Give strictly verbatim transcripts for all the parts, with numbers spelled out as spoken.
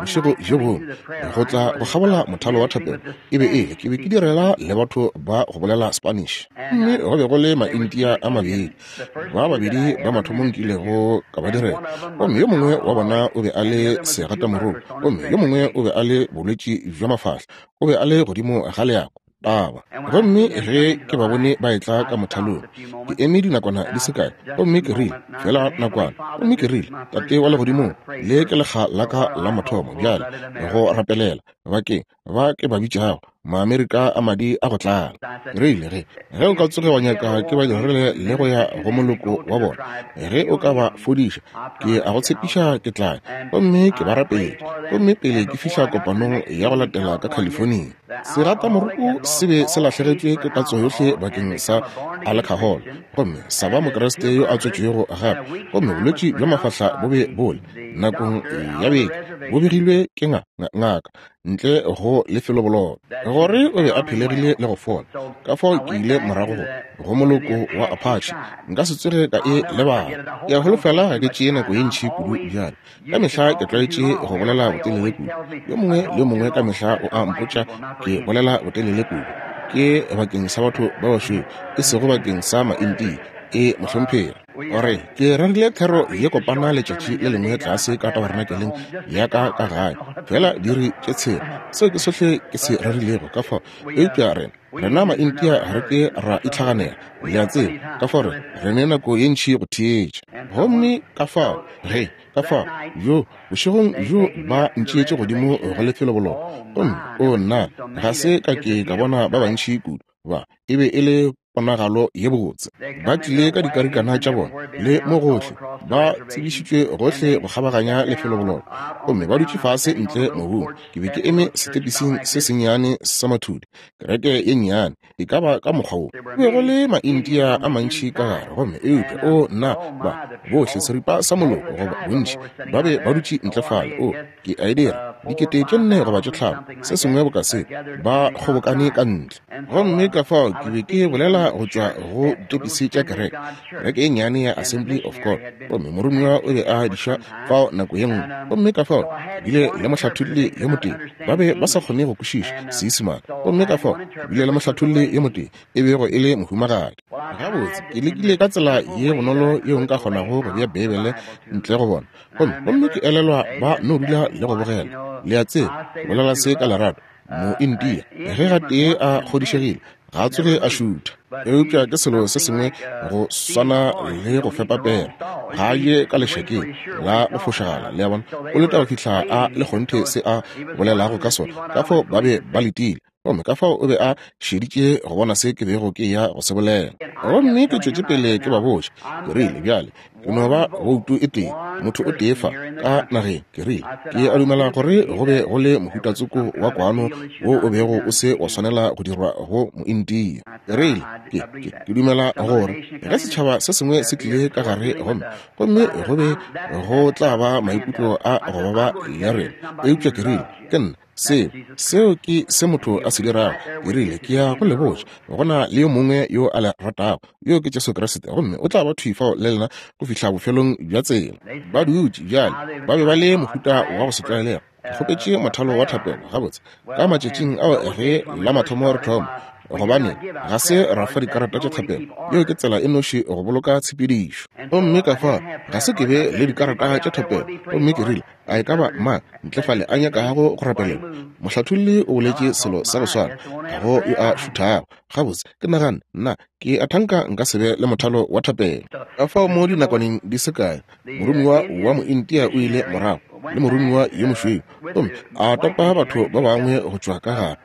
bošego bjo bongwe, go tla go kgabola mothalo wa thapelo, e be e le, ke be ke direla le batho ba go bolela Spanish. Gomme go be go le Maindia a mabedi, ba babedi ba mathomo nkilego ka ba direla. Gomme yo mongwe wa bona o be a le segatamoroko, gomme yo mongwe o be a le bolwetši bja mafahla, o be a le godimo ga leako. Taba. Gomme ge ke ba bone ba etla ka mothalong, ke eme dinakwana di se kae, gomme ke rile, feela nakwana, gomme ke rile, Tate wa Legodimong, le ke lekga la ka la mathomo bjale go rapelela bakeng ba ke ba bitšago Maamerika a madi a go tlala. Rile ge ge o ka tsoge wa nyaka ke ba dirile le go ya go moloko wa bona, ge o ka ba fodiša, ke a go tshepiša ke tla gomme ke ba rapetše. Gomme pele ke fihla kopanong ya go latela ka California, seratamoroko se be se lahlegetšwe ke tatso yohle bakeng sa alcohol, gomme sa ba Mokriste yo a tswetšwego gape, gomme bolwetši bja mafahla bo be bole nakong ya beke bo begilwe ke ngaka ntle go lefeloboloko gore o be a phelegile le go fola. Ka fao ke ile morago go go moloko wa Apache, nka se tsoge ka e lebala. Ke a holofela ga ke tšee nako ye ntši kudu bjale. Ka mehla ke tlwaetše go bolela botelele kudu. Yo mongwe le yo mongwe ka mehla o a mpotša ke bolela botelele kudu. Ke bakeng sa batho ba bašweu, e sego bakeng sa Maindia. E mohlomphegi. Gore ke rerile thero ye kopana letšatši le lengwe tlase ka tabernakeleng ya ka ka gae, fela diri tše tshela. Seo ke sohle ke se rerilego ka fao. Eupša rena rena Maindia re ke ra itlhaganela, le a tseba, ka fao re re ne nako ye ntši go theetša. Gomme ka fao ge ka fao jo bošegong bjo ba ntšeetše godimo go lefeloboloko, gomme o nna ga se ka ke ka bona ba bantši kudu ba e be e le ponagalo ye botse. Ba tlile ka dikarikana tša bona le mo gohle, ba tsebišitšwe gohle go kgabaganya lefeloboloko, gomme ba dutše fase ntle mobung. Ke be ke eme setepising se sennyane sa mathudi, kereke ye nnyane e ka ba ka mokgwa wo. Go be go le Maindia a mantši ka gare, gomme eupša o nna ba bohle seripa sa moloko goba bontši ba be ba dutše ntle fale. O ke a e dira dikete tše nne goba tše tlhano, se sengwe boka se, ba kgobokane ka ntle. Gomme ka fao ke be ke bolela go tšwa go ditepisi tša kereke, kereke e nnyane ya Assembly of God, gomme moromiwa o be a diša fao nako ye nngwe. Gomme ka fao ke bile le mohlatholli yo motee, ba be ba sa kgone go kwešiša Seisemane. Gomme ka fao ke bile le mohlatholli yo motee e bego e le mohumagadi. Gabotse ke lekile ka tsela ye bonolo yeo nka kgonago go bea Beibele ntle go bona, gomme gomme ke elelwa ba no dula le go bogela. Le a tseba, bolela se ka lerato, Moindia ge gatee a kgodišegile ga a tsoge a šutha. Eupša ke selo se sengwe go swana le go fepa pere, ga a je ka lešakeng la go fošagala, le a bona, o leta go fihla a le kgonthe se a bolelago ka sona. Ka fao ba be ba letile, gomme ka fao o be a šeditše go bona se ke bego ke ya go se bolela. Gomme ke tšwetše pele ke ba botša, ke rile, bjale ke no ba boutu e tee, motho o tee fa ka nageng. Ke rile, ke a dumela gore go be go le mohutatsoko wa kwano wo o bego o se wa swanela go dirwa go Moindia. Ke rile, ke, ke, ke dumela gore ge setšhaba se sengwe se tlile ka gare gomme gomme go be go tla ba maikutlo a go baba le rena. Eupša ke rile, ke nna seo seo ke se motho a se dirago. Ke rile, ke ya go le botša, go na le yo mongwe yo a le ratago, yo ke Jesu Kriste, gomme o tla ba thwi fao le lena go fihla bofelong bja tsela. Ba dutše bjale, ba be ba le mohuta wa go se tlwaelega. Ke kgopetše mothalo wa thapelo gabotse ka matšatšing ao ge la mathomo re thoma, gobane ga se ra fa dikarata tša thapelo. Yeo ke tsela e noši go boloka tshepedišo. Gomme ka fao ga se ke be le dikarata tša thapelo. Gomme ke rile, a e ka ba mang ntle fale a nyakago go rapelelwa? Mohlatholli o boletše selo sa go swana, ga go yo a šuthago. Gabotse ke nagane, nna ke a thanka nka se be le mothalo wa thapelo. Ka fao mo dinakwaneng di se kae, moromiwa wa Moindia o ile morago le moromiwa yo mošweu, gomme a topa batho ba bangwe go tšwa ka gare.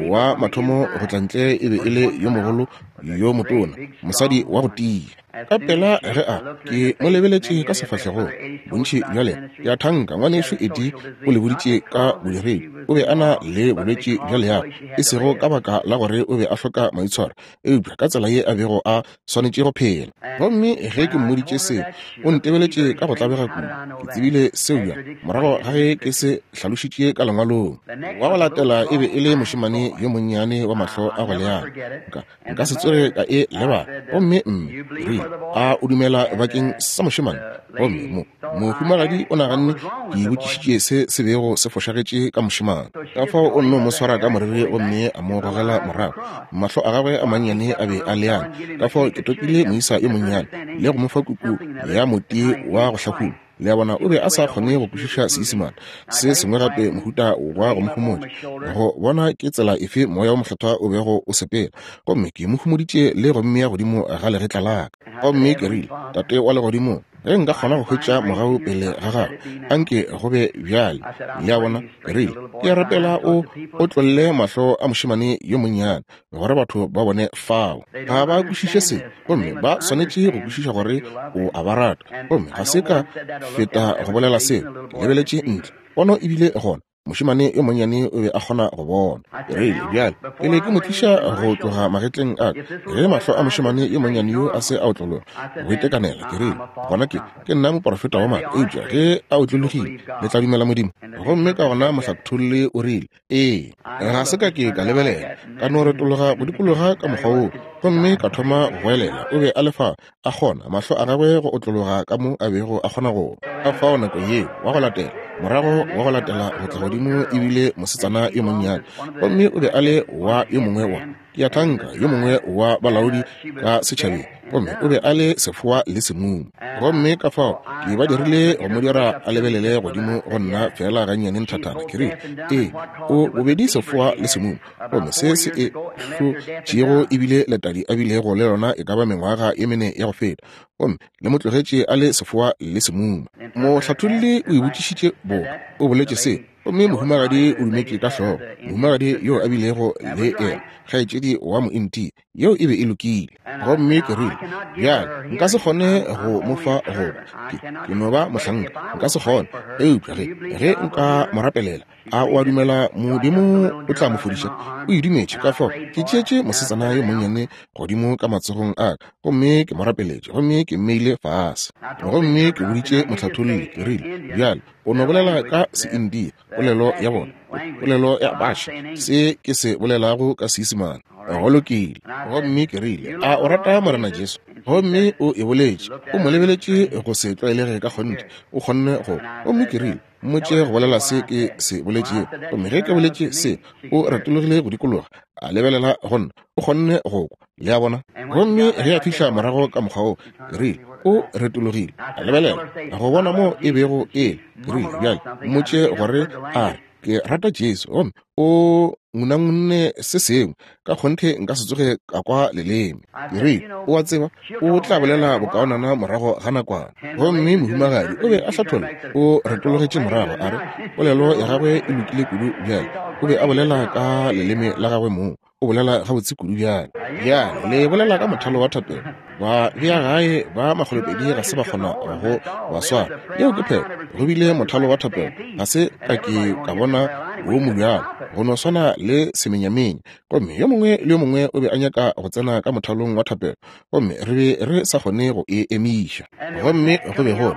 Wa mathomo go tla ntle e be e le yo mogolo yo motona, mosadi wa go tia. Ka pela ge a ke mo lebeletše ka sefahlegong, bontši bja lena ke a thanka ngwanešu Eddie o le boditše ka bodiredi, o be a na le bolwetši bja leago, e sego ka baka la gore o be a hloka maitshwaro, eupša ka tsela ye a bego a swanetše go phela. Gomme ge ke mmoditše seo, o ntebeletše ka go tlabega kudu. Ke tsebile seo bjang morago ga ge ke se hlalošitše ka lengwalong. Wa go latela e be e le mošemane yo monnyane wa mahlo a go leana. Nka nka se tsoge ka e lebala. Gomme mme rile, a o dumela bakeng sa mošemane? Gomme mo mohumagadi o naganne ke botšišitše se se bego se fošagetše ka mošemane. Ka fao o nno mo swara ka moriri gomme a mo gogela morago. Mahlo a gagwe a mannyane a be a leana. Ka fao ke topile moisa yo monnyane le go mo fa kuku ya moti wa go hlakula. Le a bona, o be a sa kgone go kwešiša Seisemane. Se sengwe gape, mohuta wa go mo homotša, go bona ke tsela efe moya wa Mokgethwa o bego o sepela. Gomme ke mo homoditše le go mmea godimo ga legetla la ka. Gomme ke rile, Tate wa legodimo, Ge nka kgona go hwetša mogau pele ga gago, anke go be bjale. Le a bona? Ke rile, ke a rapela o otlolle mahlo a mošemane yo monnyane, gore batho ba bone fao. Ga ba kwešiše se, gomme ba swanetše go kwešiša gore o a ba rata. Gomme ga se ka feta go bolela seo. Ke lebeletše ntle, pono e bile gona. Mošemane yo monnyane o be a kgona go bona. Ke rile, bjale, pele ke mo tliša go tloga magetleng a ka, ge mahlo a mošemane yo monnyane yo a se a otlologa go itekanela, ke rile, gona ke ke nna moprofeta wa maaka, eupša ge a otlologile le tla dumela Modimo. Gomme ka gona mohlatholli o rile, ee, ga se ka ke ka lebelela, ka no retologa go dikologa ka mokgwa woo, gomme ka thoma go goelela. O be a le fa, a kgona mahlo a gagwe go otlologa ka mo a bego a kgona go. Ka fao nako yeo wa go latela, morago wa go latela go tla godimo ebile mosetsana yo monnyane, gomme o be a le wa yo mongwe wa, ke a thanka, yo mongwe wa balaodi ka setšhabeng, gomme o be a le sefoa le semumu. Gomme ka fao ke ba dirile go mo dira a lebelele godimo go nna fela gannyane nthathana. Ke rile, ee, o bobedi sefoa le semumu, gomme se se e hlotšego ebile letadi a bilego le lona e ka ba mengwaga ye mene ya go feta, gomme le mo tlogetše a le sefoa le semumu. Mohlatholli o e botšišitše boka, o boletše se, gomme mohumagadi o dumetše ka hlogo. Mohumagadi yo a bilego le yena, kgaetšedi wa mointi, yeo e be e lokile. Gomme ke rile, bjale nka se kgone go mo fa goba ke, ke no ba mohlanka, nka se kgone, eupša ge ge nka mo rapelela, a o a dumela Modimo o tla mo fodiša? O e dumetše. Ka fao ke tšeetše mosetsana yo monnyane godimo ka matsogong a ka, gomme ke mo rapeletše, gomme ke mmeile fase. Gomme ke boditše mohlatholli, ke rile, bjale o no bolela ka Seindia, polelo ya bona, polelo ya Baša, se ke se bolelago ka Seisemane. Go lokile. Gomme ke rile, a o rata Morena Jesu? Gomme o e boletše, o mo lebeletše go se tlwaelege ka kgonthe, o kgonne go. Gomme ke rile, mmotše go bolela se ke se boletšego. Gomme ge ke boletše se, o retologile go dikologa, a lebelela go nna, o kgonne go kwa. Le a bona? Gomme ge a fihla morago ka mokgwa wo, ke rile, o retologile, a lebelela go bona mo e bego e le. Ke rile, bjale mmotše gore a re, ke rata Jesu, gomme o ngunangunne se sengwe, ka kgonthe nka se tsoge ka kwa leleme. Ke rile, o a tseba, o tla bolela bokaonana morago ga nakwana. Gomme mohumagadi o be a hlatholla, o retologetše morago, a re polelo ya gagwe e lokile kudu bjale. O be a bolela ka leleme la gagwe mong, o bolela gabotse kudu bjale. Bjale le bolela ka mothalo wa thapelo, ba bea gae ba makgolopedi ga se ba kgona go ba swara. Yeo ke phetho. Go bile mothalo wa thapelo, ga se ka ke ka bona wo mobjalo, go no swana le semenyamenya. Gomme yo mongwe le yo mongwe o be a nyaka go tsena ka mothalong wa thapelo, gomme re be re sa kgone go e emiša. Gomme go be go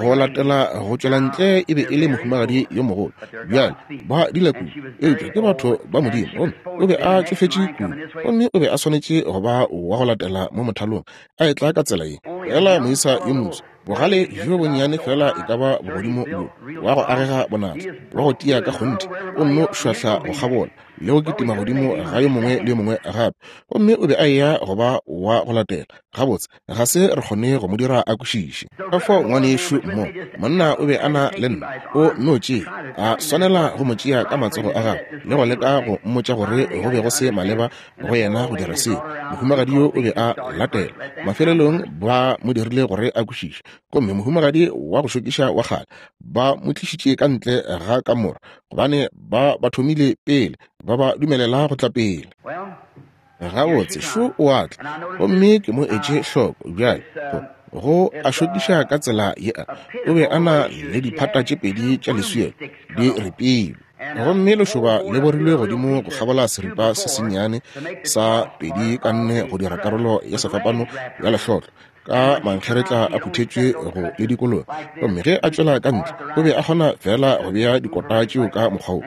go latela go tšwela ntle e be e le mohumagadi yo mogolo. Bjale ba dila kudu, eupša ke batho ba Modimo, gomme o be a tšofetše kudu, gomme o be a swanetše go ba wa go latela mo mothalong, a etla ka tsela ye. Fela moisa yo moso, bogale bjo bonnyane fela e ka ba bogodimo bjo, wa go agega bonatla, wa go tia ka kgonthe, o nno šwahla go kgabola le go kitima godimo ga yo mongwe le yo mongwe gape. Gomme o be a eya go ba wa go latela. Gabotse ga se re kgone go mo dira a kwešiše. Ka fao ngwanešu mo, monna o be a na le nna, o nno tšea, a swanela go mo tšea ka matsogo a gagwe le go leka go mmotša gore go be go se maleba go yena go dira seo. Mohumagadi yo o be a latela. Mafelelong ba mo dirile gore a kwešiše. Gomme mohumagadi wa go šokiša wa kgale ba mo tlišitše ka ntle ga kamora, gobane ba ba thomile pele, ba ba dumelela go tla pele. Gabotse šo o a tla, gomme ke mo etše hloko bjale go a šokiša ka tsela ye a. O be a na le diphata tše pedi tša leswielo di ripilwe, gomme lešoba le borilwe godimo go kgabola seripa se sennyane sa pedi ka nne go dira karolo ya sefapano ya lehlotlo, ka mankgeretla a phuthetšwe go le dikologa. Gomme ge a tšwela ka ntle, o be a kgona fela go bea dikota tšeo ka mokgwa wo.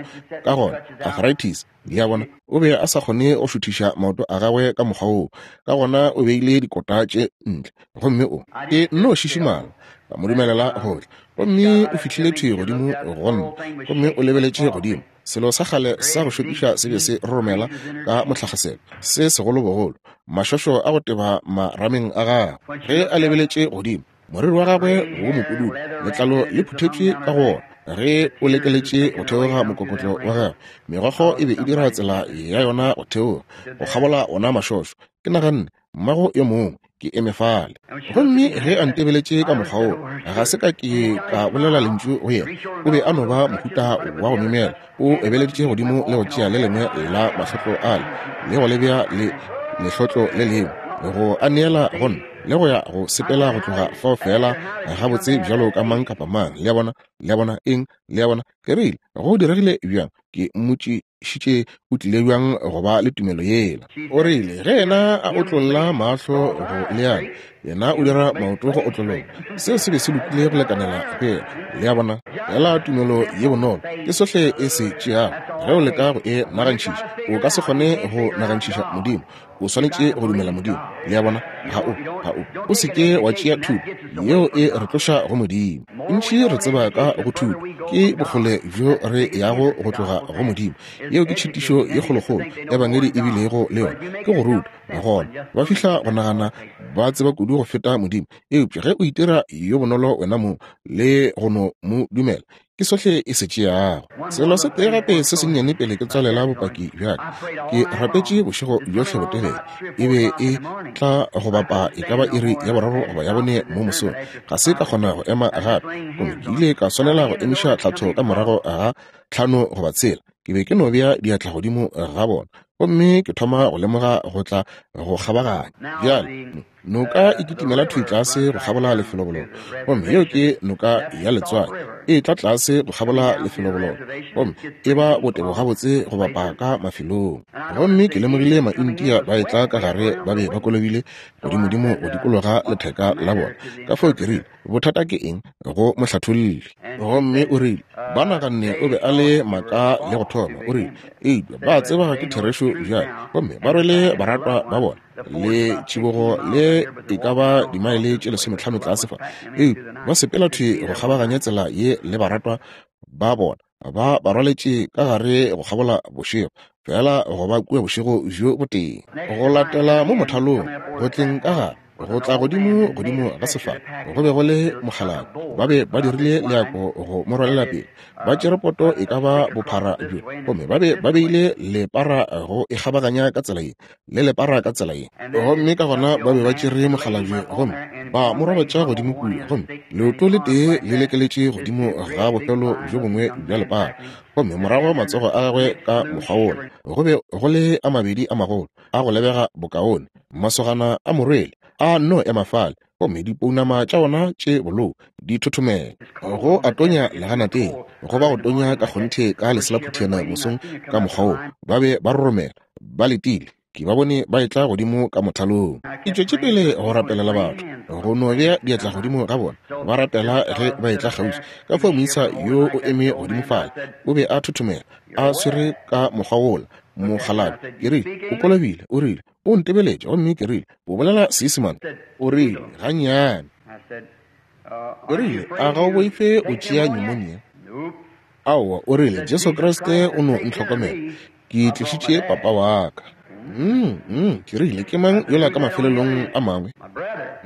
Ka gona arthritis, le a bona, o be a sa kgone go šuthiša maoto a gagwe ka mokgwa woo. Ka gona o beile dikota tše ntle, gomme o ke nno šišimala, ka mo dumelela go tla. Gomme o fihlile thwi godimo go nna, gomme o lebeletše godimo. Selo sa kgale sa go šokiša se be se roromela ka motlhagaselo se segolobogolo, mašošo a go teba marameng a gagwe. Ge a lebeletše godimo, moriri wa gagwe wo mopududu, letlalo le phuthetšwe ka go ona. Ge o lekeletše go theoga mokokotlo wa gagwe, megokgo e be e dira tsela ya yona go theoga go kgabola ona mašošo. Ke naganne, mmago yo mongwe, Ke eme fale. Gomme ge a ntebeletše ka mokgwa woo, ga se ka ke ka bolela lentšu go yena. O be a no ba mohuta wa go myemyela. O ebeleditše godimo le go tšea le lengwe la mahlotlo ale le go le bea le lehlotlo le lengwe, go a neela go nna, le go ya go sepela go tloga fao fela gabotse bjalo ka mang kapa mang. Le a bona? Le a bona eng? Le a bona? Ke rile, go diregile bjang? Ke mmotšišitše o tlile bjang go ba le tumelo yela. O rile, ge yena a otlolla mahlo go leana, yena o dira maoto go otlologa. Seo se be se lokile go lekanela go yena. Le a bona? Fela tumelo ye bonolo ke sohle e se tšeago. Ge o leka go e nagantšhiša, o ka se kgone go nagantšhiša Modimo. O swanetše go dumela Modimo. Le a bona? Ga o, ga o. O se ke wa tšea thuto yeo e re tloša go Modimo. Ntši re tseba ka go thuto ke bokgole bjo re yago go tloga go Modimo. Yeo ke tšhitišo ye kgolokgolo ebangedi e bilego le yona, ke go ruta. Gona ba fihla go nagana ba tseba kudu go feta Modimo. Eupša ge o itira yo bonolo wena mong le go no mo dumela, ke sohle e se tšeago. Selo se tee gape se sennyane pele ke tswalela bopaki bja ka. Ke rapetše bošego bjohle botelele. E be e tla go bapa e ka ba iri ya boraro goba ya bone mo mosong. Ga se ka kgona go ema gape, gomme ke ile ka swanela go emiša tlhatho ka morago ga tlhano goba tshela. Ke be ke no bea diatla godimo ga bona, gomme ke thoma go lemoga go tla go kgabaganya. Bjale noka e kitimela thwi tlase go kgabola lefelobololo, gomme yeo ke noka ya letswai. E tla tlase go kgabola lefelobololo, gomme e ba botebo gabotse go bapa ka mafelong. Gomme ke lemogile Maindia ba etla ka gare, ba be ba kolobile godimodimo go dikologa letheka la bona. Ka fao ke rile, bothata ke eng go mohlatholli? Gomme o rile, ba naganne o be a le maaka le go thoma. O rile, eupša ba tseba ke therešo bjale, gomme ba rwele baratwa ba bona le tšibogo le e ka ba dimaele tše lesometlhano tlase fa, eupša ba sepela thwi go kgabaganya tsela ye le baratwa ba bona, ba ba rwaletše ka gare go kgabola bošego, fela go ba kua bošego bjo botee. Go latela mo mothalong, go tleng ka gare, go tla godimo godimo ga sefala, go be go le mokgalabje. Ba be ba dirile leako go mo rwalela pele. Ba tšere poto e ka ba bophara bjo, gomme ba be ba beile lepara go e kgabaganya ka tsela ye le lepara ka tsela ye. Gomme ka gona ba be ba tšere mokgalabje gomme ba mo robatša godimo kua, gomme leoto le tee le lekeletše godimo ga bofelo bjo bongwe bja lepara, gomme morago matsogo a gagwe ka mokgwa wola. Go be go le a mabedi a magolo a go lebega bokaone. Masogana a morwele a no ema fale, gomme dipounama tša ona tše bolou di thothomela. Go a tonya leganateng, go ba go tonya ka kgonthe ka leselaphuthena mosong ka mokgwa woo. Ba be ba roromela, ba letile. Ke ba bone ba etla godimo ka mothalong. Ke tšwetše pele go rapelela batho, go no bea diatla godimo ga bona, ba rapela ge ba etla kgauswi. Ka fao moisa yo o eme godimo fale, o be a thothomela, a swere ka mokgwa wola mokgalabje. Ke rile, o kolobile. O rile, o ntebeletše, gomme ke rile, o bolela Seisemane? O rile, gannyane. O rile, a ga o boife o tšea pneumonia? Aowa, o rile, Jesu Kriste o no ntlhokomela. Ke tlišitše papa wa ka. Mm, mm, ke rile, ke mang yola ka mafelelong a mangwe?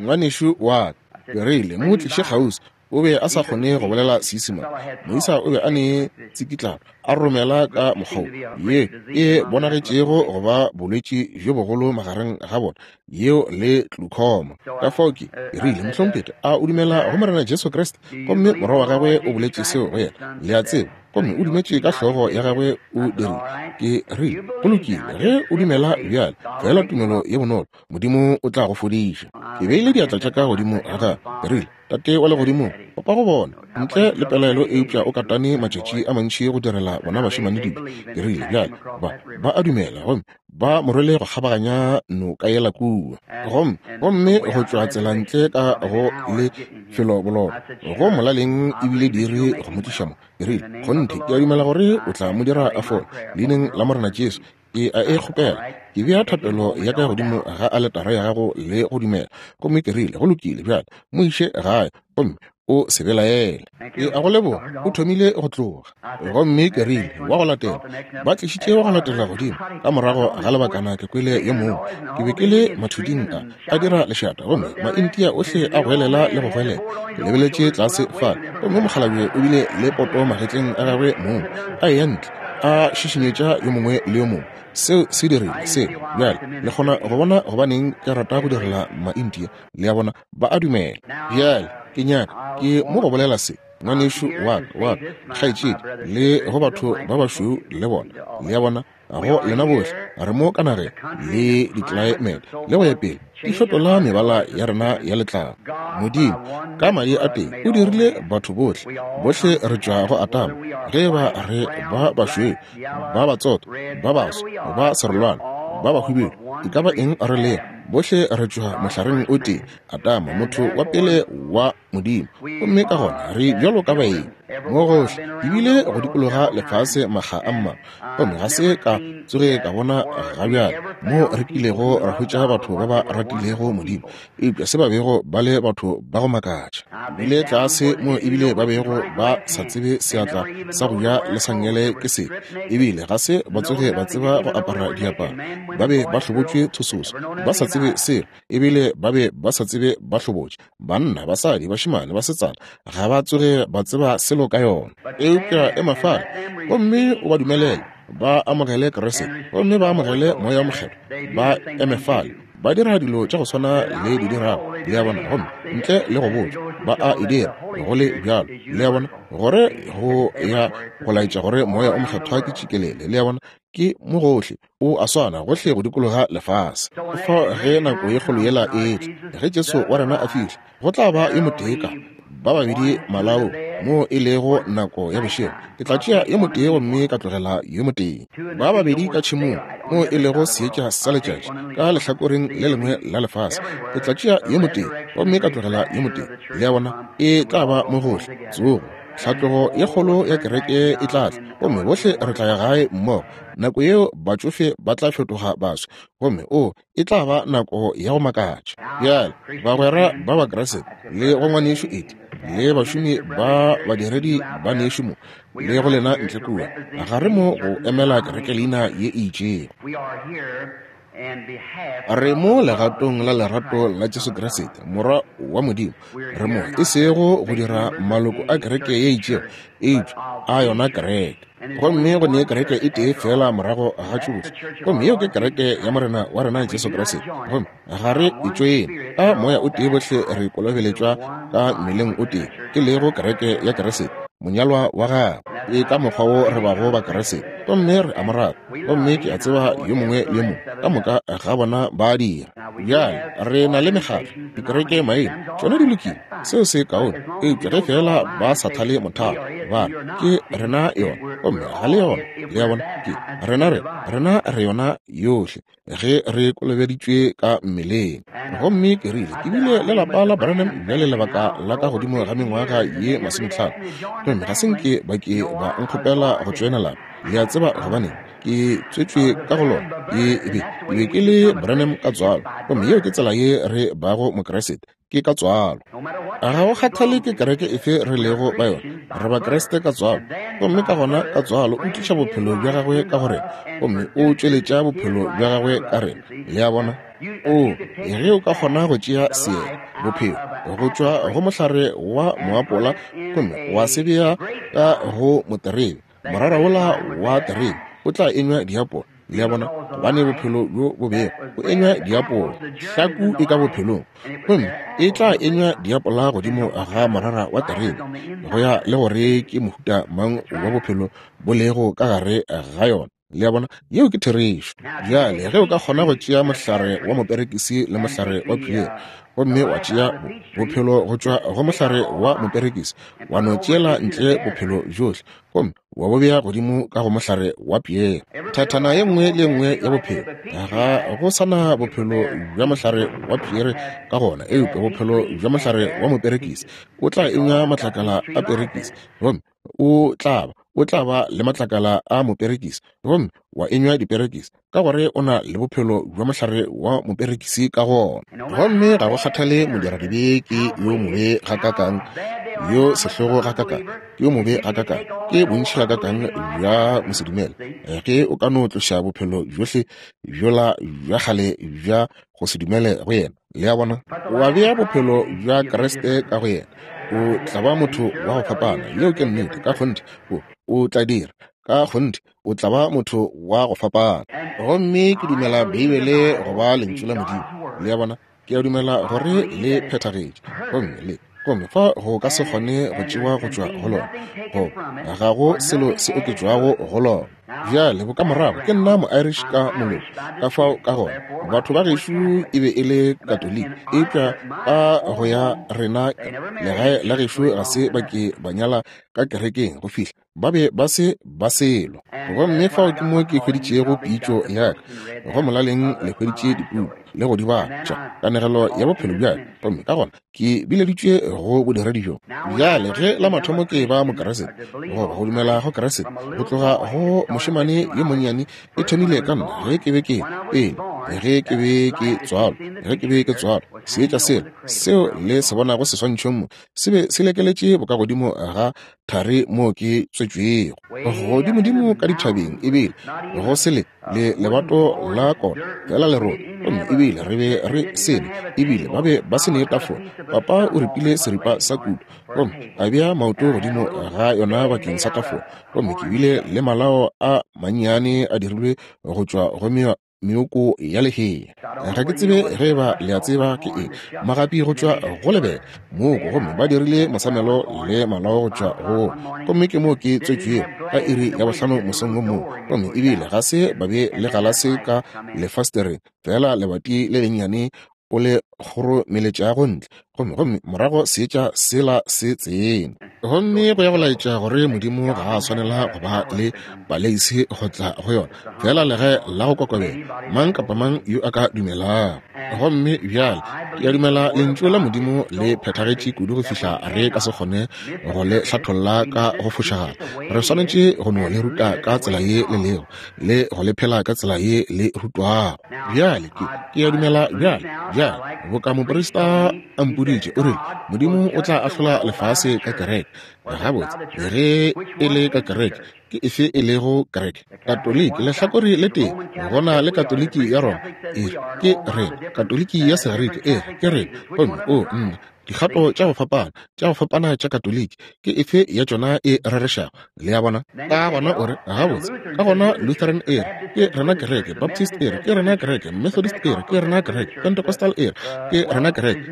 Ngwanešu wa ka. Ke rile, mo tliše kgauswi. O be a sa kgone go bolela Seisemane. Moisa o be a ne tsikitlano, a romela ka mokgwa ye e bonagetšego go ba bolwetši bjo bogolo magareng ga bona, yeo le glaucoma. Ka fao ke rile, mohlompheti, a o dumela go Morena Jesu Kriste? Gomme morwa wa gagwe o boletše seo go yena, le a tseba, gomme o dumetše ka hlogo ya gagwe o dirile. Ke rile, go lokile, ge o dumela bjale, fela tumelo ye bonolo, Modimo o tla go fodiša. Ke beile diatla tša ka godimo ga gagwe. Ke rile, Tate wa legodimong, papa go bona ntle le pelaelo, eupša o katane matšatši a mantši go direla bona bašemane dijo. Ke rile, bjale ba ba a dumela, gomme ba mo rwele go kgabaganya noka yela kua, gomme gomme go tšwa tsela ntle ka go lefelobololo go molaleng ebile dire go mo tliša mo. Ke rile, kgonthe ke a dumela gore o tla mo dira a fole, leineng la Morena Jesu. Ke a e kgopela. Ke bea thapelo ya ka godimo ga aletara ya gago le go dumela. Gomme ke rile, go lokile bjale, mo iše gae, gomme o se belaele. Ke a go leboga. O thomile go tloga. Gomme ke rile, wa go latela. Ba tlišitše wa go latela godimo. Ka morago ga lebakana ke kwele yo mongwe. Ke be ke le mathuding a a dira lešata, gomme Maindia ohle a goelela le go goelela. Ke lebeletše tlase fale, gomme mokgalabje o bile le poto magetleng a gagwe mong, a eya ntle, a šišinyetša yo mongwe le yo mongwe. Seo se dirile se. Bjale le kgona go bona gobaneng ke rata go direla Maindia. Le a bona, ba a dumela. Bjale ke nyaka ke mo go bolela se, ngwanešu wa ka, wa ka, kgaetšedi, le go batho ba bašweu le bona. Le a bona, go lena bohle re mo ka nageng le ditlelaemete le go ya pele di fetola mebala ya rena ya letlalo. Modimo ka madi a teng o dirile batho bohle. Bohle re tšwa go Atamo, ge ba re ba bašweu, ba batsotho, ba baso, ba serolwana, ba bahubedu, e ka ba eng re lego, bohle re tšwa mohlareng o tee, Atamo, motho wa pele wa Modimo. Gomme ka gona re bjalo ka baeng mo gohle, ebile go dikologa lefase makga a mmalwa. Gomme ga se ka tsoge ka bona ga bjale mo re kilego ra hwetša batho ba ba ratilego Modimo, eupša se ba bego ba le batho ba go makatša. Bile tlase mo ebile ba bego ba sa tsebe seatla sa go ja le sangele ke sefe, ebile ga se ba tsoge ba tseba go apara diaparo. Ba be ba hlobotšwe thososo, ba sa tsebe selo, ebile ba be ba sa tsebe ba hlobotše. Banna, basadi, bašemane, basetsana, ga ba tsoge ba tseba selo ka yona. Eupša ema fale gomme o ba dumelele ba amogele Kriste, gomme ba amogele Moya o Mokgethwa. Ba eme fale, ba dira dilo tša go swana le di dirago. Le a bona, gomme ntle le go botša, ba a e dira go le bjalo. Le a bona, gore go ya go laetša gore Moya o Mokgethwa ke tšikelele. Le a bona, ke mo gohle, o a swana gohle go dikologa lefase. Fao ge nako ye kgolo yela e tla, ge Jesu wa rena a fihla, go tla ba yo motee ka ba babedi malao mo e lego nako ya bošego. Ke tla tšea yo motee gomme ka tlogela yo motee. Ba babedi ka tšhemong mo e lego seetša sa letšatši ka lehlakoreng le lengwe la lefase. Ke tla tšea yo motee gomme ka tlogela yo motee. Le a bona, e tla ba mo gohle. Tsogo, tlhatlogo ye kgolo ya kereke e tla tla, gomme bohle re tla ya gae mmogo. Nako yeo batšofe ba tla fetoga baswa, gomme o e tla ba nako ya go makatša. Bjale bagwera ba Bakriste le go ngwanešu Edi le bašomi ba badiredi ba nešu mo le go lena ntle kua, ga re mo go emela kereke leina ye e itšego. Re mo legatong la lerato la Jesu Kriste, Morwa wa Modimo. Re mo e sego go dira maloko a kereke ye itšego, eupša a yona kereke. Gomme go ne kereke e tee fela morago ga tšohle, gomme yeo ke kereke ya Morena wa rena Jesu Kriste. Gomme ga re e tšoene ka moya o tee, bohle re kolobeletšwa ka mmeleng o tee, ke lego kereke ya Kriste, monyalwa wa gagwe. Ke ka mokgwa wo re bago ba Kriste, gomme re a mo rata. Gomme ke a tseba yo mongwe le yo mongwe ka moka ga bona ba a dira. Bjale re na le mekgatlo, dikereke maina, tšona di lokile, seo se kaone, eupša ge fela ba sa thale mothalo, ba re ke rena yona, gomme ga le yona. Le a bona, ke rena re rena re yona yohle ge re kolobeditšwe ka mmeleng. Gomme ke rile, ke bile le lapa la Branham bjale lebaka la ka godimo ga mengwaga ye masometlhano, gomme ga se nke ba ke ba nkgopela go tšoena lapa. Le a tseba gobaneng? Ke tswetšwe ka go lona. Ke be ke be ke le Branham ka tswalo, gomme yeo ke tsela ye re bago Mokriste, ke ka tswalo. Ga go kgathale ke kereke efe re lego ba yona, re Bakriste ka tswalo. Gomme ka gona ka tswalo o tliša bophelo bja gagwe ka go rena, gomme o tšweletša bophelo bja gagwe ka rena. Le a bona? O, ge o ka kgona go tšea seela, bophelo, go tšwa go mohlare wa moapola, gomme wa se bea ka go moterebe, morara wola wa terebe o tla enywa diapola. Le a bona, gobane bophelo bjo bo bego o enywa diapola, hlaku e ka bophelong, gomme e tla enywa diapola godimo ga morara wa terebe, go ya le gore ke mohuta mang wa bophelo bo lego ka gare ga yona. Le a bona, yeo ke therešo. Bjale ge o ka kgona go tšea mohlare wa moperekisi le mohlare wa piere, gomme wa tšea bophelo go tšwa go mohlare wa moperekisi, wa no tšeela ntle bophelo bjohle, gomme wa bo bea godimo ka go mohlare wa piere, thathana ye nngwe le ye nngwe ya bophelo, ga go sana bophelo bja mohlare wa piere ka gona, eupša bophelo bja mohlare wa moperekisi o tla enywa matlakala a perekisi, gomme o tla ba o tla ba le matlakala a moperekisi, gomme wa enywa diperekisi, ka gore o na le bophelo bja mohlare wa moperekisi ka gona. Gomme ga go kgathale modiradibe ke yo mobe gakakang, yo sehlogo gakakang, ke yo mobe gakakang, ke bontši gakakang bja mosedumele, ge o ka no tloša bophelo bjohle bjola bja kgale bja go se dumele go yena. Le a bona, wa bea bophelo bja Kriste ka go yena, o tla ba motho wa go fapana. Yeo ke nnete, ka kgonthe o o tla dira, Ka kgonthe o tla ba motho wa go fapana. Gomme ke dumela Beibele go ba lentšu la Modimo. Le a bona? Ke a dumela gore le phethagetše. Gomme le gomme fa go ka se kgone go tšewa go tšwa go lona, go ga go selo se oketšwago go lona. Bjale bokamorago ke nna mo-Irish ka moloko, ka fao ka gona batho ba gešo e be e le Katoliki, eupša ka go ya rena legae la gešo ga se ba ke ba nyala ka kerekeng go fihla ba be ba se ba selo. Gomme fao ke mo ke hweditšego pitšo ya ka. Go molaleng le hweditše dipuku le go di bala tša kanegelo ya bophelo bja ka, gomme ka gona ke bileditšwe go bodiredi bjo. Bjale ge la mathomo ke ba Mokeresete, goba go dumela go Keresete, go tloga go mošemane yo monnyane, e thomile ka nna ge ke be ke pele, ge ke be ke tswalwa, ge ke be ke tswalwa, seetša sela seo le se bonago seswantšhong mo se be se lekeletše bokagodimo ga thari moo ke tswetšwego, godimodimo ka dithabeng, ebile go se le le lebato la kona fela lerole, gomme ebile re be re sene, ebile ba be ba se ne tafola. Papa o ripile seripa sa kudu gomme a bea maoto godimo ga yona bakeng sa tafola, gomme ke bile le malao a mannyane a dirilwe go tšwa go meoko ya lehea. Ga ke tsebe ge ba le a tseba ke eng, magapi go tšwa go lebele mooko, gomme ba dirile mosamelo le malao go tšwa go, gomme ke moo ke tswetšwego ka iri ya bohlano mosong wo mongwe, gomme ebile ga se ba be le galase ka lefastereng, fela lebati le lennyane o le kgoromeletšago ntle, gomme gomme morago seetša sela se tsene. Gomme go ya go laetša gore Modimo ga a swanela go ba le paleisi go tla go yona, fela legae la go kokobela, mang kapa mang yo a ka dumelago. Gomme bjale ke a dumela lentšu la Modimo le phethagetše kudu go fihla re ka se kgone go le hlatholla ka go fošagala. Re swanetše go no le ruta ka tsela ye le lego, le go le phela ka tsela ye le rutwago. Bjale ke ke a dumela bjale, bjale boka moprista a mpoditše, o rile Modimo o tla ahlola lefase ka kereke. Gabotse, ge e le ka kereke, ke efe e lego kereke? Katoliki, lehlakore le tee, gona le Katoliki ya Roma, e re ke rena, Katoliki ya Segerike, e re ke rena, gomme o nna dikgato tša go fapana, tša go fapana tša Katoliki, ke efe ya tšona e rerešago? Le a bona? Ka gona o re, gabotse, ka gona Lutheran e re ke rena kereke, Baptist e re ke rena kereke, Methodist e re ke rena kereke, Pentecostal e re ke rena kereke.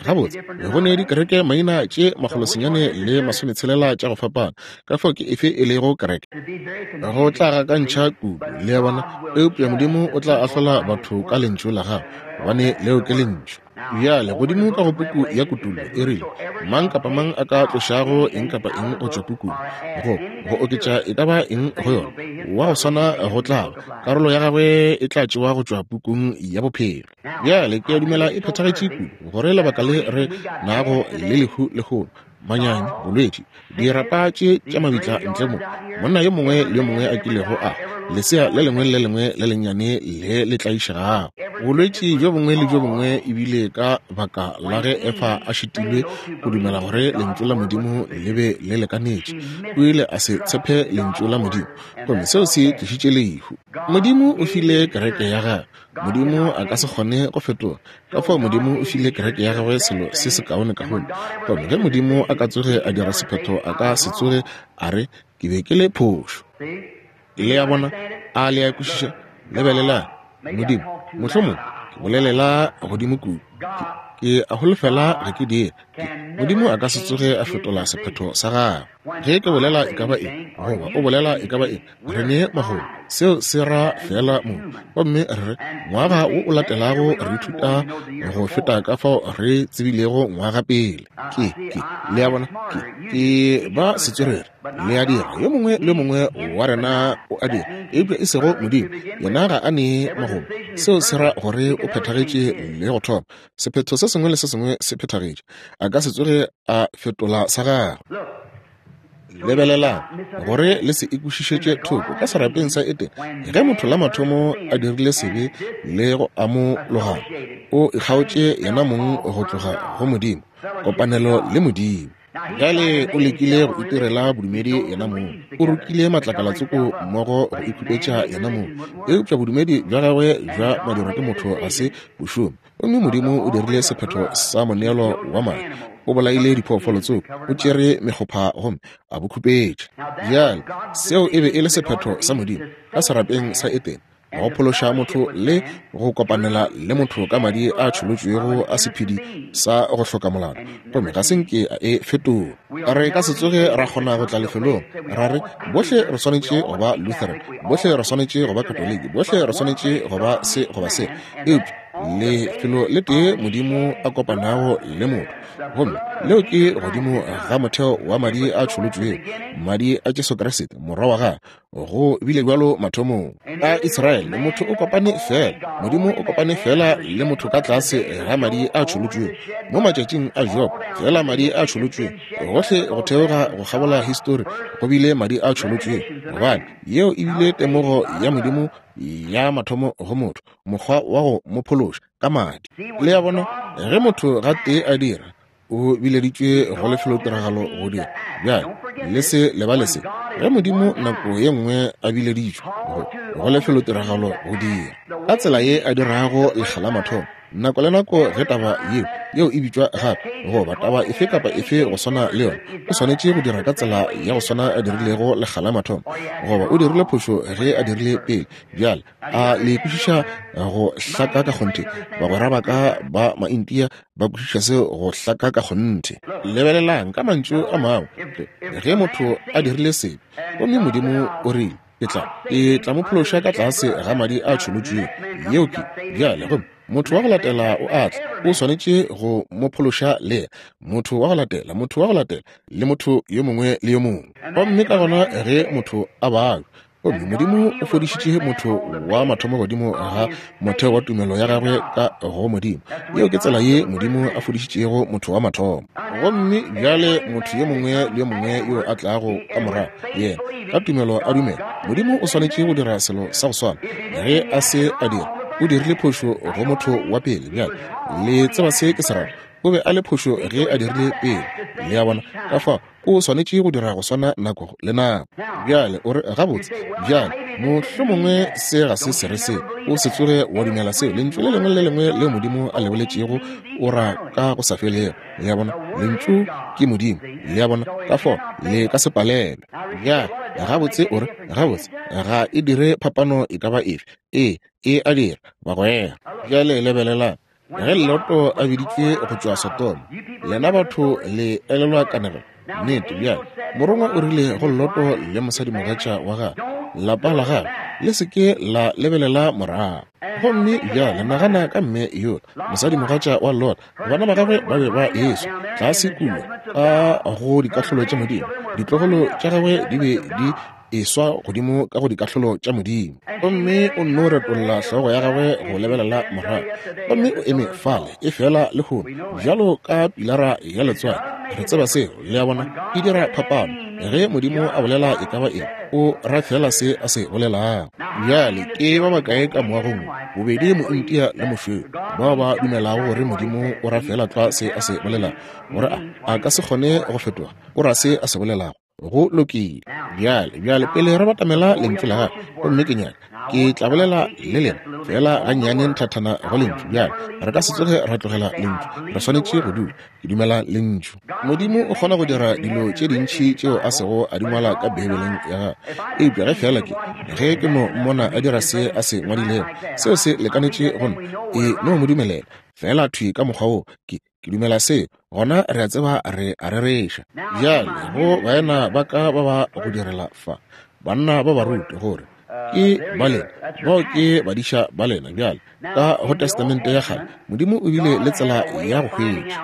Gabotse, go ne dikereke maina tše makgolosenyane le masometshelela tša go fapana, ka fao ke efe e lego kereke? Go tla gakantšha kudu, le a bona? Eupša Modimo o tla ahlola batho ka lentšu la gagwe, gobane leo ke lentšu. Bjale godimo ka go puku ya Kutullo e rile, mang kapa mang a ka tlošago eng kapa eng go tšwa pukung, go go oketša e ka ba eng go yona, wa go swana go tla ba, karolo ya gagwe e tla tšewa go tšwa pukung ya bophelo. Bjale ke a dumela e phethagetše kudu gore lebaka le re nago le lehu lehono, manyami, bolwetši, dirapa tše tša mabitla ntle mo, monna yo mongwe le yo mongwe a kilego a, lesea le lengwe le lengwe le lennyane le le tlaišegago, bolwetši bjo bongwe le bjo bongwe, ebile ka baka la ge Efa a šitilwe go dumela gore lentšu la Modimo le be le lekanetše, o ile a se tshepe lentšu la Modimo, gomme seo se tlišitše lehu. Modimo o file kereke ya gagwe. Modimo a ka se kgone go fetoga, ka fao Modimo o file kereke ya gagwe selo se sekaone kaone. Gomme ge Modimo a ka tsoge a dira sephetho, a ka se tsoge a re ke be ke le phošo. Le a bona? A le a kwešiša? Lebelelang, Modimo, mohlomong ke bolelela godimo kudu, ke a holofela ge ke dira. Modimo a ka se tsoge a fetola sephetho sa gagwe. Ge ke bolela e ka ba eng, goba o bolela e ka ba eng, re ne magomo, seo se ra fela mo. Gomme re ngwaga wo o latelago re ithuta go feta ka fao re tsebilego ngwaga pele. Ke, ke, le a bona? Ke, ke ba setswerere, le a dira, yo mongwe le mongwe wa rena o a dira, eupša e sego Modimo, yena ga a ne magomo. Seo se ra gore o phethagetše le go thoma. Sephetho se sengwe le se sengwe se phethagetše, a ka se tsoge a fetola sa gagwe. Lebelelang gore le se ikwešišetše thoko ka serapeng sa Edene, ge motho la mathomo a dirile sebe le go amologana, o ikgaotše yena mong go tloga go Modimo, kopanelo le Modimo. Bjale o lekile go itirela bodumedi yena mong, o rokile matlakalatsoko mmogo go ikhupetša yena mong, eupša bodumedi bja gagwe bja madirwa ke motho ga se bo šome. Gomme Modimo o dirile sephetho sa moneelo wa madi, O bolaile diphoofolo tsoko, o tšere mekgopha gomme a bo khupetša. Bjale seo e be e le sephetho sa Modimo ka serapeng sa Etene, go phološa motho le go kopanela le motho ka madi a tšholotšwego a sephedi sa go hloka molato, gomme ga se nke a e fetola. Re ka se tsoge ra kgona go tla lefelong ra re bohle re swanetše go ba Lutheran, bohle re swanetše go ba Katoliki, bohle re swanetše go ba se goba se, eupša lefelo le tee Modimo a kopanago le motho, gomme leo ke godimo ga motheo wa madi a tšholotšwego, madi a Jesu Kriste morwa wa gagwe. Go bile bjalo mathomong a Israele, motho o kopane fela, Modimo o kopane fela le motho ka tlase ga madi a tšholotšwego. Mo matšatšing a Job, fela madi a tšholotšwego, gohle go theoga go kgabola histori go bile madi a tšholotšwego, gobane yeo e bile temogo ya Modimo ya mathomo go motho, mokgwa wa go mo phološa ka madi. Le a bona, ge motho ga tee a dira, o bileditšwe go lefelotiragalo go dira. Bjale le se lebale se, ge Modimo nako ye nngwe a bileditšwe go go lefelotiragalo go dira ka tsela ye a dirago lekga la mathomo, nako le nako ge taba yeo yeo e bitšwa gape goba taba efe kapa efe go swana le yona, o swanetše go dira ka tsela ya go swana a dirilego lekga la mathomo, goba o dirile phošo ge a dirile pele. Bjale a le kwešiša go hlaka ka kgonthe? Bagwera ba ka ba Maintia ba kwešiša seo go hlaka ka kgonthe. Lebelelang ka mantšu a mangwe, ge motho a dirile sebe gomme Modimo o rile ke tla ke tla mo phološa ka tlase ga madi a tšholotšwego, yeo ke bjale, gomme motho wa go latela o a tla, o swanetše go mo phološa le motho wa go latela, motho wa go latela, le motho yo mongwe le yo mongwe. Gomme ka gona ge motho a babja, gomme Modimo o fodišitše motho wa mathomo godimo ga motheo wa tumelo ya gagwe ka go Modimo. Yeo ke tsela ye Modimo a fodišitšego motho wa mathomo. Gomme bjale motho yo mongwe le yo mongwe yo a tlago ka morago, yena ka tumelo a dumela, Modimo o swanetše go dira selo sa go swana. Ge a se a dira, o dirile phošo go motho wa pele. Bjale le tseba se ke se rago, o be a le phošo ge a dirile pele. Le a bona, ka fao o swanetše go dira go swana nako le nako. Bjale o re gabotse, bjale mohlomongwe se ga se se re se, o se tsoge wa dumela seo. Lentšu le lengwe le lengwe leo Modimo a le boletšego o ra ka go sa felego. Le a bona, lentšu ke Modimo. Le a bona, ka fao le ka se palelwe. Bjale gabotse o re gabotse, ga e dire phapano e ka ba efe. Ee, e a dira, bagwera. Bjale lebelelang, ge Loto a biditšwe go tšwa Sodoma, lena batho le elelwa kanegelo. Nnete, bjale morongwa o rile go Loto le mosadimogatša wa gagwe, lapa la gagwe le se ke la lebelela morago. Gomme bjale nagana ka mme yola, mosadimogatša wa Lot, bana ba gagwe ba be ba eswa tlase kua ka go dikahlolo tša Modimo. Ditlogolo tša gagwe di be di eswa godimo ka go dikahlolo tša Modimo. Gomme o nno retolla hlogo ya gagwe go lebelela morago, gomme o eme fale e fela lehono bjalo ka pilara ya letswai. Re tseba seo, le a bona, e dira phapano. Ge Modimo a bolela e ka ba eng, o ra fela se a se bolelago. Bjale ke ba bakae ka moagong, bobedi Mointia le mošweu, bao ba dumelago gore Modimo o ra fela tlwa se a se bolelago, gore a a ka se kgone go fetoga, o ra se a se bolelago. Go lokile. Bjale, bjale pele re batamela lentšu la gagwe, gomme ke nyaka ke tla bolela le lena fela gannyane nthathana go lentšu. Bjale re ka se tsoge ra tlogela lentšu, re swanetše go dula. Ke dumela lentšu. Modimo o kgona go dira dilo tše dintši tšeo a sego a di ngwala ka Beibeleng ya gagwe, eupša ge fela ke ge ke no mmona a dira se a se ngwadilego, seo se lekanetše go nna. E no mo dumelela fela thwi ka mokgwa wo ke ke dumela seo, gona re a tseba re a rereša. Bjale go baena ba ka ba ba go direla fa, banna ba baruti, gore ke ba lena, bao ke badiša ba lena. Bjale ka go Testamente ya kgale, Modimo o bile le tsela ya go hwetša,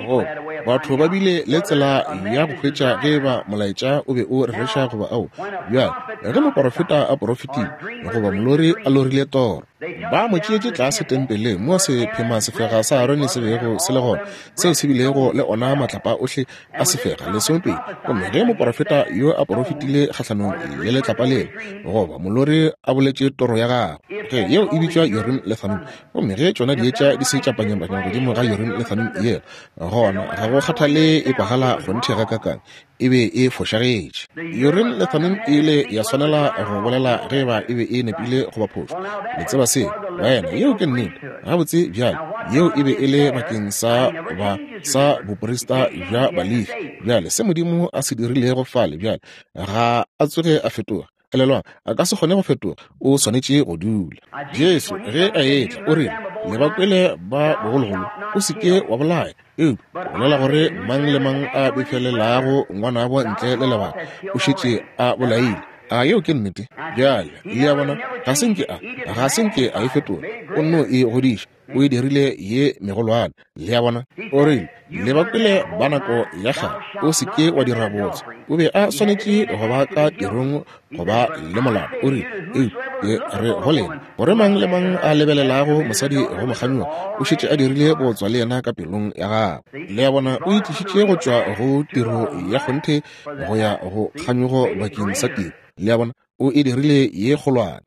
go batho ba bile le tsela ya go hwetša ge ba molaetša o be o rereša goba ao. Bjale ge moporofeta a porofetile goba molori a lorile toro, ba mo tšeetše tlase tempeleng mo sephema sefega sa Arone se bego se le gona, seo se bilego le ona matlapa ohle a sefega lesomepedi. Gomme ge moporofeta yo a porofetile kgahlanong le letlapa leo, goba molori a boletše toro ya gagwe, ge yeo e bitšwa Urim le Thummim, gomme ge tšona dietša di se tša panyapanya godimo ga Urim le Thummim yela, gona ga go kgathale e kwagala kgonthe ga kakang, e be e fošagetše. Urim le Thummim e ile ya swanela go bolela ge ba e be e nepile goba phošo. Le tseba seo, baena, yeo ke nnete. Gabotse bjale, yeo e be e le bakeng sa ba sa boprista bja Balefi. Bjale se Modimo a se dirilego fale bjale ga a tsoge a fetoga. Elelwang, a ka se kgone go fetoga, o swanetše go dula. Jesu ge a etla o rile, le ba kwele ba bogologolo, o se ke wa bolaya, eupša bolela gore mang le mang a befelelago ngwanabo ntle le lebaka o šetše a bolaile. A yeo ke nnete? Bjale le a bona, ga se nke a ga se nke a e fetola, o nno e godiša, o e dirile ye megolwane. Le a bona, o rile, le ba kwele ba nako ya kgale, o se ke wa dira bootswa. O be a swanetše go ba ka tirong go ba le molato. O rile, eupša ke re go lena, gore mang le mang a lebelelago mosadi go mo kganyoga o šetše a dirile bootswa le yena ka pelong ya gagwe. Le a bona, o itlišitše go tšwa go tiro ya kgonthe go ya go kganyogo bakeng sa tiro. Le a bona, o e dirile ye kgolwane.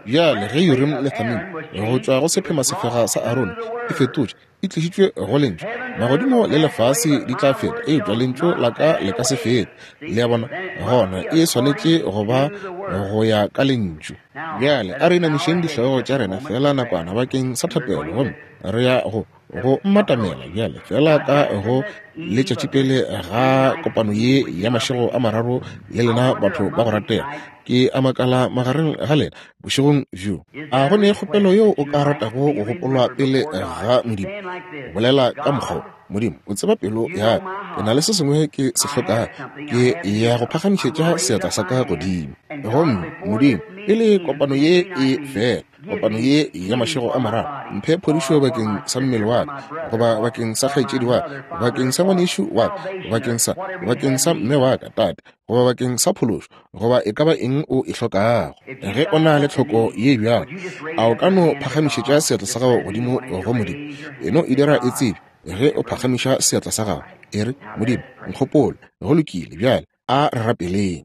Bjale ge Urim le Thummim go tšwa go sephema sefega sa Arone e fetotše, e tlišitšwe go lentšu, magodimo le lefase di tla feta, eupša lentšu la ka le ka se fete. Le a bona, gona e swanetše go ba go ya ka lentšu. Bjale a re inamišeng dihlogo tša rena fela nakwana bakeng sa thapelo, gomme re ya go go mmatamela bjale fela ka go letšatši pele ga kopano ye ya mašego a mararo le lena batho ba go ratega. Ke a makala magareng ga lena bošegong bjo, a go ne kgopelo yeo o ka ratago go gopolwa pele ga Modimo? Bolela ka mokgwa, Modimo o tseba pelo ya ka, ke na le se sengwe ke se hlokago, ke ya go phagamišetša seatla sa ka godimo. Gomme Modimo, pele kopano ye e fela, kopano ye ya mašego a mararo, mphe phodišo bakeng sa mmele wa ka, goba bakeng sa kgaetšedi wa ka, bakeng sa ngwanešu wa ka, bakeng sa bakeng sa mme wa ka, tate, goba bakeng sa phološo, goba e ka ba eng o e hlokago. Ge o na le tlhoko ye bjalo, a o ka no phagamišetša seatla sa gago godimo go Modimo? E no e dira e tsebe ge o phagamiša seatla sa gago, e re, Modimo, nkgopole. Go lokile, bjale a re rapeleng.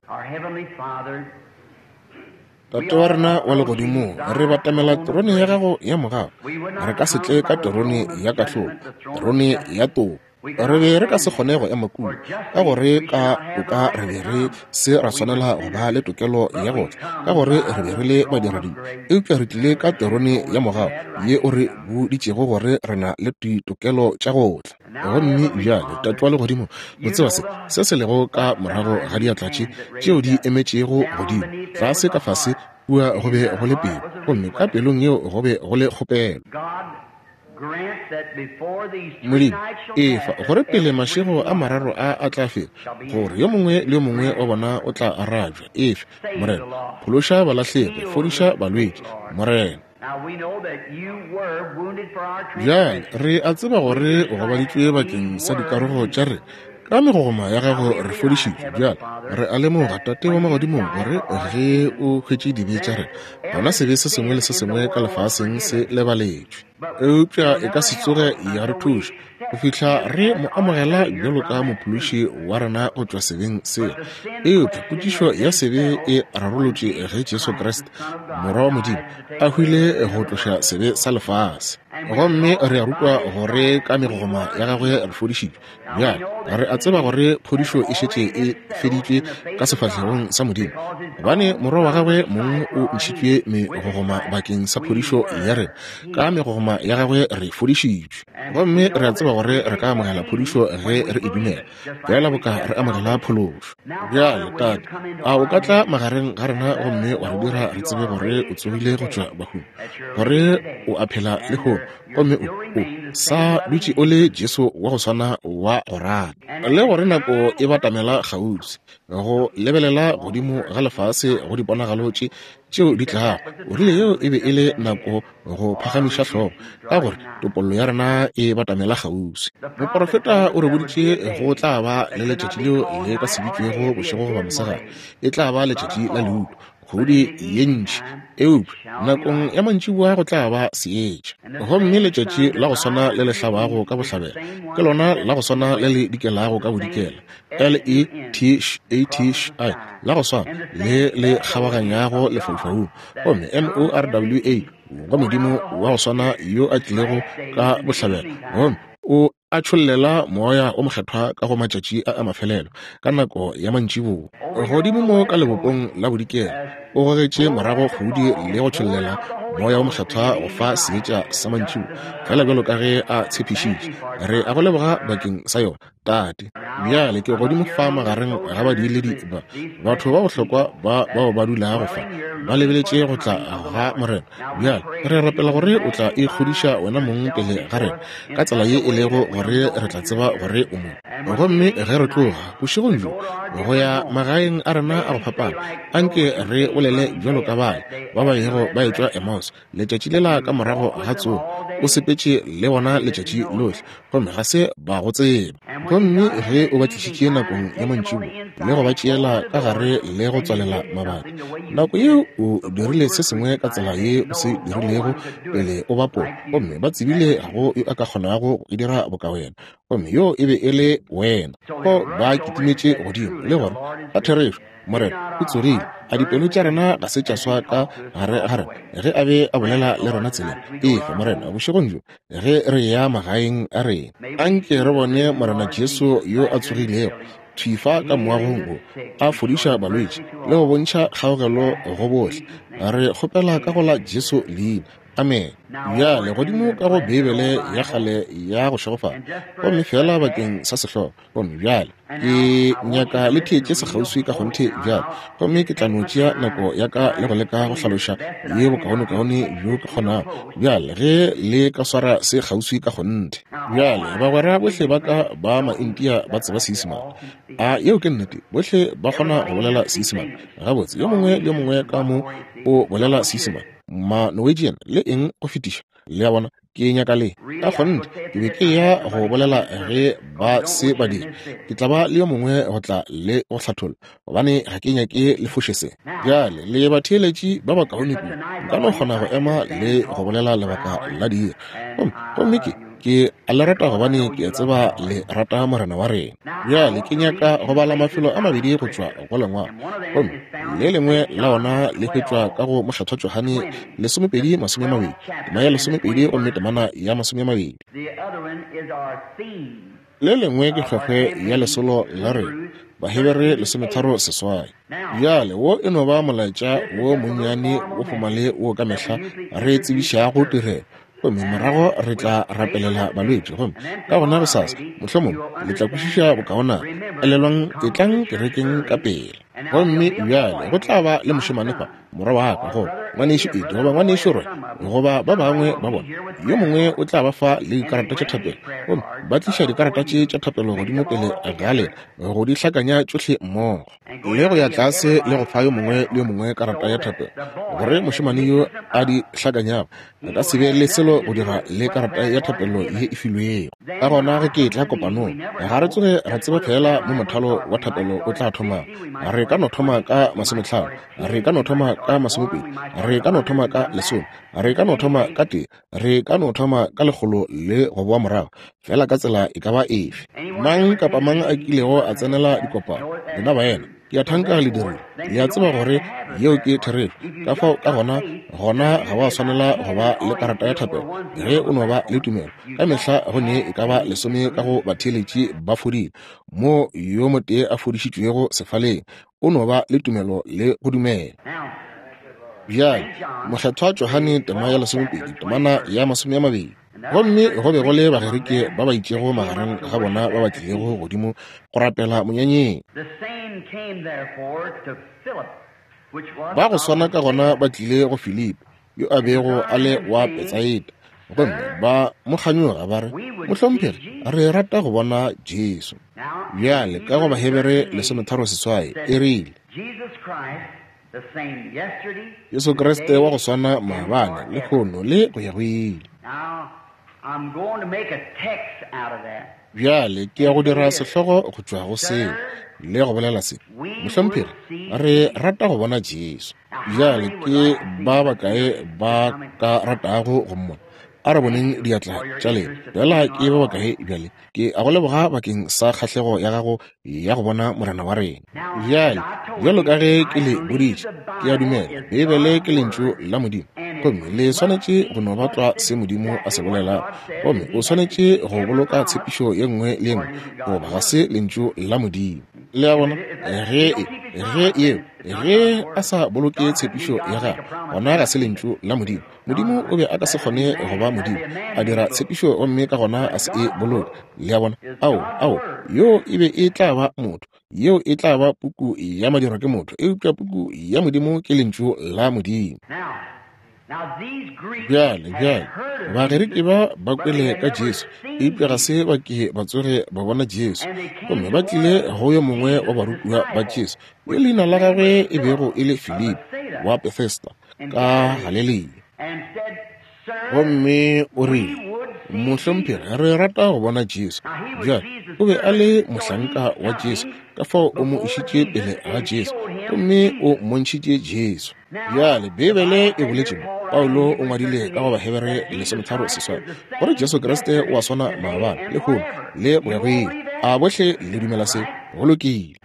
Tate wa rena wa legodimong, re batamela terone ya gago ya mogau. Re ka se tle ka terone ya kahlolo, terone ya toka. Re be re ka se kgone go ema kua, ka gore ka toka re be re se ra swanela go ba le tokelo ya go tla, ka gore re be re le badiradibe. Eupša re tlile ka terone ya mogau ye o re boditšego gore re na le ditokelo tša go tla. Gomme bjale, Tate wa legodimo, o tseba se se se lego ka morago ga diatla tše tšeo di emetšego godimo, tlase ka fase kua go be go le pelo, gomme ka pelong yeo go be go le kgopelo. Modimo, efa gore pele mašego a mararo a a tla feta, gore yo mongwe le yo mongwe wa bona o tla arabja. Efe, Morena, phološa balahlegi, fodiša balwetši, Morena. Bjale re a tseba gore o gobaditšwe bakeng sa dikarogo tša rena, ka megogoma ya gago re fodišitšwe. Bjale re a lemoga, Tate wa magodimong, gore ge o hwetše dibe tša rena, gona sebe se sengwe le se sengwe ka lefaseng se lebaletšwe. Eupša e ka se tsoge ya re thuša go fihla re mo amogela bjalo ka mophološi wa rena go tšwa sebeng seo. Eupša potšišo ya sebe e rarolotšwe ge Jesu Kriste, Morwa wa Modimo, a hwile go tloša sebe sa lefase. Gomme re a rutwa gore ka megogoma ya gagwe re fodišitšwe. Bjale re a tseba gore phodišo e šetše e feditšwe ka sefahlegong sa Modimo, gobane Morwa wa gagwe mong o ntšhitšwe megogoma bakeng sa phodišo ya rena. Ka megogoma ya gagwe re fodišitšwe. Gomme re a tseba gore re ka amogela phodišo ge re e dumela, fela boka re amogela phološo. Bjale, Tate, a o ka tla magareng ga rena gomme wa re dira re tsebe gore o tsogile go tšwa bahung, gore o a phela lehono, gomme o o sa dutše o le Jesu wa go swana wa go rata, le gore nako e batamela kgauswi go lebelela godimo ga lefase go diponagalo tše tšeo di tlago. O rile yeo e be e le nako go phagamiša hlogo, ka gore topollo ya rena e batamela kgauswi. Moporofeta o re boditše go tla ba le letšatši leo le ka se bitšwego bošego goba mosegare, e tla ba letšatši la leuto, kgodi ye ntši, eupša nakong ya mantšiboa go tla ba seetša. Gomme letšatši la go swana le le hlabago ka bohlabela ke lona la go swana le le dikelago ka bodikela, L E T A T I, la go swana le le kgabaganyago lefaufaung, gomme M O R W A, go Modimo wa go swana yo a tlilego ka bohlabela, gomme o A tšhollela Moya o Mokgethwa ka go matšatši a a mafelelo ka nako ya mantšiboa. Godimo mo ka lebopong la bodikela, o gogetše morago kgudi le go tšhollela Moya o Mokgethwa go fa seetša sa mantšiboa, fela bjalo ka ge a tshepišitše. Re a go leboga bakeng sa yona, Tate. Bjale ke godimo fa magareng ga badiiledi ba, batho ba bohlokwa ba bao ba dulago fa, ba lebeletše go tla ga Morena. Bjale re rapela gore o tla ikgodiša wena mong pele ga rena ka tsela ye e lego gore re tla tseba gore o mo. Gomme ge re tloga bošegong bjo go ya magaeng a rena a go fapana, anke re bolele bjalo ka bale ba ba yego ba etšwa Emmaus letšatši lela ka morago ga tsogo. O sepetše le bona letšatši lohle, gomme ga se ba go tseba. Gomme ge o ba tlišitše nakong ya mantšiboa le go ba tšeela ka gare le go tswalela mabati, nako yeo o dirile se sengwe ka tsela ye o se dirilego pele o ba pola, gomme ba tsebile ga go yo a ka kgonago go e dira boka wena, gomme yo e be e le wena. Go ba kitimetše godimo le gore ka therešo Morena o tsogile. A dipelo tša rena ga se tša swa ka gare ga rena ge a be a bolela le rena tseleng? Efa Morena bošegong bjo ge re ya magaeng a rena, anke re bone Morena Jesu yo a tsogilego thwi fa ka moagong wo, a fodiša balwetši le go bontšha kgaogelo go bohle. Re kgopela ka go la Jesu leina. Amen. Bjale godimo ka go Beibele ya kgale ya go šegofala, gomme fela bakeng sa sehlogo. Gomme bjale ke nyaka le theetše sekgauswi ka kgonthe bjale, gomme ke tla no tšea nako ya ka le go leka go hlaloša ye bokaonekaone bjo ke kgonago. Bjale ge le ka swara se kgauswi ka kgonthe. Bjale bagwera bohle ba ka ba Maindia ba tseba Seisemane. A yeo ke nnete, bohle ba kgona go bolela Seisemane gabotse. Yo mongwe le yo mongwe ka mo o bolela Seisemane, ma Norwegian le eng go fetiša. Le a bona, ke nyaka le ka kgonthe ke be ke ya go bolela ge ba se ba dira. Ke tla ba le yo mongwe go tla le go hlatholla, gobane ga ke nyake le foše se. Bjale le batheeletši ba bakaone kudu, nka no kgona go ema le go bolela lebaka la dira. Gomme gomme ke ke a le rata gobane ke a tseba le rata Morena wa rena. Bjale ke nyaka go bala mafelo a mabedi go tšwa go lengwalo, gomme le lengwe la ona le hwetšwa ka go Mokgethwa Johane lesomepedi masome a mabedi, tema ya lesomepedi gomme temana ya masome a mabedi. Le lengwe ke kgwekgwe ya lesolo la rena, Bahebere lesometharo seswai. Bjale wo e no ba molaetša wo monnyane wo fomale wo ka mehla re tsebišago tirelo, gomme morago re tla rapelela balwetši. Gomme ka gona gosasa mohlomongwe le tla kwešiša bokaonana. Elelwang, etlang kerekeng ka pele. Gomme bjale go tla ba le mošemane fa, morwa wa ka, goba ngwanešu Edi, goba ngwanešu Roy, goba ba bangwe ba bona. Yo mongwe o tla ba fa le dikarata tša thapelo, gomme ba tliša dikarata tše tša thapelo godimo pele ga lena go di hlakanya tšohle mmogo, le go ya tlase le go fa yo mongwe le yo mongwe karata ya thapelo, gore mošemane yo a di hlakanyago a ka se be le selo go dira le karata ya thapelo ye e filwego. Ka gona ge ke etla kopanong, ga re tsoge ra tseba fela mo mothalo wa thapelo o tla thomang. Re ka no thoma ka masometlhano, re ka no thoma ka masomepedi, re ka no thoma ka lesome, re ka no thoma ka tee, re ka no thoma ka lekgolo le go boa morago, fela ka tsela e ka ba efe. Mang kapa mang a kilego a tsenela dikopano, lena baena, ke a thanka le dirile, le a tseba gore yeo ke therešo. Ka fao ka gona, gona ga wa swanela go ba le karata ya thapelo ge o no ba le tumelo. Ka mehla go ne e ka ba lesome ka go batheeletši ba fodile, mo yo motee a fodišitšwego sefaleng. O no ba le tumelo le go dumela. Bjale Mokgethwa Johane tema ya lesomepedi temana ya masome a mabedi. Gomme go be go le Bagerike ba ba itšego magareng ga bona ba ba tlilego godimo go rapela monyanyeng. Ba go swana ka gona ba tlile go Filipi, yo a bego a le wa Betsaida, gomme ba mo kganyoga ba re, Mohlomphegi, re rata go bona Jesu. Bjale ka go Bahebere lesometharo seswai e rile, Jesu Kriste wa go swana maabane, lehono le go ya go ile. Bjale ke ya go dira sehlogo go tšwa go seo le go bolela se, Mohlomphegi, re rata go bona Jesu. Bjale ke ba bakae ba ka ratago go mmona? A re boneng diatla tša lena. Bjala ke ba bakae bjale? Ke a go leboga bakeng sa kgahlego ya gago ya go bona Morena wa rena. Bjale, bjalo ka ge ke le boditše, ke a dumela Beibele ke lentšu la Modimo, gomme le swanetše go no ba tlwa se Modimo a se bolelago, gomme o swanetše go boloka tshepišo ye nngwe le ye nngwe, goba ga se lentšu la Modimo. Le a bona? Ge ge yeo ge a sa boloke tshepišo ya gagwe, gona ga se lentšu la Modimo. Modimo o be a ka se kgone go ba Modimo, a dira tshepišo gomme ka gona a se e boloke. Le a bona? Ao, ao, yo e be e tla ba motho, yeo e tla ba puku ya madirwa ke motho, eupša puku ya Modimo ke lentšu la Modimo. Bjale, bjale, Bagerike ba ba kwele ka Jesu, eupša ga se ba ke ba tsoge ba bona Jesu, gomme ba tlile go yo mongwe wa barutiwa ba Jesu, yo leina la gagwe e bego e le Filipi wa Bethesda ka Galilea. Gomme o rile, Mohlomphegi, re rata go bona Jesu. Bjale, o be a le mohlanka wa Jesu, ka fao o mo išitše pele ga Jesu, gomme o mmontšhitše Jesu. Bjale, Beibele e boletše mo, Paulo o ngwadile ka go Bahebere lesometharo seswai, gore Jesu Kriste o a swana maabane, lehono, le go ya go ile. A bohle le dumela se? Go lokile.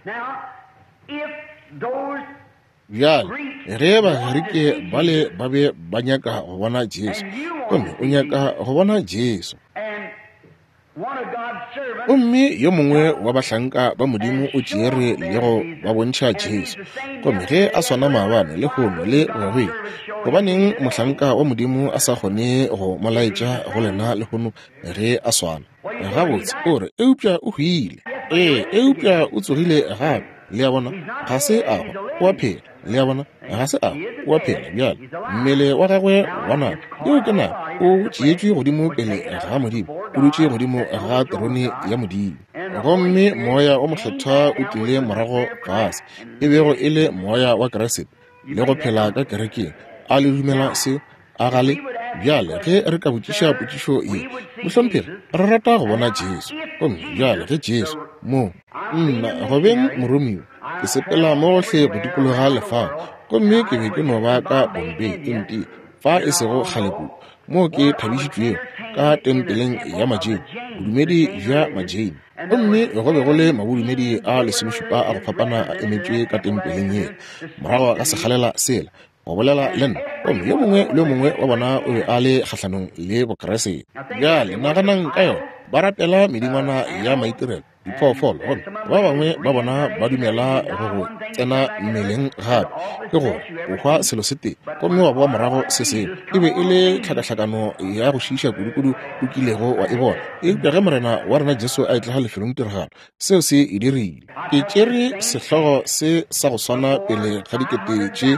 Bjale, ge Bagerike bale ba be ba nyaka go bona Jesu, gomme o nyaka go bona Jesu, gomme yo mongwe wa bahlanka ba Modimo o tšere le go ba bontšha Jesu, gomme ge a swana maabane, lehono, le go ya go ile, gobaneng mohlanka wa Modimo a sa kgone go mo laetša go lena lehono ge a swana? Gabotse, o re, eupša o hwile. Ee, eupša o tsogile gape. Le a bona? Ga se a hwa, o a phela. Le a bona? Ga se a hwa, o a phela. Bjale, mmele wa gagwe wa nama, yeo ke nama, o tšeetšwe godimo pele ga Modimo, o dutše godimo ga terone ya Modimo. Gomme Moya o Mokgethwa o tlile morago fase, e bego e le Moya wa Kriste, le go phela ka kerekeng. A le dumela seo? A ga le? Bjale, ge re ka botšiša potšišo ye, mohlomphegi, re rata go bona Jesu. Gomme bjale ge Jesu mo, nna go beng moromiwa, ke sepela mo gohle go dikologa lefase, gomme ke be ke no ba ka Bombay, India, fa e sego kgale kudu, moo ke thabišitšwego ka tempeleng ya Majain, bodumedi bja Majain. Gomme go be go le mabodumedi a lesomešupa a go fapana a emetšwe ka tempeleng yela, morago ga sekgalela sela, go bolela le nna, gomme yo mongwe le yo mongwe wa bona o be a le kgahlanong le Bokreste. Bjale naganang ka yona, ba rapela medingwana ya maitirelo, diphoofolo, gomme ba bangwe ba bona ba dumela go go tsena mmeleng gape, ke gore o hwa selo se tee gomme wa boa morago se sengwe. E be e le tlhakahlakano ya go šiiša kudukudu o kilego wa e bona. Eupša ge Morena wa rena Jesu a etla lefelong tiragalo, seo se e dirile. Ke tšere sehlogo se sa go swana pele ga dikete tše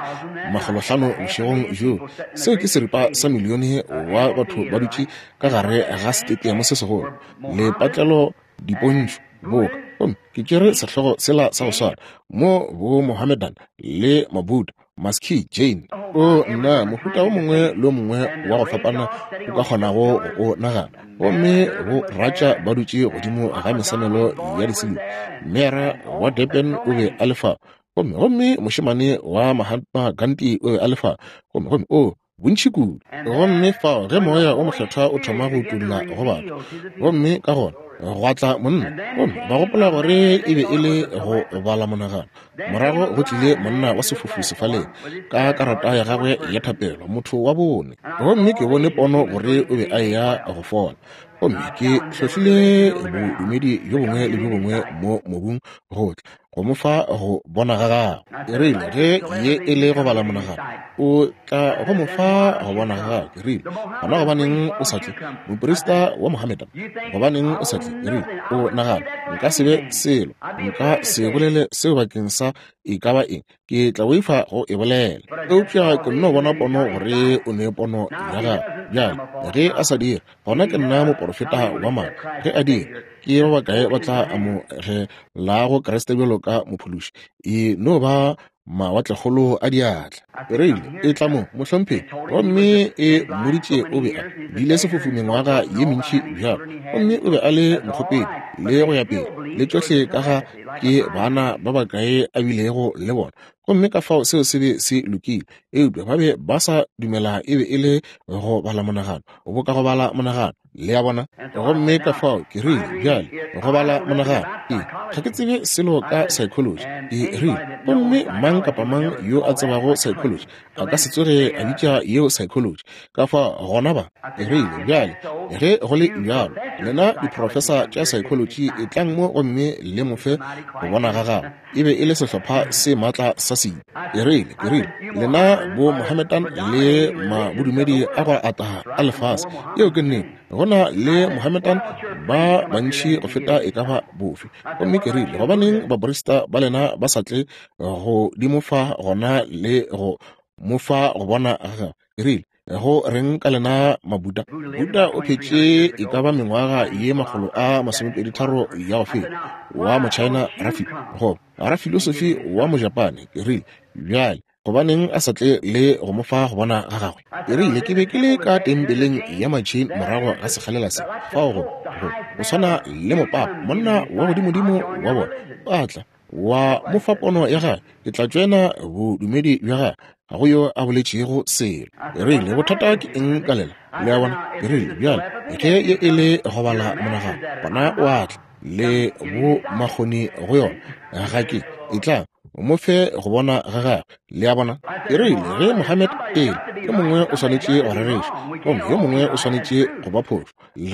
makgolohlano bošegong bjo. Seo ke seripa sa milione wa batho ba dutše ka gare ga setetiamo se segolo, lepatlelo, dipontšho, boka. Gomme ke tšere sehlogo sela sa go swana mo bo Mohammedan le Mabuddha, Maski, Jain, o nna mohuta o mongwe le o mongwe wa go fapana o ka kgonago go o nagana. Gomme bo ratša ba dutše godimo ga mesamelo ya disilu. Mera wa Durban o be a le fa, gomme gomme mošemane wa Mahatma Gandhi o be a le fa, gomme gomme o bontši kudu. Gomme fao ge Moya o Mokgethwa o thoma go utolla go batho, gomme ka gona gwa tla monna, gomme ba gopola gore e be e le go bala monagano. Morago go tlile monna wa sefofu sefaleng ka karata ya gagwe ya thapelo, motho wa bone, gomme ke bone pono gore o be a eya go fola. Gomme ke hlohlile bodumedi bjo bongwe le bjo bongwe mo mobung go tla go mo fa go bona ga gagwe. Ke rile, ge ye e le go bala monagano, o tla go mo fa go bona ga gagwe. Ke rile, gona gobaneng o sa tle, moprista wa Mohammedan? Gobaneng o sa tle? Ke rile, o nagana nka se be selo, nka se bolele seo bakeng sa e ka ba eng, ke tla boifa go e bolela. Eupša ke nno bona pono gore o ne pono ya gagwe. Bjale ge a sa dire, gona ke nna moporofeta wa maaka. Ge a dira, ke ba bakae ba tla amogelago Kriste bjalo ka mophološi? E no ba mawatlekgolo a diatla. E rile, e tla mo, mohlomphegi. Gomme e mmoditše o be a bile sefofu mengwaga ye mentši bjalo, gomme o be a le mokgopedi le go ya pele, le tšohle ka ga ke bana ba bakae a bilego le bona. Gomme ka fao seo se be se lokile, eupša ba be ba sa dumela e be e le go bala monagano, boka go bala monagano, le a bona. Gomme ka fao ke rile, bjale go bala monagano, ee, ga ke tsebe selo ka psychology, ke rile, gomme mang kapa mang yo a tsebago psychology a ka se tsoge a bitša yeo psychology. Ka fao gona ba, ke rile, bjale ge go le bjalo, lena diprofesa tša psychology e tlang mo gomme le mo fe go bona ga gagwe. E be e le sehlopha se matla sa sebe. Ke rile, ke rile, lena bo Mohammedan le mabodumedi a go ata a lefase, yeo ke nnete, go na le Mohammedan ba bantši go feta e ka ba bofe. Gomme ke rile, gobaneng baporista ba lena ba sa tle go di mo fa gona le go mo fa go bona ga gagwe? Ke rile, go reng ka lena Mabuddha? Buddha o phetše e ka ba mengwaga ye makgolo a masomepedi tharo ya go feta, wa Mochina rafi goba rafilosofi wa Mojapane. Ke rile, bjale gobaneng a sa tle le go mo fa go bona ga gagwe? Ke rile, ke be ke le ka tempeleng ya Machine morago ga sekgalela se, fao go go go swana le mopapa, monna wa godimodimo wa bona, a tla wa mo fa pono ya gagwe, ke tla tšoena bodumedi bja gagwe. Ga go yo a boletšego selo. Ke rile, bothata ke eng ka lela? Le a bona? Ke rile, bjale ge ye e le go bala monagano, gona o a tla le bo makgoni go yona, ga ke e tla mo fe go bona ga gagwe. Le a bona? Ke rile, ge Mohammed pele, yo mongwe o swanetše go rereša, gomme yo mongwe o swanetše go ba phošo.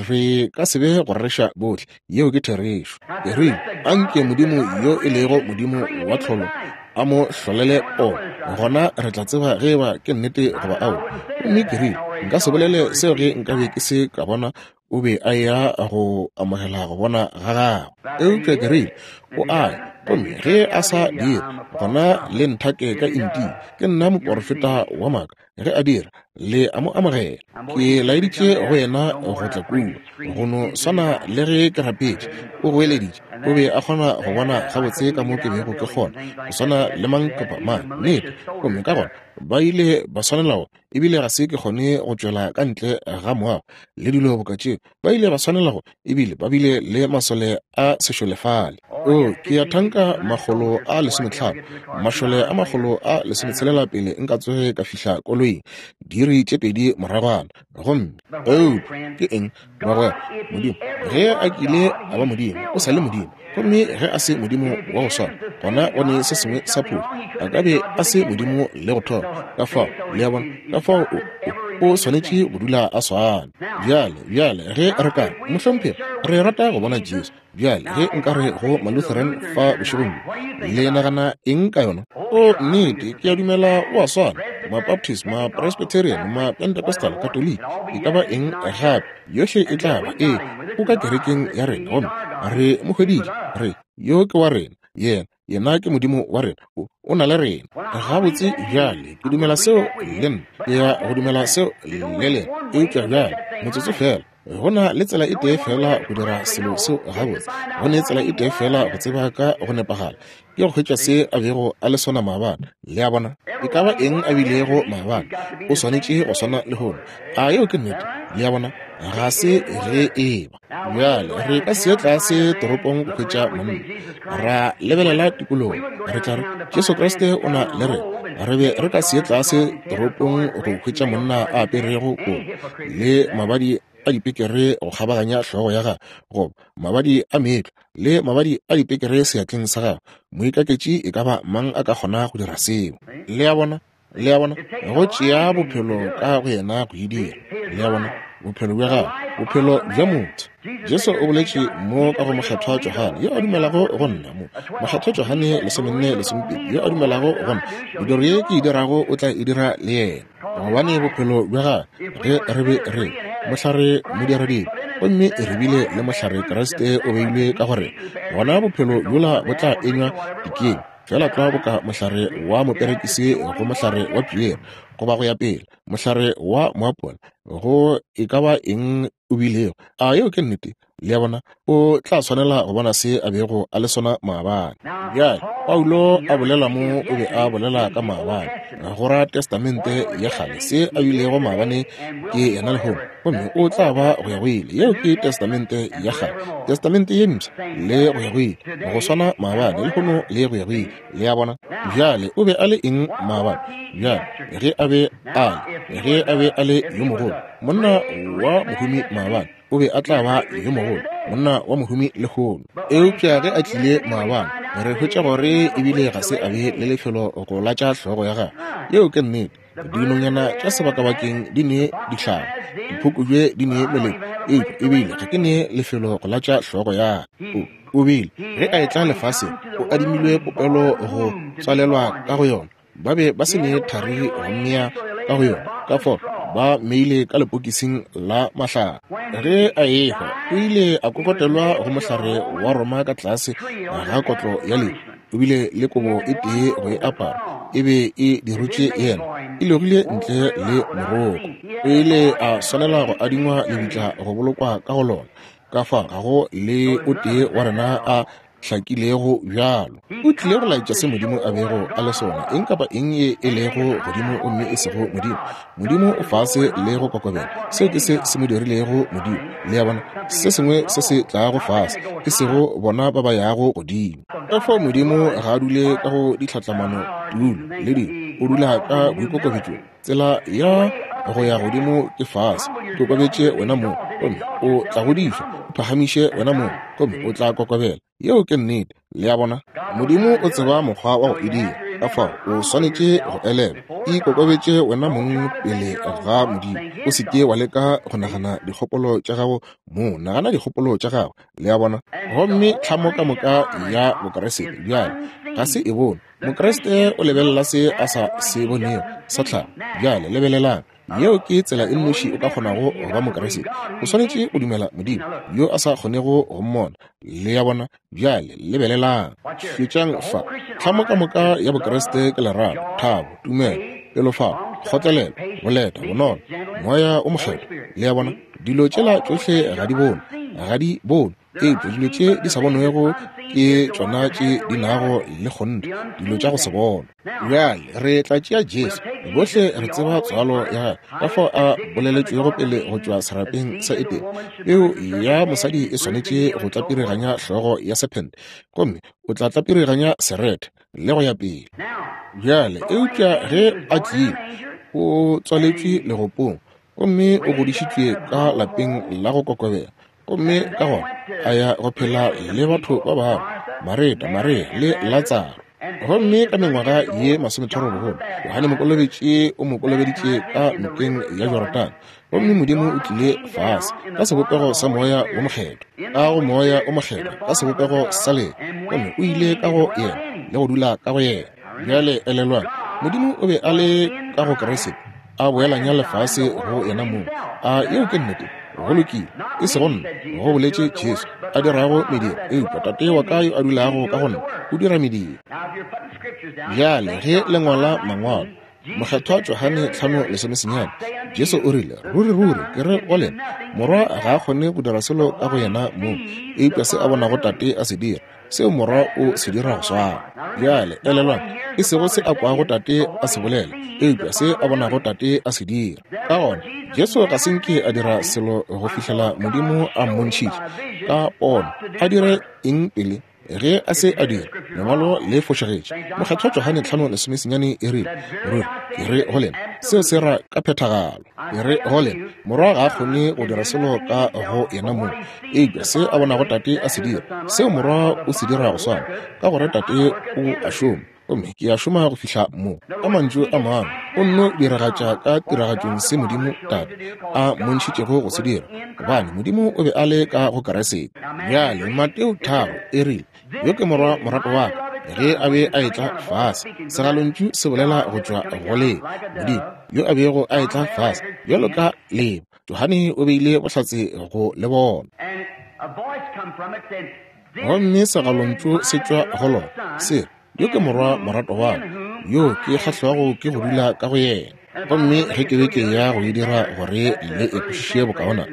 Re ka se be go rereša bohle, yeo ke therešo. Ke rile, anke Modimo yo e lego Modimo wa tlholo a mo hlolele pono, gona re tla tseba ge eba ke nnete goba aowa. Gomme ke rile, nka se bolele seo ge nkabe ke se ka bona o be a ya go amogela go bona ga gagwe. Eupša ke rile, o a ya, gomme ge a sa dira, gona le nthake ka Intia, ke nna moporofeta wa maaka. Ge a dira, le a mo amogela. Ke laeditše go yena go tla kua, go no swana le ge ke rapetše, o goeleditše. O be a kgona go bona gabotse ka mo ke bego ke kgona, go swana le mang kapa mang, nnete. Gomme ka gona ba ile ba swanela go, ebile ga se ke kgone go tšwela ka ntle ga moago le dilo boka tšeo. Ba ile ba swanela go, ebile ba bile le masole a sešole fale. O, ke ya thanka makgolo a lesometlhano, mašole a makgolo a lesometshelela pele nka tsoge ka fihla koloing, diiri tše pedi moragwana. Gomme eupša ke eng, bagwera? Modimo ge a kile a ba Modimo, o sa le Modimo. Gomme ge a se Modimo wa go swana, gona go ne se sengwe sa phošo. A ka be a se Modimo le go thoma. Ka fao, le a bona, ka fao o, o, o swanetše go dula a swana. Bjale, bjale ge re ka re, mohlomphegi, re rata go bona Jesu. Bjale ge nka re go Malutheran fa bošegong bjo, le nagana eng ka yona? O, nnete, ke a dumela o a swana. Mabaptist, ma-Presbyterian, ma-Pentecostal, Katoliki, e ka ba eng gape, yohle e tla ba, ee, o ka kerekeng ya rena, gomme re mo hweditše, re, yo ke wa rena, yena, yena ke Modimo wa rena, o, o na le rena. Gabotse bjale, ke dumela seo le nna, ke ya go dumela seo le lena. Eupša bjale, motsotso fela, go na le tsela e tee fela go dira selo seo gabotse, go ne tsela e tee fela go tseba ka go nepagala, ke go hwetša se a bego a le sona maabane. Le a bona? E ka ba eng a bilego maabane, o swanetše go swana lehono. A yeo ke nnete? Le a bona? Ga se ge e ba. Bjale re ka se tlase toropong go hwetša monna, ra lebelela tikologo, re tla re Jesu Kriste o na le rena. Re be re ka se tlase toropong go hwetša monna a aperego kobo le mabadi a dipekere go kgabaganya hlogo ya gagwe, goba mabadi a meetlwa le mabadi a dipekere seatleng sa gagwe. Moikaketši e ka ba mang a ka kgona go dira seo? Le a bona? Le a bona? Go tšea bophelo ka go yena go e dira. Le a bona? Bophelo bja gagwe, bophelo bja motho. Jesu o boletše mo ka go Mokgethwa Johane, yo a dumelago go nna, mo Mokgethwa Johane lesomenne lesomepedi, yo a dumelago go nna, mediro ye ke e dirago o tla e dira le yena. Gobane bophelo bja gagwe, ge re be re mohlare modiradibe, gomme re bile le mohlare Kriste o beilwe ka gore, gona bophelo bjola bo tla enywa dikeng, fela tlwa boka mohlare wa moperekisi go mohlare wa piere, goba go ya pele, mohlare wa moapola, go e ka ba eng o bilego. A yeo ke nnete? Le a bona, o tla swanela go bona se a bego a le sona maabane. Bjale, Paulo a bolela mo, o be a bolela ka maabane, go ra Testamente ya kgale, se a bilego maabane ke yena lehono, gomme o tla ba go ya go ile. Yeo ke Testamente ya kgale, Testamente ye mpsha, le go ya go ile, go swana maabane, lehono le go ya go ile. Le a bona? Bjale, o be a le eng maabane? Bjale, ge a be a le, ge a be a le yo mogolo, monna wa mohumi maabane, o be a tla ba yo mogolo, monna wa mohumi lehono. Eupša ge a tlile maabane, re hwetša gore ebile ga se a be le lefelo go latša hlogo ya gagwe. Yeo ke nnete. Dinonyana tša sebakabakeng di ne dihlare, diphukubje di ne melemo, eupša ebile ga ke ne lefelo go latša hlogo ya ka. O bile ge a etla lefaseng, o adimilwe popelo go tswalelwa ka go yona. Ba be ba se ne thari go mmea ka go yona, ka fao ba mmeile ka lepokising la mahlare. Ge a ehwa, o ile a kokotelwa go mohlare wa Roma ka tlase ga kotlo ya lehu. O bile le kobo e tee go e apara, e be e dirutše yena, e logile ntle le moroko. O ile a swanela go adingwa lebitla go bolokwa ka go lona. Ka fa ga go le o tee wa rena a hlakilego bjalo. O tlile go laetša se Modimo a bego a le sona, eng kapa eng ye e lego godimo gomme e sego Modimo. Modimo o fase le go kokobela. Seo ke se se mo dirilego Modimo. Le a bona, se sengwe se se tlago fase, e sego bona ba ba yago godimo. Ka fao Modimo ga a dule ka go ditlhatlamano tulo le dilo, o dula ka boikokobetšong. Tsela ya go ya godimo ke fase. Ikokobetše wena mong, gomme o tla godišwa. O phagamiše wena mong, gomme o tla kokobela. Yeo ke nnete. Le a bona, Modimo o tseba mokgwa wa go e dira. Ka fao o swanetše go elelwa. Ikokobetše wena mong pele ga Modimo. O se ke wa leka go nagana dikgopolo tša gago mo, nagana dikgopolo tša gago. Le a bona? Gomme tlhamo ka moka ya Bokriste bjale ga se e bone. Mokriste o lebelela se a sa se bonego sa tlhago. Bjale lebelelang. Yeo ke tsela e nnoši o ka kgonago go ba Mokriste. O swanetše go dumela Modimo yo a sa kgonego go mmona. Le a bona? Bjale lebelelang. Šetšang fa. Tlhamo ka moka ya Bokriste ke lerato, thabo, tumelo, pelofalo, kgotlelelo, boleta, bonolo, moya o mokgethwa. Le a bona? Dilo tšela tšohle ga di bonwe, ga di bonwe. Eupša dilo tše di sa bonwego ke tšona tše di nago le kgonthe, dilo tša go se bonwe. Bjale re tla tšea Jesu. Bohle re tseba tswalo ya gagwe, ka fao a boleletšwego pele go tšwa serapeng sa Edene. Peu ya mosadi e swanetše go tlapiriganya hlogo ya sephente, gomme o tla tlapiriganya serethe le go ya pele. Bjale eupša ge a tlile, o tswaletšwe legopong, gomme o godišitšwe ka lapeng la go kokobela. Gomme ka gona a ya go phela le batho ba bangwe, Mareta, Maria le Latsaro. Gomme ka mengwaga ye masometharo bogolo, Johane Mokolobetši o mo kolobeditše ka nokeng ya Jorodane. Gomme Modimo o tlile fase ka sebopego sa moya wo mokgethwa, ka go moya o mokgethwa, ka sebopego sa lee, gomme o ile ka go yena le go dula ka go yena. Bjale elelwang, Modimo o be a le ka go Kriste, a boelanya lefase go yena mong. A yeo ke nnete? Go lokile, e sego nna, go boletše Jesu, a dirago mediro, eupša Tate wa ka yo a dulago ka go nna o dira mediro. Bjale ge le ngwala mangwalo, Mokgethwa Johane tlhano lesomesenyane, Jesu o rile, ruri ruri ke re go lena, Morwa ga a kgone go dira selo ka go yena mong, eupša se a bonago Tate a se dira, seo Morwa o se dira go swana. Bjale elelwang, e sego se a kwago Tate a se bolela, eupša se a bonago Tate a se dira. Ka gona Jesu ga se nke a dira selo go fihlela Modimo a mmontšhitše ka pono. A dire eng pele? Ge a se a dira, lengwalo le fošagetše. Mokgethwa Johane tlhano lesomesenyane e rile, ruri ke re go lena, seo se ra ka phethagalo. Ke re go lena, Morwa ga a kgone go dira selo ka go yena mong, eupša se a bonago Tate a se dira, seo Morwa o se dira go swana, ka gore Tate o a šoma, gomme ke a šoma go fihla mo. Ka mantšu a mangwe, o nno diragatša ka tiragatšong se Modimo Tate a mmontšhitšego go se dira, gobane Modimo o be a le ka go Kriste. Bjale Mateo tharo e rile, yo ke morwa morato wa ka, ge a be a etla fase. Segalontšu se bolela go tšwa go leba, Modimo yo a bego a etla fase bjalo ka leba. Johane o beile bohlatse go le bona. Gomme segalontšu se tšwa go lona se re, yo ke morwa morato wa ka, yo ke kgahlwago ke go dula ka go yena. Gomme ge ke be ke ya go e dira gore le e kwešiše bokaona,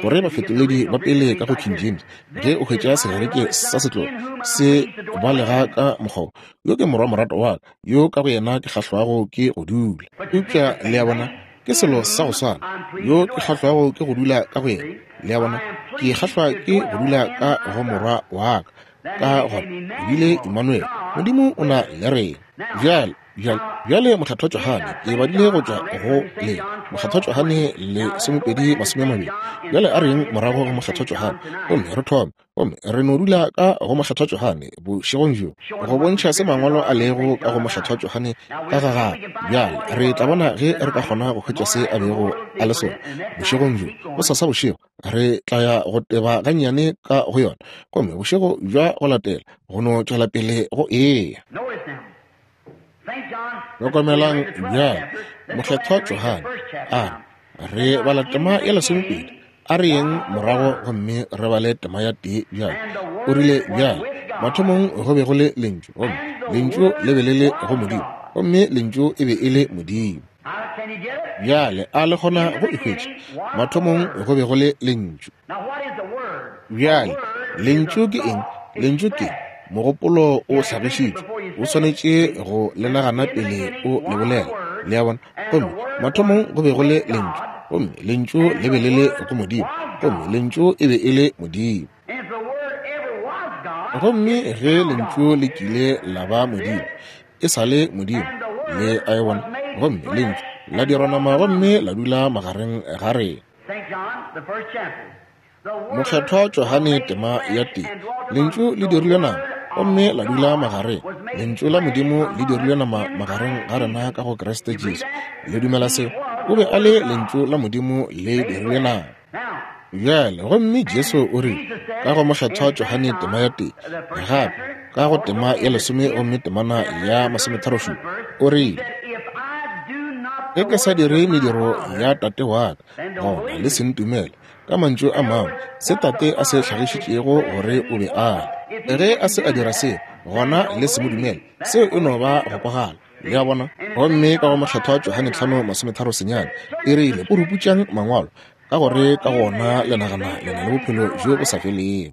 gore bafetoledi ba pele ka go King James, ge o hwetša Segerike sa setlogo se balega ka mokgwa, yo ke morwa morato wa ka, yo ka go yena ke kgahlwago ke go dula. Eupša le a bona, ke selo sa go swana, yo ke kgahlwago ke go dula ka go yena. Le a bona, ke kgahlwa ke go dula ka go morwa wa ka. Ka gona ebile Emmanuel, Modimo o na le rena. Bjale, bjale, bjale Mokgethwa Johane, ke badile go tšwa go le Mokgethwa Johane lesomepedi masome a mabedi. Bjale a reng morago go Mokgethwa Johane, gomme re thome, gomme re no dula ka go Mokgethwa Johane bošegong bjo, go bontšha se mangwalo a lego ka go Mokgethwa Johane ka ga gagwe. Bjale re tla bona ge re ka kgona go hwetša se a bego a le sona bošegong bjo. Gosasa bošego re tla ya go teba gannyane ka go yona, gomme bošego bja go latela go no tšwela pele go eya. Hlokomelang bjale Mokgethwa Johane a re bala tema ya lesomepedi, a re yeng morago gomme re bale tema ya tee bjale. O rile bjale, mathomong go be go le lentšu, gomme lentšu le be le le go Modimo, gomme lentšu e be e le Modimo. Bjale a le kgona go e hwetša? Mathomong go be go le lentšu. Bjale lentšu ke eng? Lentšu ke mogopolo o hlagišitšwe, o swanetše go le nagana pele o le bolela. Le a bona? Gomme mathomong go be go le lentšu, gomme lentšu le be le le go Modimo, gomme lentšu e be e le Modimo. Gomme ge lentšu le kile la ba Modimo, e sa le Modimo. Le a e bona? Gomme lentšu la dirwa nama gomme la dula magareng ga rena. Mokgethwa Johane tema ya tee, lentšu le dirilwe nama gomme la dula magareng. Lentšu la Modimo le dirilwe nama magareng ga rena ka go Kriste Jesu. Le dumela seo? O be a le lentšu la Modimo le dirilwe nama. Bjale gomme Jesu o rile ka go Mokgethwa Johane tema ya tee, gape ka go tema ya lesome gomme temana ya masometharo-šupa, o rile, ge ke sa dire mediro ya tate wa ka, gona le se ntumele. Ka mantšu a mangwe, se tate a se hlagišitšego gore o be a le, ge a se a dira se, gona le se mo dumele. Seo e no ba go kwagala. Le a bona? Gomme ka go Mokgethwa Johane tlhano masometharo senyane, e rile, puruputšang mangwalo, ka gore ka gona le nagana le na le bophelo bjo bo sa felego.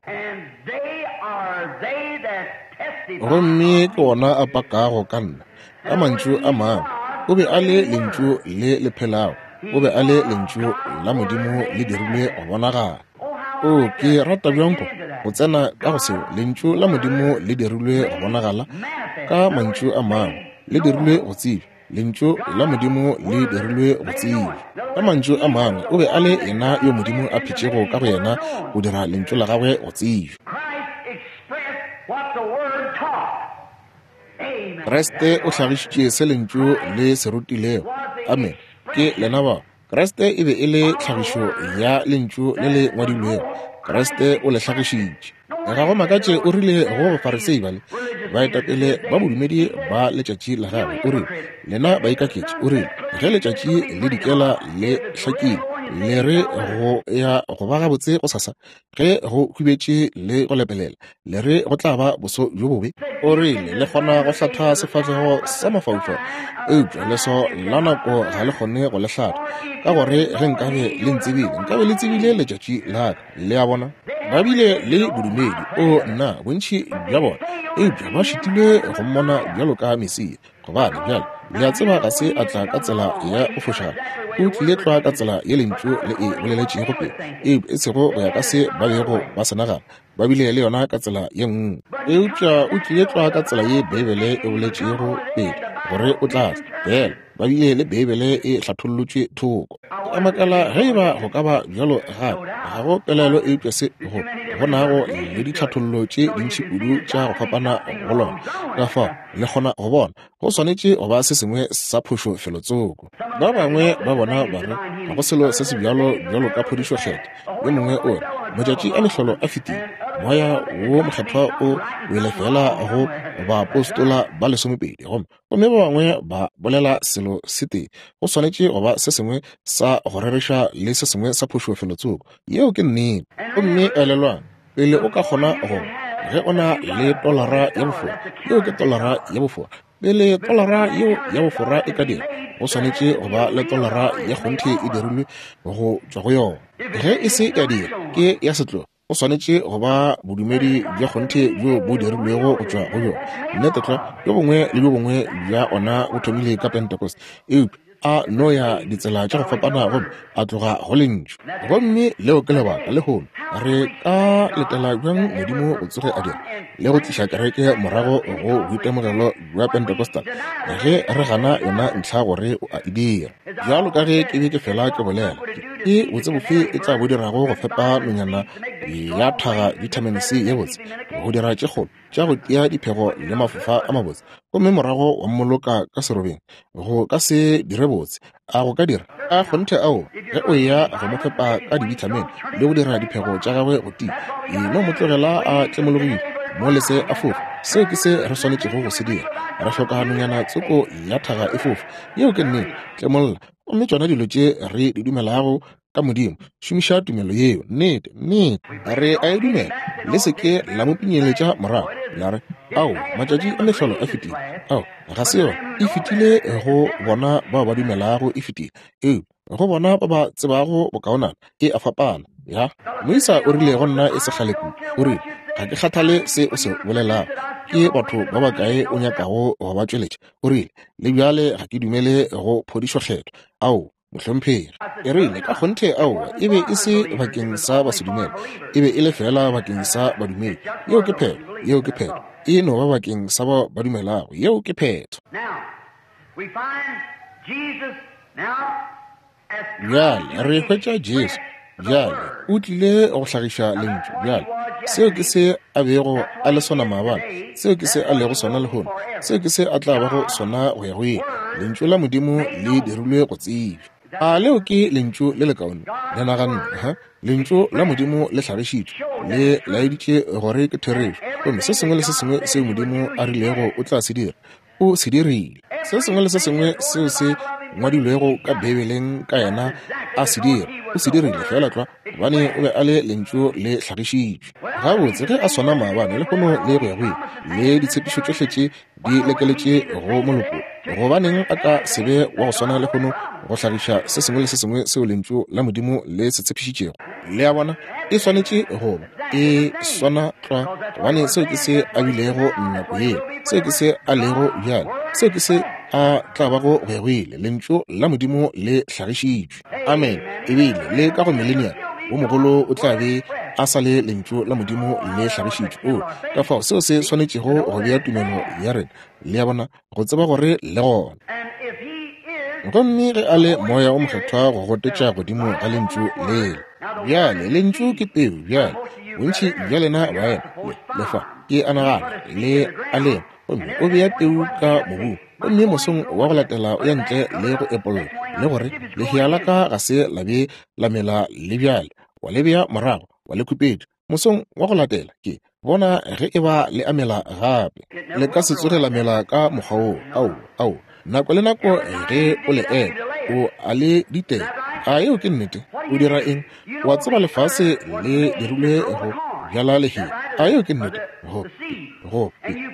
Gomme ke ona a pakago ka nna. Ka mantšu a mangwe, o be a le lentšu le le phelago, o be a le lentšu la Modimo le dirilwe go bonagala. O, ke rata bjang go tsena ka go seo, lentšu la Modimo le dirilwe go bonagala. Ka mantšu a mangwe, le dirilwe go tsebja. Lentšu la Modimo le dirilwe go tsebja. Ka mantšu a mangwe, o be a le yena yo Modimo a phetšego ka go yena go dira lentšu la gagwe go tsebja. Kriste o hlagišitše se lentšu le se rutilego. Amen. Ke lena bao. Kriste e be e le tlhagišo ya lentšu le le ngwadilwego. Kriste o le hlagišitše. Ga go makatše o rile go Bafarisei bale, baetapele ba bodumedi ba letšatši la gagwe, o rile, lena baikaketši, o rile, ge letšatši le dikela le hlakile, le re go ya go ba gabotse go sasa, ge go hubetše le go lepelela, le re go tla ba boso bjo bobe. O rile, le kgona go hlatha sefahlego sa mafaufau, eupša leso la nako ga le kgone go le hlatha, ka gore ge nkabe le ntsebile, nkabe le tsebile letšatši la ka. Le a bona? Ba bile le bodumedi, o nna, bontši bja bona, eupša ba šitilwe go mmona bjalo ka Mesia. Gobane bjale le a tseba ga se a tla ka tsela ya go fošagala, o tlile tlwa ka tsela ye lentšu le e boleletšego pele, eupša e sego go ya ka se ba bego ba se nagana. Ba bile le yona ka tsela ye nngwe, eupša o tlile tlwa ka tsela ye Beibele e boletšego pele gore o tla tla. Fela ba bile le Beibele e hlathollotšwe thoko. Ke a makala ge e ba go ka ba bjalo gape. Ga go pelaelo eupša se go go nago le ditlhathollo tše dintši kudu tša go fapana go lona. Ka fao le kgona go bona go swanetše go ba se sengwe sa phošo felotsoko. Ba bangwe ba bona ba re ga go selo se se bjalo bjalo ka phodišo kgetho. Yo mongwe o re matšatši a mehlolo a fetile, moya wo mokgethwa o wele fela go baapostola ba lesomepedi, gomme gomme ba bangwe ba bolela selo se tee. Go swanetše go ba se sengwe sa go rereša le se sengwe sa phošo felotsoko. Yeo ke nnete. Gomme elelwang, pele o ka kgona go, ge o na le tolara ya bofora, yeo ke tolara ya bofora. Pele tolara yeo ya bofora e ka dira, go swanetše go ba le tolara ya kgonthe e dirilwe go tšwa go yona. Ge e se ya dira, ke ya setlogo. Go swanetše go ba bodumedi bja kgonthe bjo bo dirilwego go tšwa go bjona. Nnete tlwa, bjo bongwe le bjo bongwe bja ona bo thomile ka Pentecost, eupša a no ya ditsela tša go fapana gomme a tloga go lentšu. Gomme leo ke lebaka lehono re ka letela bjang Modimo go tsoge a dira le go tliša kereke morago go boitemogelo bja Pentecostal ge re gana yona ntlha gore o a e dira. Bjalo ka ge ke be ke fela ke bolela, ke botse bofe e tla bo dirago go fepa nonyana ya thaga vitamin C ye botse, go dira tše kgolo tša go tia diphego le mafofa a mabotse, gomme morago wa mmoloka ka serobeng? Go ka se dire botse. A go ka dira? A kgonthe ao, ge o eya go mo fepa ka dibithamine le go dira diphego tša gagwe go tia, e no mo tlogela a tlemologile, mo lese a fofa. Seo ke se re swanetšego go se dira. Re hloka nonyana tsoko ya thaga e fofa. Yeo ke nnete. Tlemolla. Gomme tšona dilo tše re di dumelago ka Modimo, šomiša tumelo yeo. Nnete, nnete, re a e dumela. Le se ke la mo pinyeletša morago la re, ao, matšatši a mehlolo a fetile. Ao, ga se yona. E fetile go bona bao ba dumelago, e fetile. Eupša go bona ba ba tsebago bokaonana, e a fapana. Ya, moisa o rile go nna e se kgale kudu, o rile, ga ke kgathale se o se bolelago, ke batho ba bakae o nyakago go ba tšweletša. O rile, le bjale ga ke dumele go phodišo kgethwa. Ao, mohlomphegi. E rile, ka kgonthe aowa, e be e se bakeng sa basedumele, e be e le fela bakeng sa badumedi. Yeo ke phetho, yeo ke phetho. E no ba bakeng sa bao ba dumelago. Yeo ke phetho. Bjale re hwetša Jesu. Bjale o tlile go hlagiša lentšu. Bjale seo ke se a bego a le sona maabane, seo ke se a lego sona lehono, seo ke se a tla bago sona go ya go ile. Lentšu la Modimo le dirilwe go tsebja. A leo ke lentšu le lekaone? Le naganne, ha? Lentšu la Modimo le hlagišitšwe, le laeditše gore ke therešo. Gomme se sengwe le se sengwe seo Modimo a rilego o tla se dira, o se dirile. Se sengwe le se sengwe seo se ngwadilwego ka Beibeleng ka yena a se dira, o se dirile fela tlwa, gobane o be a le lentšu le hlagišitšwe. Gabotse ge a swana maabane lehono le go ya go ile, le ditshepišo tšohle tše di lekeletše go moloko, gobaneng a ka se be wa go swana lehono go hlagiša se sengwe le se sengwe seo lentšu la Modimo le se tshepišitšego? Le a bona, e swanetše go ba e swana tlwa, gobane seo ke se a bilego nako yeo, seo ke se a lego bjale, seo ke se a tla bago go ya go ile. Lentšu la Modimo le hlagišitšwe. Amen. Ebile le ka go millennium wo mogolo o tla be a sa le lentšu la Modimo le hlagišitšwe. O ka fao seo se swanetšego go bea tumelo ya rena, le a bona, go tseba gore le gona. Gomme ge a le Moya o Mokgethwa go gotetša godimo ga lentšu lele. Bjale lentšu ke peu. Bjale bontši bja lena baena le le fa, ke a nagana le a lema, gomme o bea peu ka mobung, gomme mosong wa go latela o ya ntle le go epolla le gore lehea la ka ga se la be la mela le bjale, wa le bea morago wa le khupetša. Mosong wa go latela ke bona ge e ba le amela gape, le ka se tsoge la mela ka mokgwa woo. Ao, ao, nako le nako ge o le epa o a le ditela. A yeo ke nnete? O dira eng? Wa tseba lefase le dirilwe go bjala lehea. A yeo ke nnete? Go go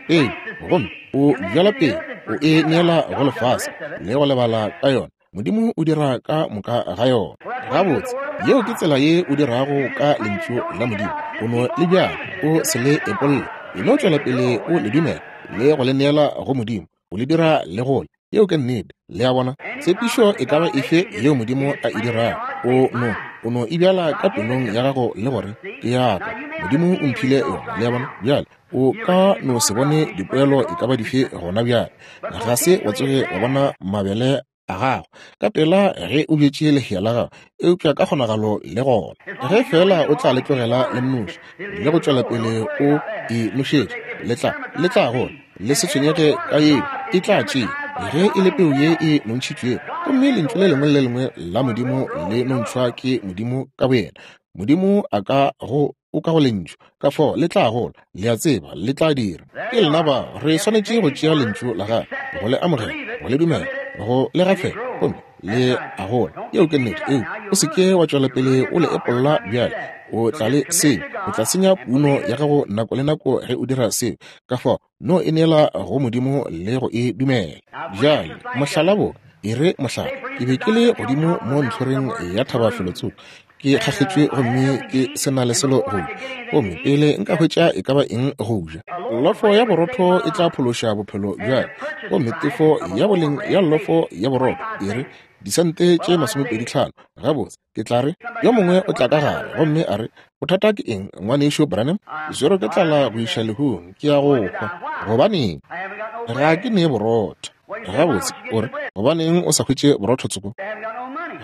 pele, gomme o bjala pele, o e neela go lefase le go lebala ka yona. Modimo o dira ka moka ga yona. Gabotse, yeo ke tsela ye o dirago ka lentšu la Modimo. O no le bjala, o se le epolle, e no tšwela pele o le dumela le go le neela go Modimo, o le dira le gole. Yeo ke nnete. Le a bona, tshepišo e ka ba efe yeo Modimo a e dirago, o no o no e bjala ka pelong ya gago le gore ke ya ka, Modimo o mphile yona. Le a bona? Bjale o ka no se bone dipoelo e ka ba dife gona bjale, ga se wa tsoge wa bona mabele a gago ka pela ge o bjetše lehea la gago, eupša ka kgonagalo le gona ge fela o tla le tlogela le mnoši le go tšwela pele o e nošetša, le tla le tla gola. Le se tshwenyege ka yeo, e tla tšea ge e le peu ye e nontšhitšwego. Gomme lentšu le lengwe le le lengwe la Modimo le nontšhwa ke Modimo ka boyena. Modimo a ka go o ka go lentšu, ka fao le tla gola. Le a tseba le tla dira. Ke lena bao re swanetše go tšea lentšu la gagwe, go le amogela, go le dumela, go le gafela, gomme Le a gola. Yeo ke nnete. Eo o se ke wa tšwela pele o le epolla bjale. O tla le seo, o tla senya puno ya gago nako le nako ge o dira seo. Ka fao no e neela go Modimo le go e dumela. Bjale mohlala bo e re mohlala, ke be ke le godimo mo ntlhoreng ya thaba felotsoko, ke kgakgetšwe gomme ke se na le selo go ja, gomme pele nka hwetša e ka ba eng go ja. Lofo ya borotho e tla phološa bophelo bja ka, gomme tefo ya boleng ya lofo ya borotho e re disente tše masomepedi tlhano. Gabotse, ke tla re yo mongwe o tla ka gare gomme a re, bothata ke eng, ngwanešo Branham? Ke swerwe ke tlala go iša lehung, ke ya go hwa. Gobaneng? Ga ke ne borotho. Gabotse, o re, gobaneng o sa hwetše borotho tsoko?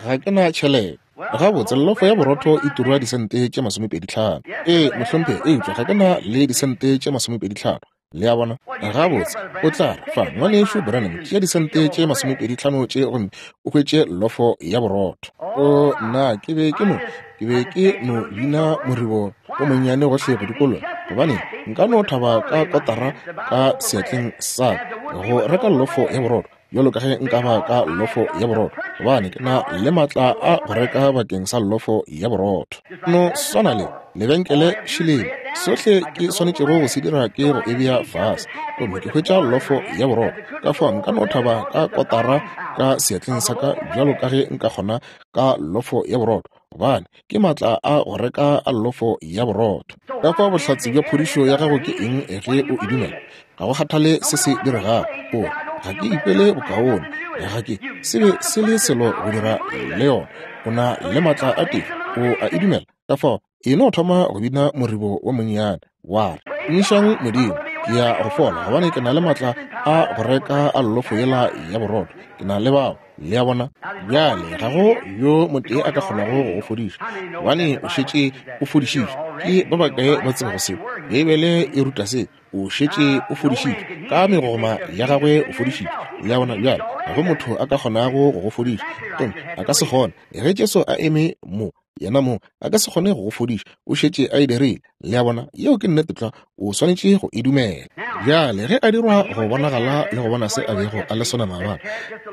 Ga ke na tšhelete. Gabotse, lofo ya borotho e turwa disente tše masomepedi tlhano. Ee, mohlomphegi, eupša ga ke na le disente tše masomepedi tlhano. Le a bona? Gabotse, o tla re, fa, ngwanešo Branham, tšea disente tše masomepedi tlhano tše gomme o hwetše lofo ya borotho. O, nna, ke be ke no, ke be ke no bina moribo o monnyane gohle go dikologa, gobane nka no thaba ka kotara ka seatleng sa ka go reka lofo ya borotho, bjalo ka ge nka ba ka lofo ya borotho, gobane ke na le maatla a go reka bakeng sa lofo ya borotho. No swana le lebenkele šileng, sohle ke swanetšego go se dira ke go e bea fase, gomme ke hwetša lofo ya borotho. Ka fao nka no thaba ka kotara ka seatleng sa ka bjalo ka ge nka kgona ka lofo ya borotho, gobane ke maatla a go reka a lofo ya borotho. Ka fao bohlatse bja phodišo ya gago ke eng ge o e dumela? Ga go kgathale se se diregago, o re, ga ke ikwele bokaone, ga ke se be se le selo go dira le yona. O na le maatla a tefo, o a e dumela. Ka fao e no thoma go bina moribo wa monnyane, wa re, tumišang Modimo, ke ya go fola, gobane ke na le maatla a go reka a lofo yela ya borotho. Ke na le bao. Le a bona? Bjale ga go yo motee a ka kgonago go go fodiša, gobane o šetše o fodišitšwe. Ke ba bakae ba tsebago seo? Beibele e ruta se. O šetše o fodišitšwe, ka megogoma ya gagwe o fodišitšwe. Le a bona? Bjale ga go motho a ka kgonago go go fodiša, gomme a ka se kgone. Ge Jesu a eme mo, yena mo, a ka se kgone go go fodiša, o šetše a e dirile. Le a bona? Yeo ke nnete tlwa, o swanetše go e dumela. Bjale ge a dirwa go bonagala le go bona se a bego a le sona maabane,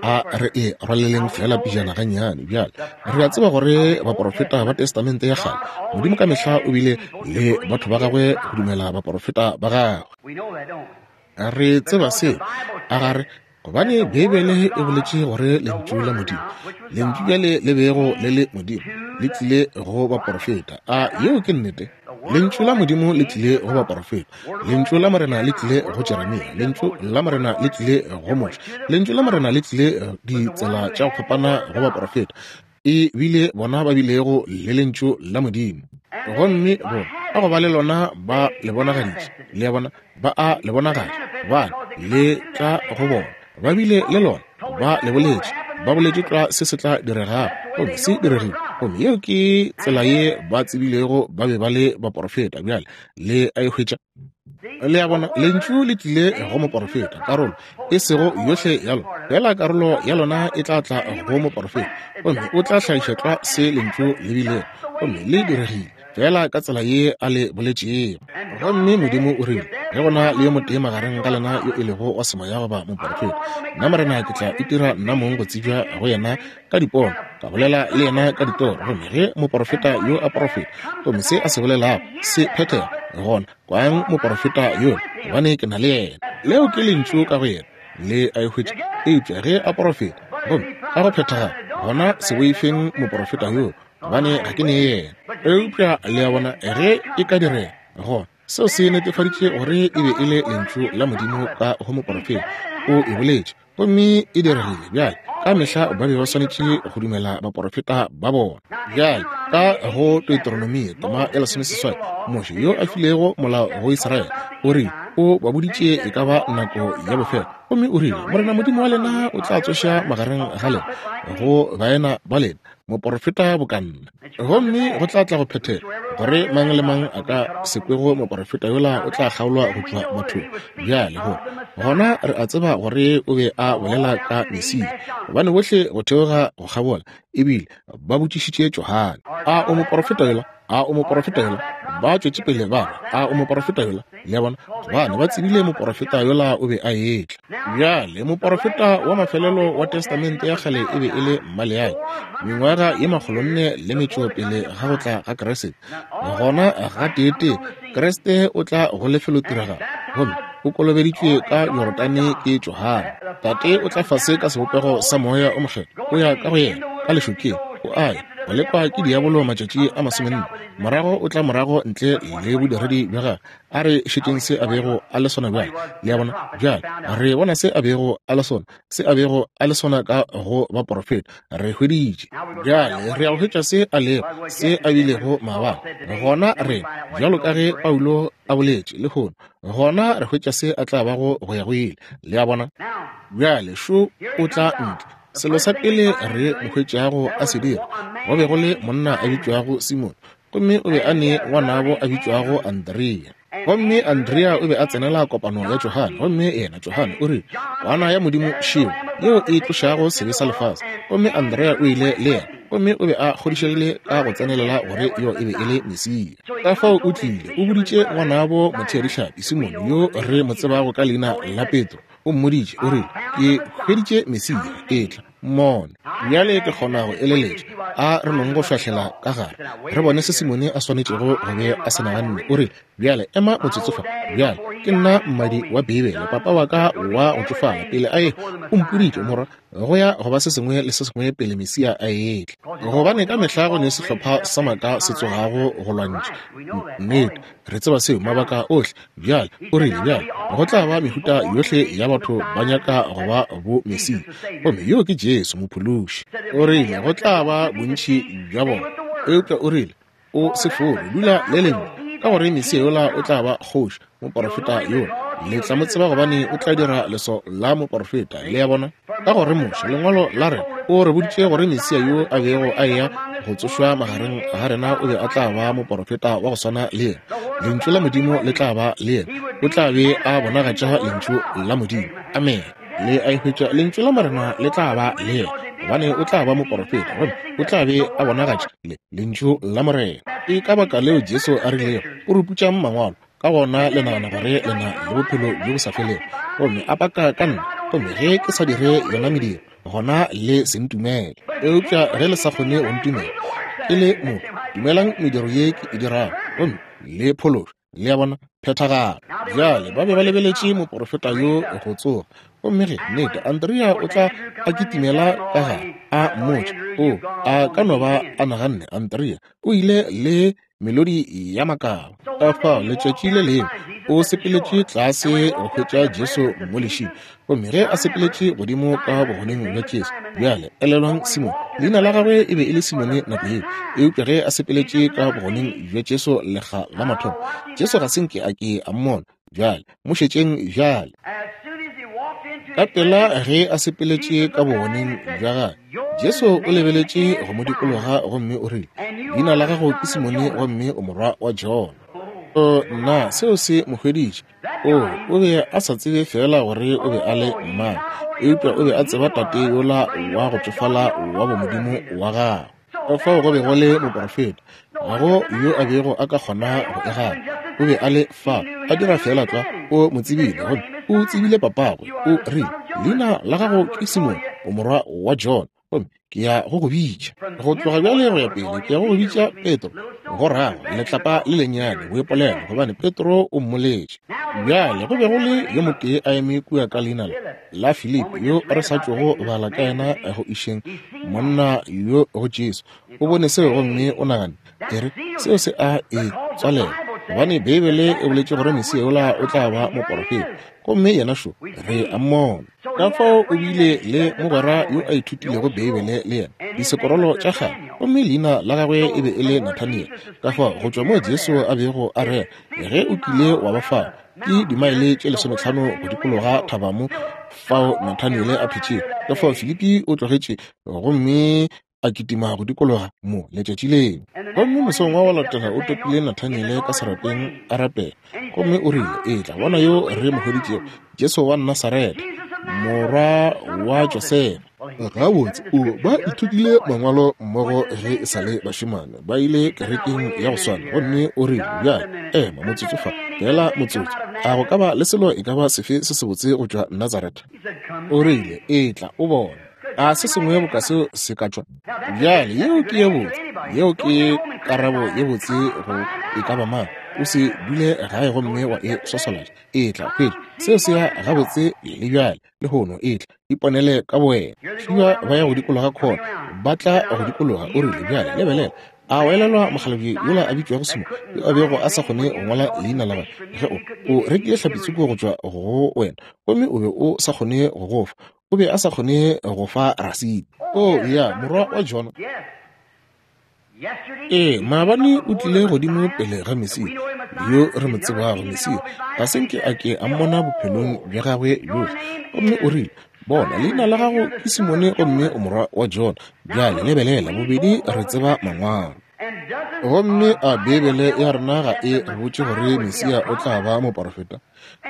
a re e rwaleleng fela pejana gannyane. Bjale re a tseba gore baporofeta ba Testamente ya kgale, Modimo ka mehla o bile le batho ba gagwe go dumela baporofeta ba gagwe. Re tseba seo, a gare, gobane Beibele e boletše gore lentšu la Modimo, lentšu bjale le bego le le Modimo, le tlile go baporofeta. A yeo ke nnete? Lentšu la Modimo le tlile go baporofeta. Lentšu la Morena le tlile go Jeremia. Lentšu la Morena le tlile go Moshe. Lentšu la Morena le tlile ditsela tša go fapana go baporofeta. E bile bona ba bilego le lentšu la Modimo, gomme bona ka go ba le lona ba le bonagaditše. Le a bona? Ba a le bonagatša, gobane le tla go bona. Ba bile le lona, ba le boletše, ba boletše tlwa se se tla diregago, gomme se diregile. Gomme yeo ke tsela ye ba tsebilego ba be ba le baporofeta. Bjale le a e hwetša? Le a bona? Lentšu le tlile go moporofeta, karolo e sego yohle ya lona, fela karolo ya lona e tla tla go moporofeta, gomme o tla hlagiša tlwa se lentšu le bilego, gomme le diregile fela ka tsela ye a le boletšego. Gomme Modimo o rile, ge go na le yo motee magareng ga lena yo e lego wa semoya goba moporofeta, nna Morena ke tla itira nna mong go tsebja go yena ka dipono, ka bolela le yena ka ditoro. Gomme ge moporofeta yo a porofeta, gomme se a se bolelago se phethega, gona kwang moporofeta yo, gobane ke na le yena. Leo ke lentšu ka go yena, le a e hwetša. Eupša ge a porofeta gomme ka go phethagala, gona se boifeng moporofeta yo, gobane ga ke ne yena. Eupša le a bona, ge e ka direga, gona seo se netefaditše gore e be e le lentšu la Modimo ka go moporofeta. O e boletše gomme e diregile. Bjale ka mehla ba be ba swanetše go dumela baporofeta ba bona. Bjale ka go Deuteronomia tema ya lesomeseswai, Moshe yo a filego molao go Israele o rile, o ba boditše e ka ba nako ya bofelo, gomme o rile, Morena Modimo wa lena o tla tsoša magareng ga lena go baena ba lena moporofeta boka nna, gomme go tla tla go phethega gore mang le mang a ka se kwego moporofeta yola o tla kgaolwa go tšwa bathong. Bjale go gona re a tseba gore o be a bolela ka Mesia, gobane bohle go theoga go kgabola ebile ba botšišitše Johane, a o moporofeta yola? A o moporofeta yola? Ba tšwetše pele ba re, a o moporofeta yola? Le a bona, gobane ba tsebile moporofeta yola o be a etla. Bjale moporofeta wa mafelelo wa Testamente ya kgale e be e le Maleaki, mengwaga ye makgolonne le metšo pele ga go tla ga Kriste. Gona gateetee Kriste o tla go lefelotiragalo, gomme o kolobeditšwe ka Jorodane ke Johane. Tate o tla fase ka sebopego sa Moya o Mokgethwa, o ya ka go yena ka lešokeng, o a ya go lekwa ke diabolo matšatši a masomenne. Morago o tla morago ntle le bodiredi bja gagwe. A re šetšeng se a bego a le sona bjale. Le a bona? Bjale re bona se a bego a le sona, se a bego a le sona ka go baporofeta. Re hweditše. Bjale re ya go hwetša se a lego, se a bilego maabane. Gona re, bjalo ka ge Paulo a boletše lehono, gona re hwetša se a tla bago go ya go ile. Le a bona? Bjale šo o tla ntle. Selo sa pele re mo hwetšago a se dira, go be go le monna a bitšwago Simone, gomme o be a ne ngwanabo a bitšwago Andrea. Gomme Andrea o be a tsenela kopano ya Johane, gomme yena Johane o rile, Kwana ya Modimo šeo, yeo e tlošago sebe sa lefase. Gomme Andrea o ile le yena, gomme o be a kgodišegile ka go tsenelela gore yo e be e le Mesia. Ka fao o tlile, o boditše ngwanabo motheadihlapi Simone, yo re mo tsebago ka leina la Petro. O mmoditše, o rile, ke hweditše Mesia, etla mmone. Bjale ke kgona go eleletša, a re nong go šwahlela ka gare, re bone se Simone a swanetšego go be a se naganne. O rile, bjale ema motsotso fa. Bjale ke nna mmadi wa Beibele, papa wa ka wa go tšofala pele a ye o mpoditše, morwa, go ya go ba se sengwe le se sengwe pele Mesia a etla. Gobane ka mehla go ne sehlopha sa maaka se tsogago go lwantšha nnete. Re tseba seo, mabaka ohle. Bjale o rile, bjale go tla ba mehuta yohle ya batho ba nyaka go ba bo Mesia, gomme yo ke Jesu mophološi. O rile go tla ba bontši bja bona, eupša o rile o se fore, dula le lengwe, ka gore Mesia yola o tla ba kgoši, moporofeta yola. Le tla mo tseba gobane o tla dira leso la moporofeta. Le a bona? Ka gore Moshe, lengwalo la rena, o re boditše gore Mesia yo a bego a eya go tsošwa magareng ga rena o be a tla ba moporofeta wa go swana le yena. Lentšu la Modimo le tla ba le yena, o tla be a bonagatša lentšu la Modimo. Amen. Le a e hwetša? Lentšu la Morena le tla ba le yena, gobane o tla ba moporofeta, gomme o tla be a bonagatša le lentšu la Morena. Ke ka baka leo Jesu a rilego, o re putšang mangwalo, ka gona le nagana gore le na le bophelo bjo bo sa felego, gomme a paka ka nna, gomme ge ke sa dire yona mediro, gona le se ntumele. Eupša ge le sa kgone go ntumela ke le motho, dumelang mediro ye ke e dirago, gomme le phološo. Le a bona? Phethagalo. Bjale ba be ba lebeletše moporofeta yo go tsoga, gomme ge nnete Andrea o tla a kitimela ka gare a mmotša, o a ka no ba a naganne Andrea o ile le melodi ya makaba. Ka fao letšatši le lengwe o sepeletše tlase go hwetša Jesu mo lešing, gomme ge a sepeletše godimo ka bogoneng bja Jesu. Bjale elelwang Simone, leina la gagwe e be e le Simone nako yeo, eupša ge a sepeletše ka bogoneng bja Jesu lekga la mathomo, Jesu ga se nke a ke a mmona. Bjale mo šetšeng bjale. Ka pela ge a sepeletše ka bogoneng bja gagwe, Jesu o lebeletše go mo dikologa gomme o rile, leina la gago ke Simone gomme o morwa wa Jona. O nna, seo se mo hweditše. O, o be a sa tsebe fela gore o be a le mang, eupša o be a tseba tate yola wa go tšofala wa bomodimo wa gagwe. Ka fao go be go le moporofeta, ga go yo a bego a ka kgona go e gana. O be a le fa, a dira fela tlwa, o mo tsebile, gomme o tsebile papagwe. O rile, leina la gago ke Simone, o morwa wa Jona, gomme ke ya go go bitša. Go tloga bjale go ya pele, ke ya go go bitša Petro, go rago letlapa le lennyane, boipolelo, gobane Petro o mmoletše. Bjale go be go le yo motee a eme kua ka leina la Filipi, yo re sa tšogo bala ka yena go išeng monna yo go Jesu. O bone seo gomme o naganne, e re, seo se a e tswalela, gobane Beibele e boletše gore Mesia yola o tla ba moporofeta, gomme yena šo re a mmona. Ka fao o bile le mogwera yo a ithutilego Beibele le yena disekorolo tša kgale, gomme leina la gagwe e be e le Nathaniel. Ka fao go tšwa moo Jesu a bego a rera, ge o kile wa ba fao, ke dimaele tše lesometlhano go dikologa thaba mo fao Nathaniel a phetšego. Ka fao Filipi o tlogetše gomme a kitima go dikologa mo letšatši leo. Gomme mosong wa go latela o topile Nathaniel ka serapeng a rapela, gomme o rile, etla bona yo re mo hweditšego, Jesu wa Nasaretha, morwa wa Josefa. Gabotse, o ba ithutile mangwalo mmogo ge e sa le bašemane, ba ile kerekeng ya go swana. Gomme o rile, bjale, ema motsotso fa, feela motsotso, a go ka ba le selo e ka ba sefe se sebotse go tšwa Nazaretha? O rile, etla o bone. A se sengwe boka seo se ka tšwa? Bjale, yeo ke ye botse, yeo ke karabo ye botse go e ka ba mang. O se dule gae gomme wa e swaswalatša. Etla, hwetša seo se ya gabotse le bjale lehono. Etla, iponele ka bowena. Šiba ba ya go dikologa khona, ba tla go dikologa. O rile, bjale lebelela, a o elelwa mokgalabje yola a bitšwago Simone, yo a bego a sa kgone go ngwala leina la gagwe, ge o o rekile hlapitsoko go tšwa go wena, gomme o be o sa kgone go go fa, o be a sa kgone go fa rasiti. O ya morwa wa Jona. Ee, maabane o tlile godimo pele ga Mesia, yo re mo tsebago. Mesia ga se nke a ke a mmona bophelong bja gagwe bjohle. Gomme o rile, bona, leina la gago ke Simone, gomme o morwa wa Jona. Bjale lebelela, bobedi re tseba mangwalo. Gomme a Beibele ya rena ga e re botše gore Mesia o tla ba moporofeta?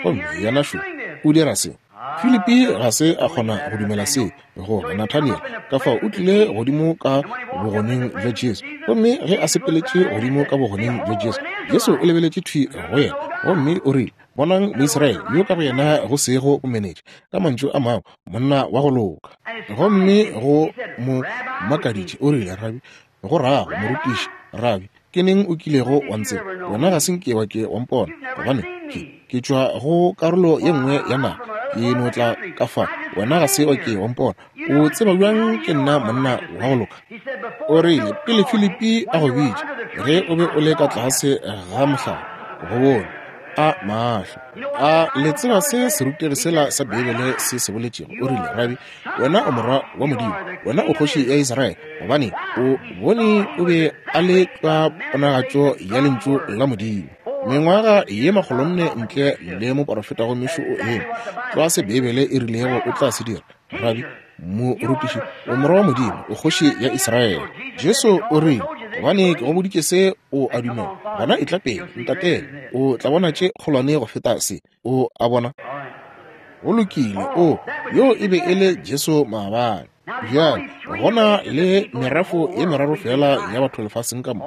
Gomme yena šo o dira se. Filipi ga se a kgona go dumela se go Nathaniel, ka fao o tlile godimo ka bogoneng bja Jesu. Gomme ge a sepeletše godimo ka bogoneng bja Jesu, Jesu o lebeletše thwi go yena, gomme o rile, bonang Moisraele yo ka go yena go sego bomenetša, ka mantšu a mangwe, monna wa go loka. Gomme go mo makaditše, o rile, Rabi, go rago morutiši, Rabi, ke neng o kilego wa ntseba? Wena ga se nke wa ke wa mpona, gobane ke ke tšwa go karolo ye nngwe ya naga, ke no tla ka fa, wena ga se wa ke wa mpona. O tseba bjang ke nna monna wa go loka? O rile, pele Filipi a go bitša, ge o be o le ka tlase ga mohlare, go bone a mahlo. A le tseba se serutegi sela sa Beibele se se boletšego? O rile, Rabi, wena o morwa wa Modimo, wena o kgoši ya Israele, gobane o bone o be a le ka ponagatšo ya lentšu la Modimo. Mengwaga ye makgolonne ntle le moporofeta gomme šo o eme tlwa se Beibele e rilego o tla se dira. Rabi, morutiši, o morwa wa Modimo, o kgoši ya Israele. Jesu o rile, gobane ke go boditše se o a dumela, gona etla pele, ntatele, o tla bona tše kgolwane go feta se. O a bona? Go lokile. O yo e be e le Jesu maabane. Bjale gona le merafo ye meraro fela ya batho lefaseng ka mo,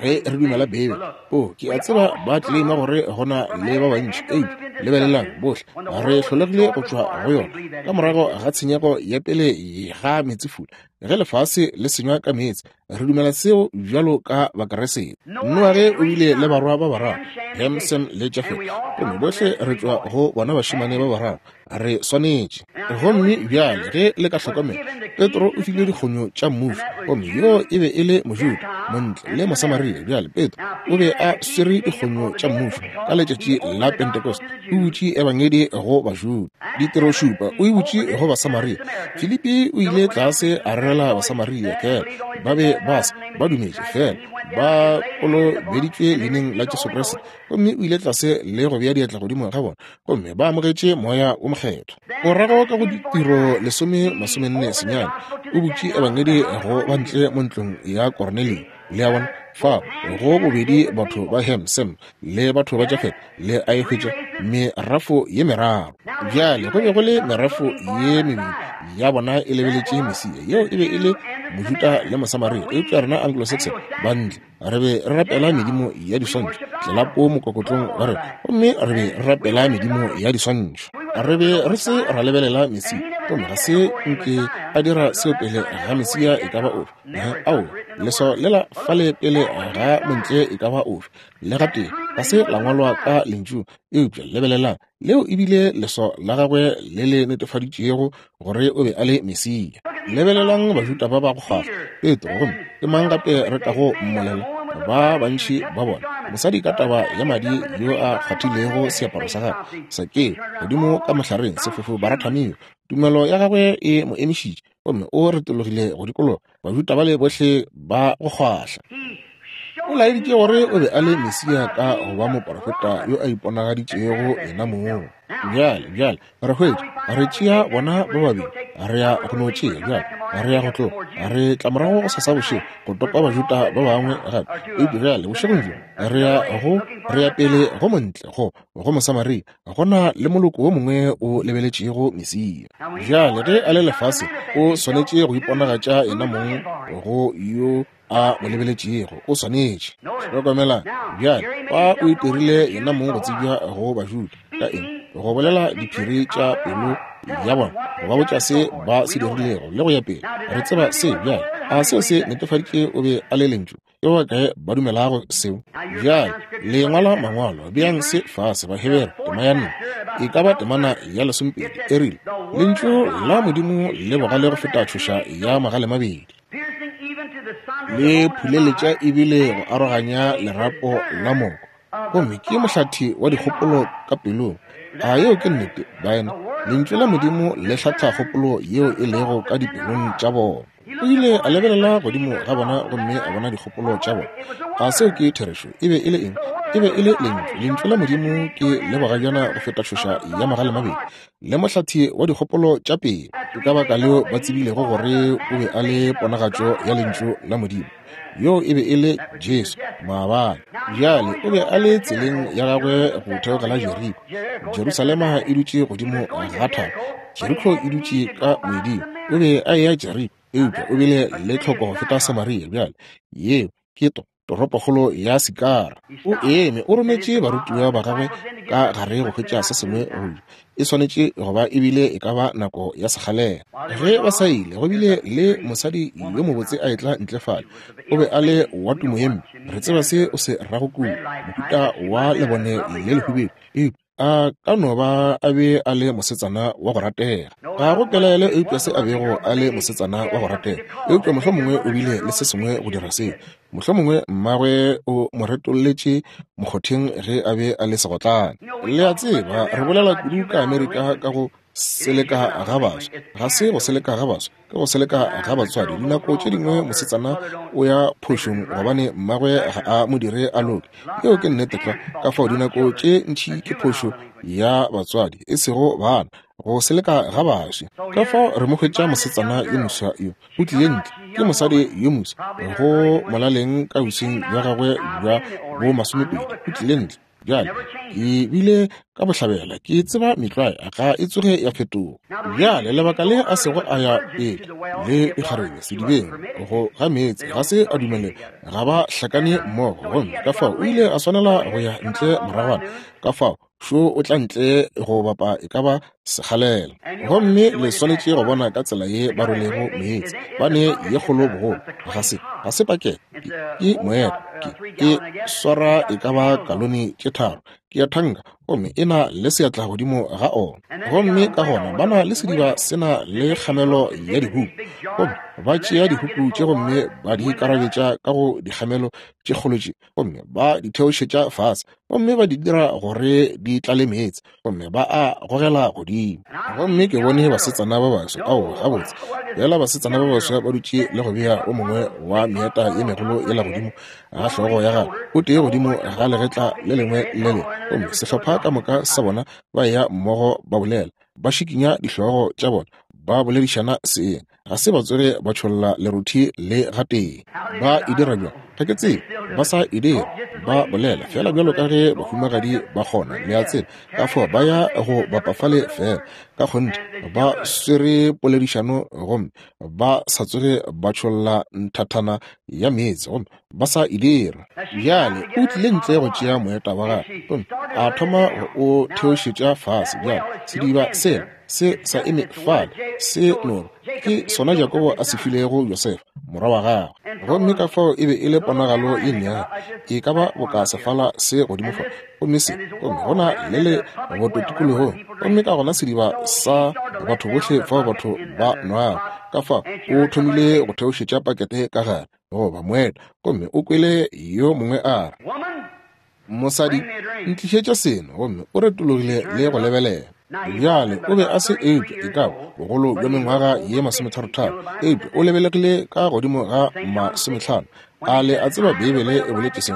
ge re dumela Beibele. O ke a tseba ba tleleima gore gona le ba bantši, eupša lebelelang, bohle re hlolegile go tšwa go yona ka morago ga tshenyego ya pele ga meetsefula, ge lefase le senywa ka meetse. Re dumela seo bjalo ka Bakeresete. Noage o bile le barwa ba bararo, Ham, Sem le Jafet, gomme bohle re tšwa go bona bašemane ba bararo. Re swanetše. Gomme bjale ge le ka hlokomela, Petro o filwe dikgonyo tša mmušo, gomme yo e be e le Mojuda, Montle le Mosamaria. Bjale Petro o be a swere dikgonyo tša mmušo ka letšatši la Pentecost. O butše ebangedi go Bajuda. Ditiro šupa o e butše go Basamaria. Filipi o ile tlase a rerela Basamaria, fela ba be ba se ba dumetše, fela ba kolobeditšwe leineng la Jesu Kriste. Gomme o ile tlase le go bea diatla godimo ga bona, gomme ba amogetše moya o mokgethwa. Morago ka go ditiro lesome masomenne senyane, o butše ebangedi go bantle mo ntlong ya Kornelio. Le a bona? Fa go bobedi batho ba Ham, Sem le batho ba Jafet, le a e hwetša merafo ye meraro. Bjale go be go le merafo ye mebedi ya bona e lebeletše Mesia, yeo e be e le Mojuda le Mosamaria. Eupša rena Anglo-Saxon bantle re be re rapela medimo ya diswantšho, tlelapo mokokotlong wa rena, gomme re be re rapela medimo ya diswantšho. Re be re se ra lebelela Mesia, gomme ga se nke a dira seo pele ga Mesia e ka ba ofe. Ao, leswao lela fale pele ga montle e ka ba ofe, le gatee ga se la ngwalwa ka lentšu, eupša lebelelang, leo e bile leswao la gagwe le le netefaditšego gore o be a le Mesia. Lebelelang Bajuda ba ba go kgwahla, Petro, gomme ke mang gape re kago mmolela? Ba bantši ba bona mosadi ka taba ya madi yo a kgwathilego seaparo sa gagwe, Sakeo godimo ka mohlareng, sefofu Baratamio, tumelo ya gagwe e mo emišitše, gomme o retologile go dikologa. Bajuda bale bohle ba go kgwahla. O laeditše gore o be a le Mesia ka go ba moporofeta yo a iponagaditšego yena mong. Bjale, bjale re hwetša, re tšea bona ba babedi, Re ya go no tšea bjale, re ya go tloga, re tla morago go sasa bošego go topa Bajuda ba bangwe gape. Eupša bjale bošegong bjo re ya go re ya pele go montle go go Mosamaria, go na le moloko wo mongwe o lebeletšego Mesia. Bjale ge a le lefase o swanetše go iponagatša yena mong go yo a mo lebeletšego, o swanetše. Hlokomela bjale, fa o itirile yena mong go tsebja go Bajuda ka eng? Go bolela diphiri tša pelo ya bona, go ba botša se ba se dirilego le go ya pele. Re tseba se bjale. A seo se netefaditše o be a le lentšu? Ke ba kae ba dumelago seo? Bjale le ngwala mangwalo, beang se fase. Bahebere tema ya nne, e ka ba temana ya lesomepedi, e rile lentšu la Modimo le bogale go feta tšhoša ya magale mabedi, le phuleletša ebile go aroganya lerapo la moko, gomme ke mohlathi wa dikgopolo ka pelong. A yeo ke nnete, baena? Lentšu la Modimo le hlatha kgopolo yeo e lego ka dipelong tša bona. O ile a lebelela godimo ga bona gomme a bona dikgopolo tša bona. A seo ke therešo? E be e le eng? E be e le lentšu. Lentšu la Modimo ke le bogajana go feta tšhoša ya magale mabedi, le mohlathi wa dikgopolo tša pelo. Ke ka baka leo ba tsebilego gore o be a le ponagatšo ya lentšu la Modimo. Yo e be e le Jesu maabane. Bjale o be a le tseleng ya gagwe go theogela Jeriko. Jerusalema e dutše godimo ga thaba, Jeriko e dutše ka moeding. O be a eya Jeriko, eupša o bile le tlhoko go feta Samaria. Bjale yeo ke to toropokgolo ya Sikara. O eme, o rometše barutiwa ba gagwe ka gare go hwetša se sengwe go ja. E swanetše go ba ebile e ka ba nako ya sekgalela. Ge ba sa ile, go bile le mosadi yo mobotse a etla ntle fale. O be a le wa tumo ye mpe. Re tseba se o se rago kudu, mohuta wa lebone le lehubedu. Eupša a ka no ba a be a le mosetsana wa go ratega. Ga go pelaelo eupša se a bego a le mosetsana wa go ratega. Eupša mohlomongwe o bile le se sengwe go dira seo. Mohlomongwe mmagwe o mo retolletše mokgotheng ge a be a le segotlane. Le a tseba, re bolela kudu ka Amerika ka go seleka ga baswa. Ga se go seleka ga baswa, ke go seleka ga batswadi. Dinako tše dingwe mosetsana o ya phošong gobane mmagwe ga a mo dire a loke. Yeo ke nnete tlwa. Ka fao dinako tše ntši ke phošo ya batswadi, e sego bana, go seleka ga baswi. Ka fao re mo hwetša mosetsana yo moswa yo o tlile ntle, ke mosadi yo moswa go molaleng ka bosweng bja gagwe bja bo masomepedi. O tlile ntle. Bjale ke bile ka bohlabela, ke tseba metlwae ga e tsoge ya fetoga. Bjale lebaka le a sego a ya pele le dikgarebe sedibeng go ga meetse, ga se a dumele ga ba hlakane mmogo, gomme ka fao o ile a swanela go ya ntle moragwana. Ka fao šo o tla ntle go bapa e ka ba sekgalela. Gomme le swanetše go bona ka tsela ye ba rwelego meetse. Ba ne ye kgolo bogolo, ga se ga se pakete, ke moeta, ke ke swara e ka ba kalone tše tharo, ke ya thanka, gomme e na le seatla godimo ga ona. Gomme ka gona ba na le sediba se na le kgamelo ya dihuku, gomme ba tšea dihuku tše gomme ba di karabetša ka go dikgamelo tše kgolo tše, gomme ba di theošetša fase, gomme ba di dira gore di tlale meetse, gomme ba a gogela godimo. Gomme ke bone basetsana ba baswa, ao gabotse bjala basetsana ba baswa ba dutše le go bea o mongwe wa meeta ye megolo yela godimo ga hlogo ya gagwe, o tee godimo ga legetla le lengwe le lengwe, gomme sehlopha ka moka sa bona ba ya mmogo ba bolela, ba šikinya dihlogo tša bona, ba boledišana seeng. Ga se ba tsoge ba tšholla lerothi le gatee. Ba e dira bjang? Ga ke tsebe. Ba sa e dira, ba bolela fela bjalo ka ge bahumagadi ba kgona, le a tseba. Ka fao ba ya go bapafale fela ka kgonthe, ba swere poledišano gomme ba sa tsoge ba tšholla nthathana ya meetse, gomme ba sa e dira. Bjale o tlile ntle go tšea moeta wa gagwe, gomme a thoma go o theošetša fase. Bjale sediba sela se sa eme fale, se no ke sona Jakobo a se filego Josefa morwa wa gagwe. Gomme ka fao e be e le ponagalo ye nnyane, e ka ba boka sefala se godimo fa, gomme se, gomme go na le le boto tikologong, gomme ka gona sediba sa batho bohle fao batho ba nwago. Ka fao o thomile go theošetša pakete ka gare goba moeta, gomme o kwele yo mongwe a re, mosadi, ntlišetša seno. Gomme o retologile le go lebelela. Bjale o be a se eupša e ka ba bogolo bja mengwaga ye masometharotharo, eupša o lebelegile ka godimo ga masometlhano. A le a tseba Beibele e boletše se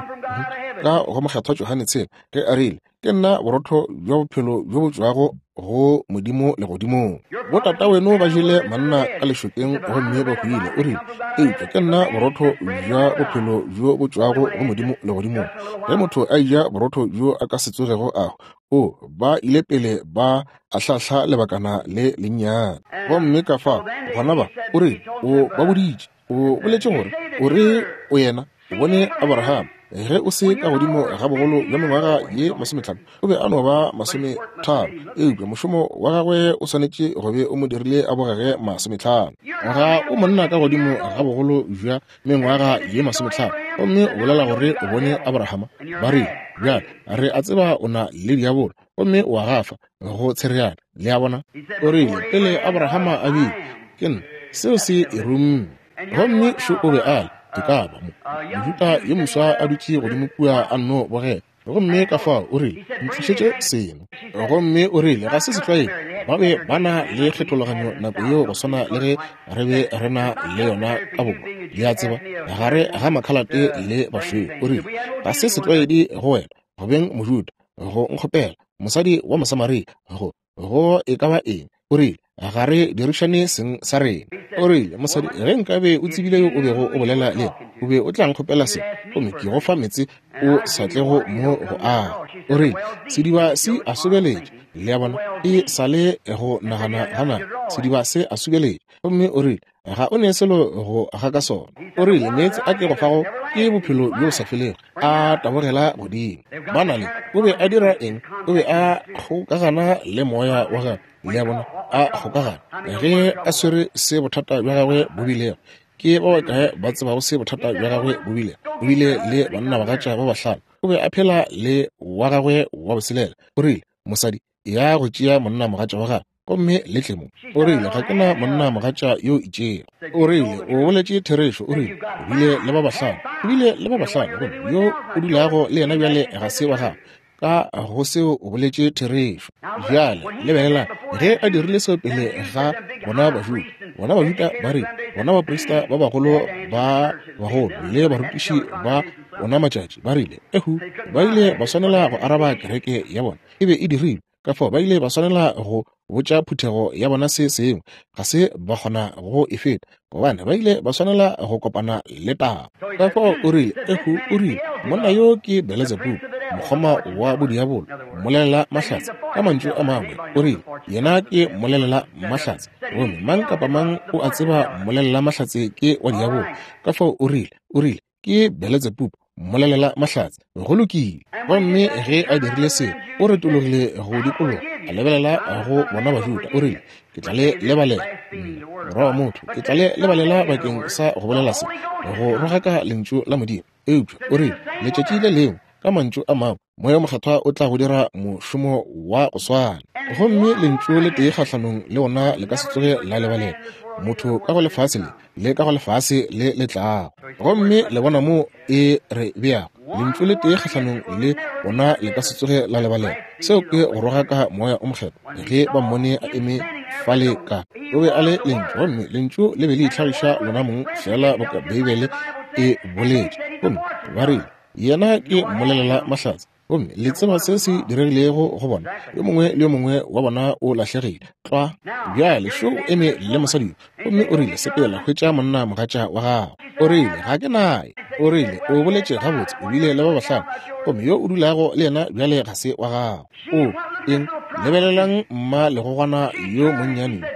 ka go mokgethwa Johane tshela, ge a rile, ke nna borotho bja bophelo bjo bo tšwago go Modimo legodimong. Botataweno ba jele manna ka lešokeng gomme ba hwile. O rile, eupša ke nna borotho bja bophelo bjo bo tšwago go Modimo legodimong. Ge motho a eja borotho bjo a ka se tsogego a hwa. O ba ile pele ba ahlahla lebakana le lennyane. Gomme ka fao gona ba, o rile, o ba boditše, o boletše gore o re o yena o bone Abraham ge o se ka godimo ga bogolo bja mengwaga ye masometlhano, o be a no ba masometharo, eupša mošomo wa gagwe o swanetše go be o mo dirile a bogege masometlhano. Ga o monna ka godimo ga bogolo bja mengwaga ye masometlhano, gomme o bolela gore o bone Abrahama. Ba rile, bjale re a tseba o na le diabolo, gomme o a gafa go tshereana. Le a bona? O rile, pele Abrahama a bile, ke nna. Seo se e rumme. Gomme šo o be a le, ke ka ba mo Mojuda yo moswa a dutše godimo kua a nno bogela. Gomme ka fao o rile, ntlišetše seno. Gomme o rile, ga se setlwaedi, ba be ba na le kgethologanyo nako yeo go swana le ge re be re na le yona ka borwa, le a tseba, gare ga makhalate le bašweu. O rile, ga se setlwaedi go wena go beng Mojuda go nkgopela, mosadi wa Mosamaria, go go e ka ba eng. O rile, ga re dirišane seng sa rena. O rile, mosadi, ge nkabe o tsebile yo o bego o bolela le yena, o be o tla nkgopela se, gomme ke go fa meetse o sa tlego mo go aga. O rile, sediba se a sobeletše. Le a bona, e sa le go nagana ga naga, sediba se a sobeletše. Gomme o rile, ga o ne selo go ga ka sona. O rile, meetse a ke go fago ke bophelo bjo sa felego, a tabogela godimo. Ba na le, o be a dira eng? O be a kgokagana le moya wa gagwe. Le a bona, a kgokagana ge a swere se bothata bja gagwe bo bilego. Ke ba bakae ba tsebago se bothata bja gagwe bo bilego? O bile le bannabagatša ba bahlano. O be a phela le wa gagwe wa boselela. O rile, mosadi, ya go tšea monnamogatša wa gagwe gomme le tle mo. O rile, ga ke na monnamogatša yo itšego. O rile, o boletše therešo. O rile, o bile le ba bahlano. O bile le ba bahlano, gomme yo o dulago le yena bjale ga se wa gagwe. Ka go seo o boletše therešo. Bjale lebelelang, ge a dirile seo pele ga bona Bajuda, bona Bajuda ba rile, bona baprista ba bagolo ba bagolo le barutiši ba ona matšatši ba rile, ehu, ba ile ba swanela go araba kereke ya bona. E be e dirilwe. Ka fao ba ile ba swanela go botša phuthego ya bona se sengwe, ga se ba kgona go e feta, gobane ba ile ba swanela go kopana le taba. Ka fao o rile, ehu, o rile, monna yo ke Beelzebub, mokgoma wa bodiabolo, mmolelela mahlatse. Ka mantšu a mangwe, o rile, yena ke mmolelela mahlatse, gomme mang kapa mang o a tseba mmolelela mahlatse ke wa diabolo. Ka fao o rile, o rile, ke Beelzebub, mmolelela mahlatse. Go lokile. Gomme ge a dirile seo, o retologile go dikologa, a lebelela go bona Bajuda. O rile, ke tla le lebalela, morwa wa motho, ke tla le lebalela bakeng sa go bolela se, go rogaka lentšu la Modimo. Eupša o rile, letšatši le lengwe, ka mantšu a mangwe, Moya o Mokgethwa o tla go dira mošomo wa go swana, gomme lentšu le tee kgahlanong le ona le ka se tsoge la lebalela motho ka go lefase le le ka go lefase le le tlago. Gomme le bona mo e re beago, lentšu le tee kgahlanong le ona le ka se tsoge la lebalela. Seo ke go rogaka Moya o Mokgethwa. Ge ba mmone a eme fale ka, o be a le lentšu, gomme lentšu le be le itlhagiša lona mong fela boka Beibele e boletše. Gomme ba rile, yena ke mmolelela mahlatse. Gomme le tseba se se diregilego go bona, yo mongwe le yo mongwe wa bona o lahlegile tlwa. Bjale šo o eme le mosadi yo, gomme o rile, sepela hwetša monna mogatša wa gago. O rile, ga ke naye. O rile, o boletše gabotse, o bile le ba bahlano, gomme yo o dulago le yena bjale ga se wa gago. O eng? Lebelelang mma legogwana yo monnyane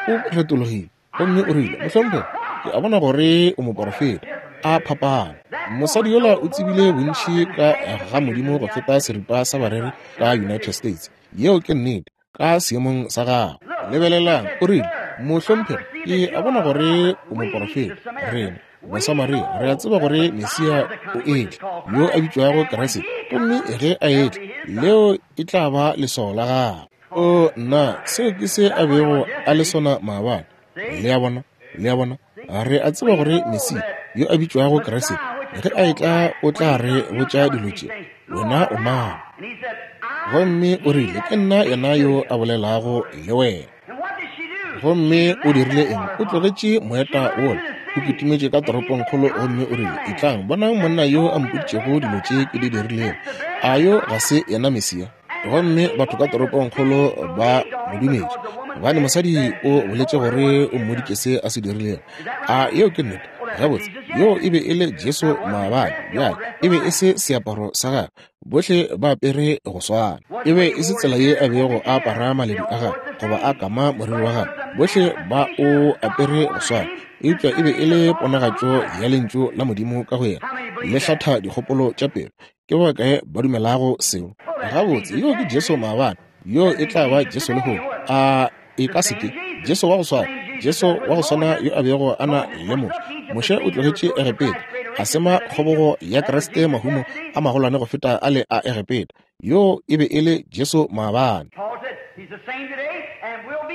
o retologile, gomme o rile, mohlomphegi, ke a bona gore o moporofeta. A phapana. Mosadi yola o tsebile bontši ka ga Modimo go feta seripa sa bareri ka United States. Yeo ke nnete, ka seemong sa gagwe. Lebelelang, o rile, mohlomphegi, ke a bona gore o moporofeta. Rena Basamaria re a tseba gore Mesia o etla, yo a bitšwago Kriste, gomme ge a etla, leo e tla ba leswao la gagwe. O nna, seo ke se a bego a le sona maabane. Le a bona, le a bona, re a tseba gore Mesia yo a bitšwago Kriste, ge a etla o tla re botša dilo tše. Wena o mang? Gomme o rile, ke nna yena yo a bolelago le wena. Gomme o dirile eng? O tlogetše moeta wola, o kitimetše ka toropongkgolo, gomme o rile, etlang bonang monna yo a mpoditšego dilo tše ke di dirilego. A yo ga se yena Mesia? Gomme batho ka toropongkgolo ba mo dumetše, gobane mosadi o boletše gore o mmoditše se a se dirilego. A yeo ke nnete? Gabotse, yoo e be e le Jesu maabane. Bjale, e be e se seaparo sa gagwe, bohle ba apere go swana. E be e se tsela ye a bego a apara maledu a gagwe goba a kama moriri wa gagwe, bohle ba o apere go swana. Eupša e be e le ponagatšo ya lentšu la Modimo ka go yena, le hlatha dikgopolo tša pelo. Ke ba bakae ba dumelago seo? Gabotse, yoo ke Jesu maabane, yoo e tla ba Jesu lehono. A e ka se ke Jesu wa go swana, Jesu wa go swana yo a bego a na le Moshe. Moshe o tlogetše Egepeta, a sema kgobogo ya Kriste mahumo a magolwane go feta a le a Egepeta. Yoo e be e le Jesu maabane.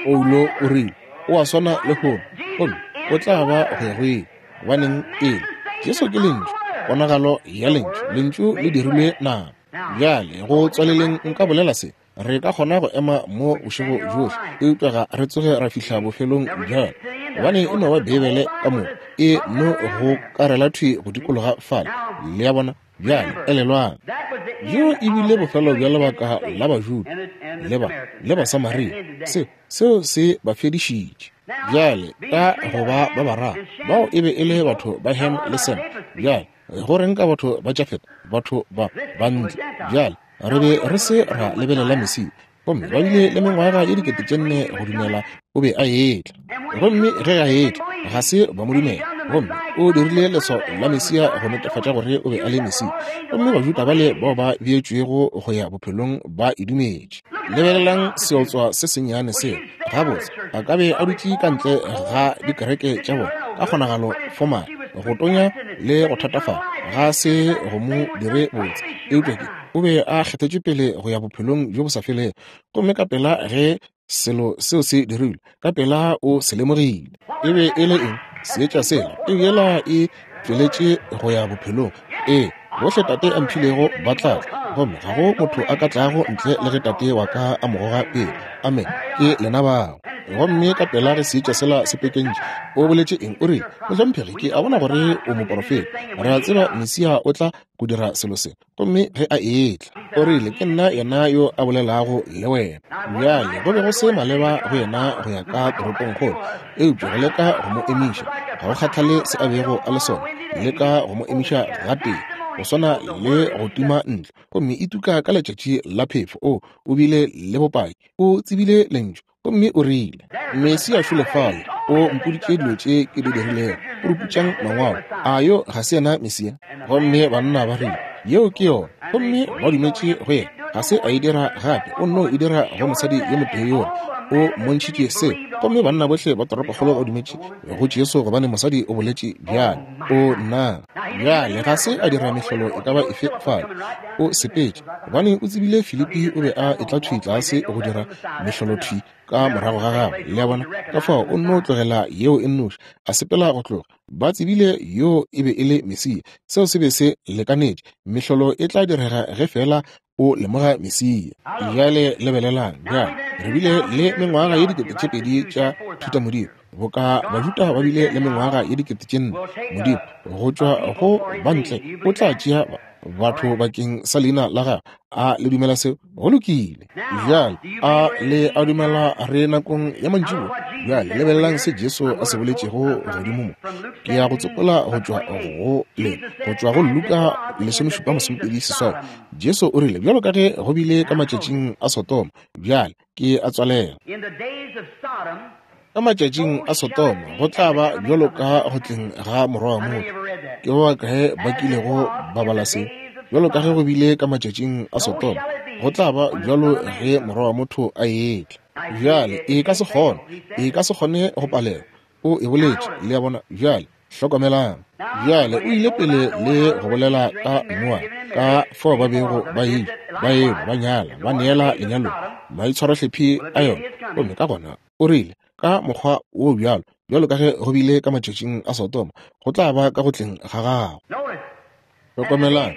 Paulo o rile, o a swana lehono, gomme o tla ba go ya go ile. Gobaneng ele? Jesu ke lentšu, ponagalo ya lentšu. Lentšu le dirilwe nama. Bjale go tswaleleng nka bolela se. Re ka kgona go ema mo bošego bjohle, eupša ga re tsoge ra fihla bofelong bja yona, gobane e no ba Beibele ka moka e no go karela thwi go dikologa fale. Le a bona? Bjale elelwang, bjo e bile bofelo bja lebaka la Bajuda le ba le Basamaria. Se seo se ba fedišitše. Bjale ka go ba ba bararo bao e be e le batho ba Ham le Sem. Bjale go reng ka batho ba Jafet, batho ba bantle? Bjale re be re se ra lebelela Mesia, gomme ba bile le mengwaga ye dikete tše nne go dumela o be a etla. Gomme ge a etla, ga se ba mo dumela. Gomme o dirile leswao la Mesia go netefatša gore o be a le Mesia. Gomme Bajuda bale bao ba beetšwego go ya bophelong ba e dumetše. Lebelelang seotswa se sennyane seo. Gabotse, a ka be a dutše ka ntle ga dikereke tša bona ka kgonagalo fomale, go tonya le go thatafala, ga se go mo dire botse. Eupša ke o be a kgethetšwe pele go ya bophelong bjo bo sa felego. Gomme ka pela ge selo seo se dirilwe, ka pela o se lemogile. E be e le eng? Seetša sela, peu yela e tšweletše go ya bophelong. Ee, bohle Tate a mphilego ba tla tla, gomme ga go motho a ka tlago ntle le ge Tate wa ka a mo goga pele. Amen. Ke lena bao. Gomme ka pela ge seetša sela se pekentše, o boletše eng? O rile, mohlomphegi, ke a bona gore o moporofeta. Re a tseba Mesia o tla go dira selo se. Gomme ge a etla, o rile, ke nna yena yo a bolelago le wena. Bjale go be go se maleba go yena go ya ka toropongkgolo, eupša go leka go mo emiša, ga go kgathale se a bego a le sona, leka go mo emiša gatee, go swana le go tima ntlo, gomme e tuka ka letšatši la phefo. O o bile le bopaki, o tsebile lentšu, gomme o rile, Mesia šole fale, o mpoditše dilo tše ke di dirilego, o ruputšang mangwalo. A yo ga se yena Mesia? Gomme banna ba rile, yeo ke yona. Gomme ba dumetše go yena. Ga se a e dira gape, o nno e dira go mosadi yo motee yola. O mmontšhitše seo. Gomme banna bohle ba toropokgolo ba dumetše go Jesu, gobane mosadi o boletše bjale. O nna bjale ga se a dira mehlolo e ka ba efe fale. O sepetše, gobane o tsebile Filipi o be a etla thwi tlase go dira mehlolo thwi ka morago ga gagwe. Le a bona? Ka fao o nno tlogela yeo e nnoši, a sepela go tloga. Ba tsebile yo e be e le Mesia. Seo se be se lekanetše. Mehlolo e tla direga ge fela o lemoga Mesia. Bjale lebelelang. Bjale re bile le mengwaga ye dikete tše pedi tša thutamodimo, boka Bajuda ba bile le mengwaga ye dikete tše nne. Modimo go tšwa go bantle o tla tšea batho bakeng sa leina la gagwe. A le dumela seo? Go lokile. Bjale a le a dumela re nakong ya mantšiboa? Bjale lebelelang se Jesu a se boletšego godimo mo. Ke ya go tsopola go tšwa go le go tšwa go Luka lesomešupa masomepedi seswai. Jesu o rile, bjalo ka ge go bile ka matšatšing a Sodoma. Bjale ke a tswalela. Ka matšatšing a Sodoma go tla ba bjalo ka go tleng ga Morwa wa motho. Ke ba bakae ba kilego ba bala seo? Bjalo ka ge go bile ka matšatšing a Sodoma, go tla ba bjalo ge Morwa wa motho a etla. Bjale e ka se kgone, e ka se kgone go palelwa. O e boletše, le a bona. Bjale hlokomelang. Bjale o ile pele le go bolela ka Noa, ka fao ba bego ba eja, ba enwa, ba nyala, ba neela lenyalong, maitshwarohlephi a yona. Gomme ka gona o rile, ka mokgwa wo bjalo, bjalo ka ge go bile ka matšatšing a Sodoma, go tla ba ka go tleng ga gago. Hlokomelang,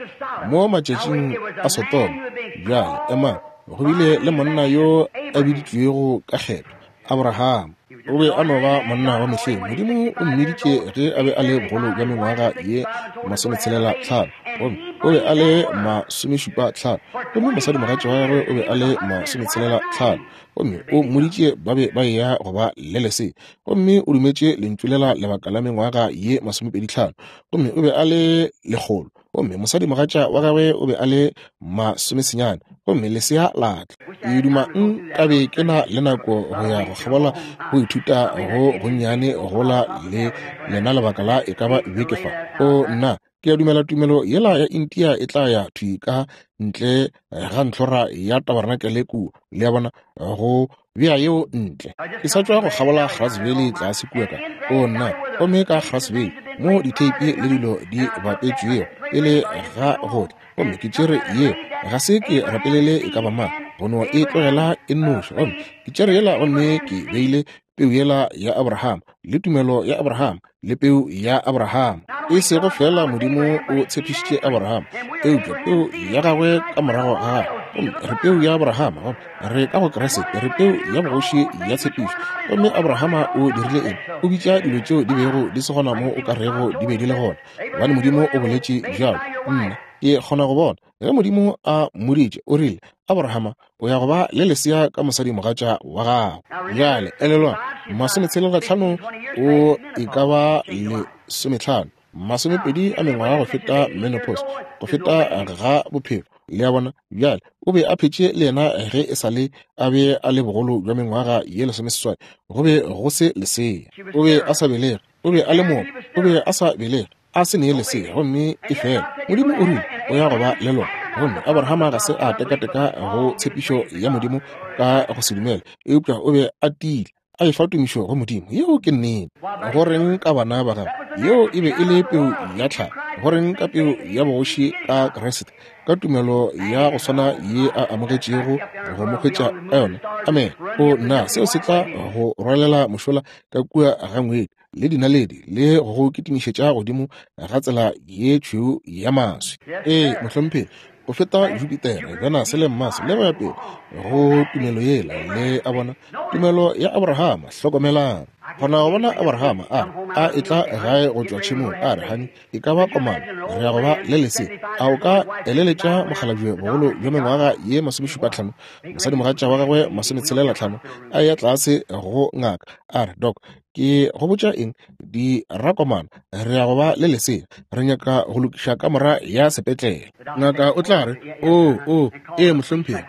mo matšatšing a Sodoma, bjale emang, go bile le monna yo a biditšwego ka kgetho, Abraham. O be a no ba monna wa mehleng. Modimo o mmiditše ge a be a le bogolo bja mengwaga ye masometshelela tlhano, gomme o be a le masomešupa tlhano, gomme mosadimogatša wa gagwe o be a le masometshelela tlhano. Gomme o mmoditše ba be ba eya go ba le lesea, gomme o dumetše lentšu lela lebaka la mengwaga ye masomepedi tlhano, gomme o be a le lekgolo, gomme mosadimogatša wa gagwe o be a le masomesenyane, gomme lesea la tla. Ke duma nkabe ke na le nako go ya go kgabola go ithuta go gonnyane gola le lena lebaka la e ka ba beke fa. O nna, ke a dumela tumelo yela ya India e tla ya thwi ka ntle ga ntlhora ya tabarnakele kua, le a bona, go bea yeo ntle. Ke sa tšwa go kgabola Grass Valley tlase kua ka, o nna, gomme ka Grass Valley mo ditheipi le dilo di bapetšwego pele ga go tla, gomme ke tšere ye, ga se ke rapelele e ka ba mang, go no e tlogela e nnoši. Gomme ke tšere yela gomme ke beile peu yela ya Abraham le tumelo ya Abraham le peu ya Abraham. E sego fela Modimo o tshepišitše Abraham, eupša peu ya gagwe ka morago ga gagwe. Gomme re peu ya Abraham, gomme re ka go Kriste, re peu ya bogoši ya tshepišo. Gomme Abrahama o dirile eng? O bitša dilo tšeo di bego di se gona mo o ka rego di be di le gona, gobane Modimo o boletše bjalo. Nna ke kgona go bona ge Modimo a mmoditše, o rile, Abrahama, o ya go ba le lesea ka mosadimogatša wa gago. Bjale elelwa, masometshelela tlhano o e ka ba lesometlhano, masomepedi a mengwaga go feta menopause, go feta ga bophelo, le a bona. Bjale o be a phetše le yena ge e sa le a be a le bogolo bja mengwaga ye lesomeseswai, go be go se lesea. O be a sa belege, o be a le moopa, o be a sa belege, a se nee lesea, gomme e fela Modimo o rile o ya go ba le lona. Gomme Abrahama ga se a tekateka go tshepišo ya Modimo ka go se dumele, eupša o be a tiile, a efa tumišo go Modimo. Yeo ke nnete. Go reng ka bana ba gagwe? Yeo e be e le peu ya tlhago. Go reng ka peu ya bogoši ka Kriste, ka tumelo ya go swana ye a amogetšego go mo hwetša ka yona? Amen. O nna, seo se tla go rwalela mošola ka kua ga ngwedi le dinaledi le go go kitimišetša godimo ga tsela ye tšhweu ya maswi. Ee, mohlomphegi, go feta Jupiter, Venus le Mars le go ya pele go tumelo yela, le a bona, tumelo ya Abrahama. Hlokomelang, kgona go bona Abrahama a a etla gae go tšwa tšhemong, a re, hani, e ka ba komana, re ya go ba le lesea. A o ka eleletša mokgalabje bogolo bja mengwaga ye masomešupa tlhano, mosadimogatša wa gagwe masometshelela tlhano, a ya tlase go ngaka, a re, Doc, ke go botša eng, di rakomana, re ya go ba le lesea, re nyaka go lokiša kamora ya sepetlele. Ngaka o tla re, o o ee mohlomphegi,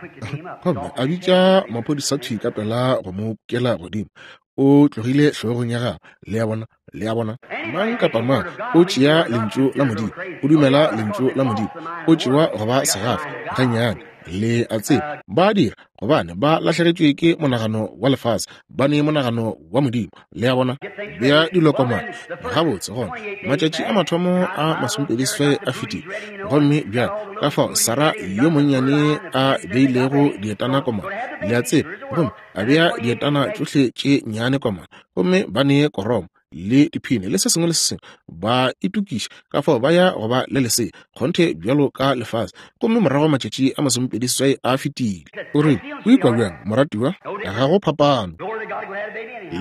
gomme a bitša maphodisa thwi ka pela go mo kela godimo. O tlogile hlogong ya gagwe, le a bona, le a bona. Mang kapa mang o tšea lentšu la Modimo, o dumela lentšu la Modimo, o tšewa go ba segafa gannyane, le a tseba. Ba dira gobane ba lahlegetšwe ke monagano wa lefase, ba ne monagano wa Modimo, le a bona. Bea dilo komana gabotse. Gona matšatši a mathomo a masomepedi seswai a fetile, gomme bjale ka fao Sara yo monnyane a beilego dietana komana, le a tseba, gomme a bea dietana tšohle tše nnyane komana, gomme ba ne koromo le diphine le se sengwe le se sengwe, ba itokiša ka fao ba ya go ba le lesea kgonthe bjalo ka lefase. Gomme morago matšatši a masomepedi seswai a fetile. O rile, o ikwa bjang moratiwa? Ga go phapano.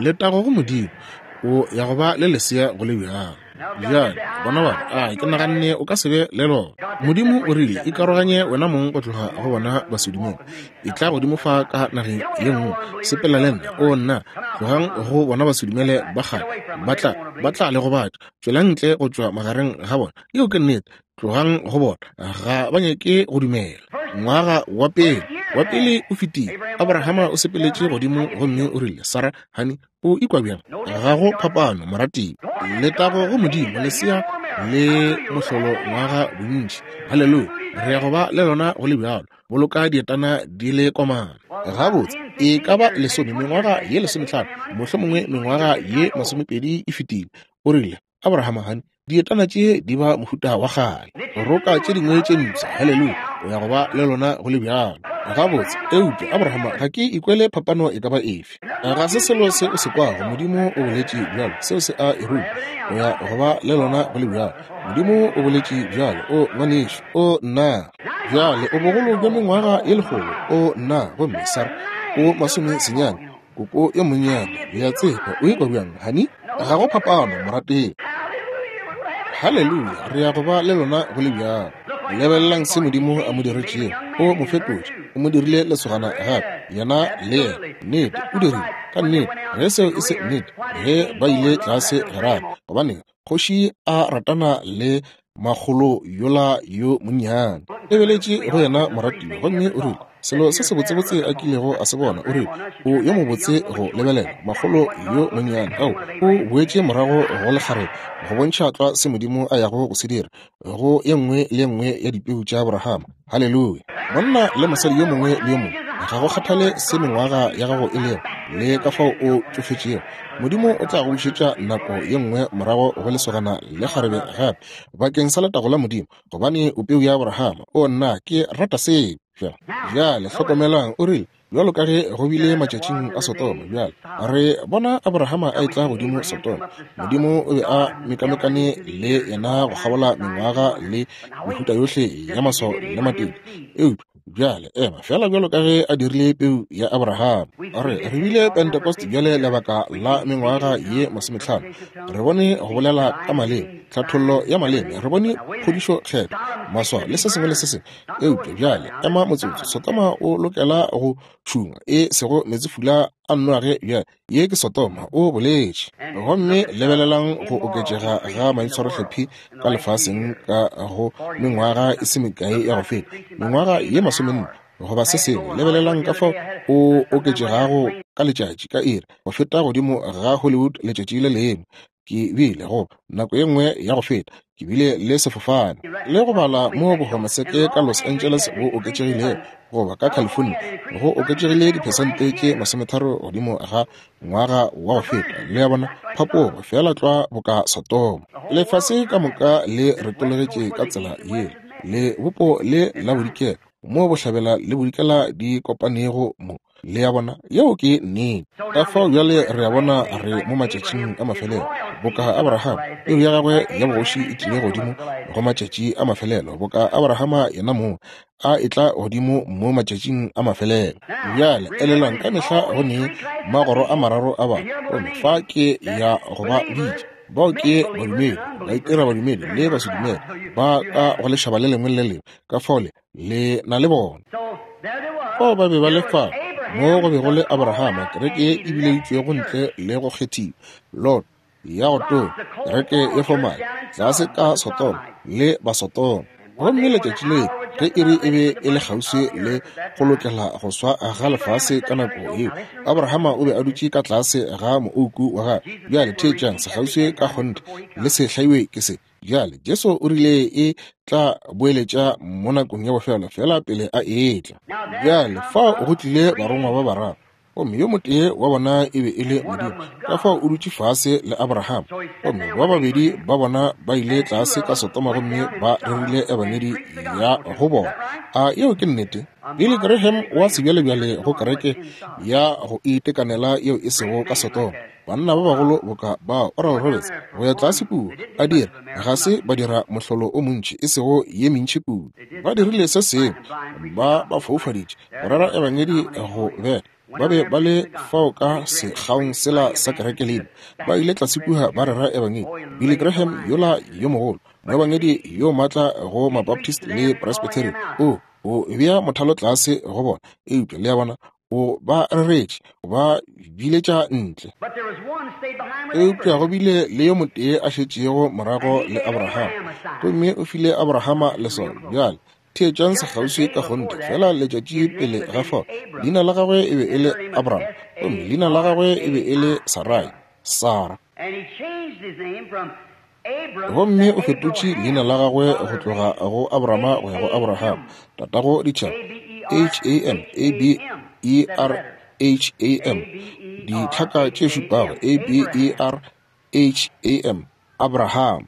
Letago go Modimo, o ya go ba le lesea go le bjalo. Bjale bona ba, a ke naganne o ka se be le lona. Modimo o rile, ikaroganye wena mong go tloga go bona basedumele, e tla godimo fa ka nageng ye nngwe, sepela le nna. O nna, tlogang go bona basedumele ba kgale, ba tla ba tla le gobatša. Tšwelang ntle go tšwa magareng ga bona. Yeo ke nnete. Tlogang go bona, ga ba nyake go dumela. Ngwaga wa pele wa pele o fetile. Abrahama o sepeletše godimo gomme o rile, Sara, hani, o ikwa bjang? Ga go phapano, moratiwa. Letago go Modimo, lesea le mohlolo ngwaga bontši. Haleluya, re ya go ba le lona go le bjalo. Boloka dietana di le komana. Gabotse, e ka ba lesome, mengwaga ye lesometlhano, mohlomongwe mengwaga ye masomepedi e fetile. O rile, Abrahama, hani, dietana tše di ba mohuta wa kgale, roka tše dingwe tše mpsha. Haleluya, o ya go ba le lona go le bjalo. Gabotse, eupša Abrahama, ga ke ikwele phapano e ka ba efe. Ga se selo se o se kwago. Modimo o boletše bjalo, seo se a e ruma. O ya go ba le lona go le bjalo. Modimo o boletše bjalo. O ngwanešu, o nna. Bjale o bogolo bja mengwaga ye lekgolo, o nna, gomme Sara o masome senyane, koko yo monnyane. Le a tseba, o ikwa bjang, hani? Ga go phapano, morategi. Haleluya, re ya go ba le lona go le bjalo. Lebelelang se Modimo a mo diretšego. O mo fetotše, o mo dirile lesogana gape, yena le yena. Nnete, o dirile ka nnete. Ge seo e se nnete, ge ba ile tlase Gerare, gobaneng kgoši a ratana le makgolo yola yo monnyane, lebeletše go yena moratiwa, gomme o rile selo se sebotsebotse a kilego a se bona. O rile o yo mobotse go lebelela, makgolo yo monnyane. Ao, o boetše morago go lekgarebe go bontšha tlwa se Modimo a yago go se dira go ye nngwe le ye nngwe ya dipeu tša Abrahama. Haleluya! Monna le mosadi yo mongwe le yo mongwe, ga go kgathale se mengwaga ya gago e lego le ka fao o tšofetšego, Modimo o tla go bušetša nako ye nngwe morago go lesogana le kgarebe gape bakeng sa letago la Modimo, gobane o peu ya Abrahama. O nna ke rata seo. Bjale hlokomelang, o rile bjalo ka ge go bile matšatšing a Sodoma. Bjale re bona Abrahama a etla godimo Sodoma. Modimo o be a mekamekane le yena go kgabola mengwaga le mehuta yohle ya maswao le matete. Eupša bjale ema fela bjalo ka ge a dirile peu ya Abrahama. Re re bile Pentecost bjale lebaka la mengwaga ye masometlhano. Re bone go bolela ka maleme, tlhathollo ya maleme, re bone phodišo kgetho, maswao le se sengwe le se sengwe. Eupša bjale ema motsotso, Sodoma o lokela go tšhungwa, e sego meetsefula a Noage. Bjale ye ke Sodoma, o boletše. Gomme lebelelang go oketšega ga maitshwarohlephi ka lefaseng ka go mengwaga e se mekae ya go feta, mengwaga ye masomenne goba se sengwe. Lebelelang ka fao o oketšegago ka letšatši ka iri go feta godimo ga Hollywood letšatši le lengwe. Ke bile go nako ye nngwe ya go feta ke bile le sefofane le go bala mo bohomoseke ka Los Angeles bo oketšegilego, goba ka California go oketšegile diphesente tše masometharo godimo ga ngwaga wa go feta. Le ya bona phapogo fela tlwa boka Sodoma. Lefase ka moka le retologetše ka tsela yela, le bopo le la bodikela mo bohlabela le bodikela di kopanego mo. Le ya bona, yeo ke nnete. Ka fao bjale re a bona re mo matšatšing a mafelelo, boka Abrahama peu ya gagwe ya bogoši e tlile godimo go matšatši a mafelelo, boka Abrahama yena mong a etla godimo mo matšatšing a mafelelo. Bjale elelwang, ka mehla go ne magoro a mararo a batho, gomme fa ke ya go ba bitša. Bao ke badumedi, ba itira badumedi le basedumele, ba ka go lešaba le lengwe le lengwe. Ka fao le le na le bona. Fao ba be ba le fa mo go be go le Abrahama, kereke e bileditšwego ntle le go kgethiwa, Lot ya go tonya, kereke ye fomale tlase ka Sodoma le Basodoma. Gomme letšatši le ge iri e be e le kgauswi le go lokela go swa ga lefase ka nako yeo, Abrahama o be a dutše ka tlase ga moouku wa gagwe. Bjale theetšang, sekgauswi ka kgonthe le se hlaiwe ke se. Bjale Jesu o rile e tla boeletša mo nakong ya bofelo fela pele a etla. Bjale fao go tlile barongwa ba bararo, gomme yo motee wa bona e be e le Modimo. Ka fao o dutše fase le Abrahama, gomme ba babedi ba bona ba ile tlase ka Sodoma gomme ba rerile ebangedi ya go bona. A yeo ke nnete? Billy Graham wa sebjalebjale go kereke ya go itekanela yeo e sego ka Sodoma. Banna ba bagolo boka ba Oral Roberts go ya tlase kua a dira, ga se ba dira mohlolo o montši, e sego ye mentši kudu. Ba dirile se sengwe, ba ba foufaditše go rera ebangedi go beta. Ba be ba le fao ka sekgaong sela sa kereke lena, ba ile tlase kua ba rera ebangedi. Billy Graham yola yo mogolo, moebangedi yo maatla go Mabaptist le Presbyterian, o o bea mothalo tlase go bona. Eupša le ya bona, o ba reretše, o ba biletša ntle. Eupša go bile le yo motee a šetšego morago le Abrahama, gomme o file Abrahama leswao. Bjale theetšang sekgauswi ka kgonthe fela letšatši pele ga fao, leina la gagwe e be e le Abraham, gomme leina la gagwe e be e le Sarai, Sara. Gomme o fetotše leina la gagwe go tloga go Abrahama go ya go Abraham, tatago ditšhaba, H A M A B E R H A M, ditlhaka tše šupago, A B E R H A M, Abraham.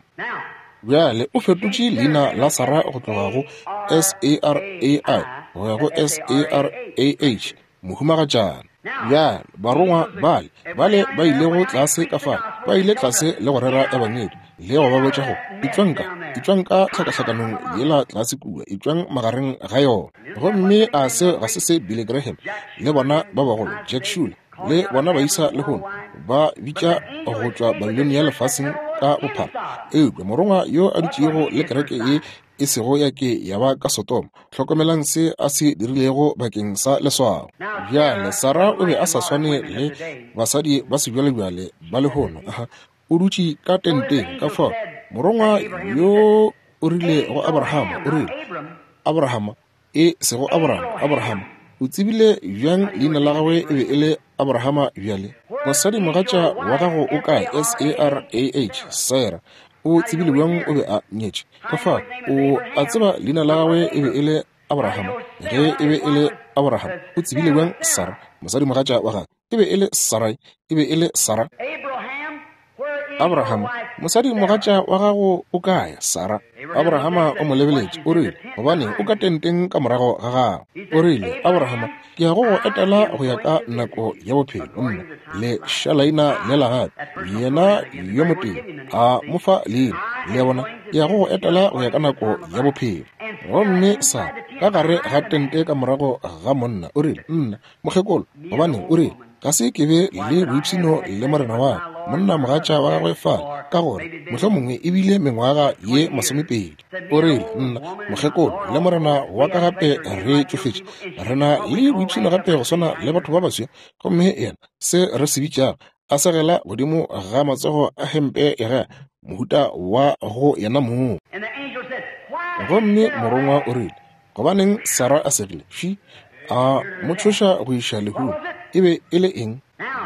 Bjale o fetotše leina la Sara go tloga go S A R A I go ya go S A R A H, mohumagatšana. Bjale barongwa bale bale ba ilego tlase ka fale, ba ile tlase le go rera ebangedi le go ba botša go etšwang ka etšwang ka tlhakahlakanong yela tlase kua, etšwang magareng ga yona. Gomme a se ga se se Billy Graham le bona ba bagolo, Jack Schuler le bona baisa lehono ba bitša go tšwa Babilonia lefaseng ka bophara. Eupša morongwa yo a dutšego le kereke ye e sego ya ke ya ba ka Sodoma. Hlokomelang se a se dirilego bakeng sa leswao. Bjale Sarah o be a sa swane le basadi ba sebjalebjale ba lehono. Aha, o dutše ka tenteng. Ka fao morongwa yo o rile go Abrahama, o rile, Abrahama, e sego Abraham, Abrahama. O tsebile bjang leina la gagwe e be e le Abrahama bjale? Mosadi mogatša wa gago o kae? S A R A H, Sarah. O tsebile bjang o be a nyetše? Ka fao o a tseba leina la gagwe e be e le Abrahama. Ge e be e le Abraham, o tsebile bjang Sarah, mosadi mogatša wa gagwe e be e le Sarai, e be e le Sarah? Abrahama, mosadi mogatša wa gago o kae? Sarah. Abrahama o mo lebeletše, o rile, gobane o ka tenteng ka morago ga gago. O rile, Abrahama, ke ya go go etela go ya ka nako ya bophelo. Nna le šalaina lela gape, yena yo motee a mo fa leina. Le a bona, ke ya go go etela go ya ka nako ya bophelo. Gomme Sarah ka gare ga tente ka morago ga monna, o rile, nna mokgekolo, gobane o rile, ga se ke be le boipshino le morena wa ka, monna mogatša wa gagwe fale, ka gore mohlomongwe e bile mengwaga ye masomepedi. O rile, nna mokgekolo le morena wa ka gape re tšofetše, re na le boipshino gape go swana le batho ba baswa. Gomme yena se re se bitšago a segela godimo ga matsogo a hempe ya gagwe, mohuta wa go yena mong. Gomme morongwa o rile, gobaneng Sarah a segile? Fi a mo tšhoša go iša lehung. E be e le eng?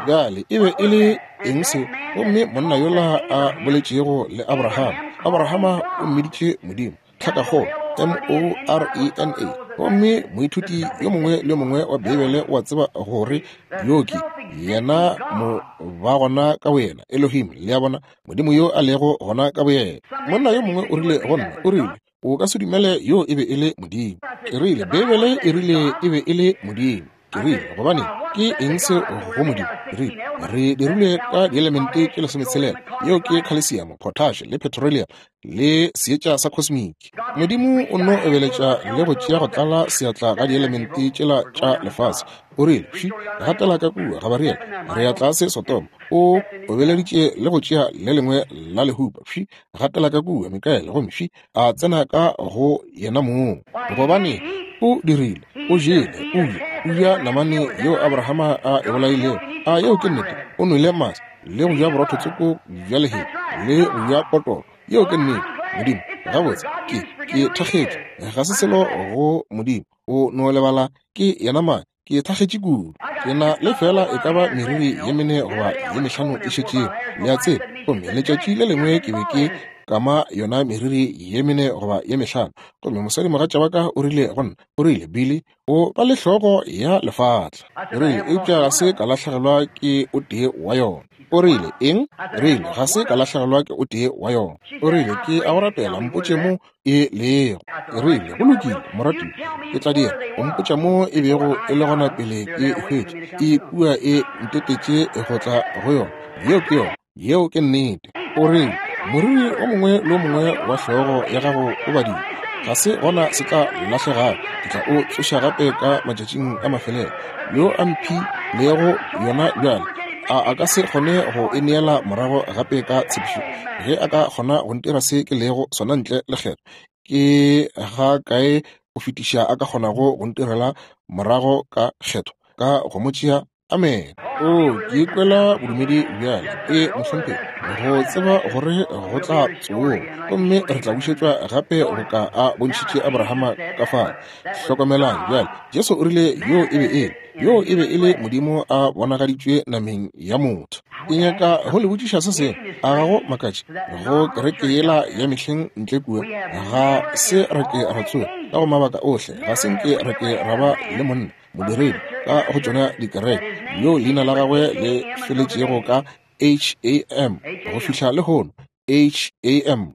Bjale e be e le eng seo? Gomme monna yola a boletšego le Abrahama, Abrahama o mmiditše Modimo, tlhakakgolo, M O R E N A. Gomme moithuti yo mongwe le yo mongwe wa Beibele o a tseba gore yo ke yena mo ba gona ka boyena, Elohim, le a bona, Modimo yo a lego gona ka boyena. Monna yo mongwe o rile go nna, o rile, o ka se dumele yo e be e le Modimo. Ke rile, Beibele e rile e be e le Modimo. Ke rile, gobane ke eng se go Modimo? Ke rile, re dirile ka dielemente tše lesometshelela, yeo ke calcium, potash le petroleum le seetša sa cosmic. Modimo o no obeletša le go tšea go tlala seatla ga dielemente tšela tša lefase. O rile, fi gatela ka kua Gabriel, re ya tlase Sodoma. O obeleditše le go tšea le lengwe la lehupa. Fi gatela ka kua Mikael, gomme fi a tsena ka go yena mong. Gobane o dirile, o jele, o ja, o ja namane yeo Abrahama a e bolailego. A yeo ke nnete? O nwele mase le go ja borotho tsoko bja lehea le go ja potoro. Yeo ke nnete. Modimo, gabotse, ke ke thakgetše, ga se selo go Modimo. O no lebala ke yena mang. Ke thakgetše kudu. Ke na le fela e ka ba meriri ye mene goba ye mehlano e šetšego, le a tseba. Gomme letšatši le lengwe ke be ke kama yona meriri ye mene goba ye mehlano, gomme mosadi mogatša wa ka o rile go nna, o rile, Billy, o ba le hlogo ya lefatla. Ke rile, eupša ga se ka lahlegelwa ke o tee wa yona. O rile, eng? Rile, ga se ka lahlegelwa ke o tee wa yona. O rile, ke a go rapela, mpotše mo e lego. Ke rile, go lokile, moratiwa, ke tla dira. O mpotša mo e bego e le gona pele ke e hwetše. E kua e ntetetše go tla go yona. Yeo ke yona. Yeo ke nnete. O rile, moriri o mongwe le o mongwe wa hlogo ya gago o badile, ga se gona se tla lahlegago. Ke tla o tsoša gape ka matšatšing a mafelelo. Yo a mphilego yona bjale, a a ka se kgone go e neela morago gape ka tshepišo? Ge a ka kgona go ntira se ke lego sona ntle le kgetho, ke ga kae go fetiša a ka kgonago go ntirela morago ka kgetho ka go mo tšea? Amen. O ke ikwela bodumedi bjale, e mohlomphegi, go tseba gore go tla tsoga gomme re tla bušetšwa gape go ka a bontšhitše Abrahama ka fale. Hlokomelang bjale, Jesu o rile yo e be e le, yo e be e le Modimo a bonagaditšwe nameng ya motho. Ke nyaka go le botšiša se sengwe. A ga go makatše go kereke yela ya mehleng ntle kua? Ga se re ke ra tsoga ka go mabaka ohle, ga se nke re ke ra ba le monna modiredi ka go tšona dikereke yo leina la gagwe le feletšego ka H A M go fihla lehono. H A M.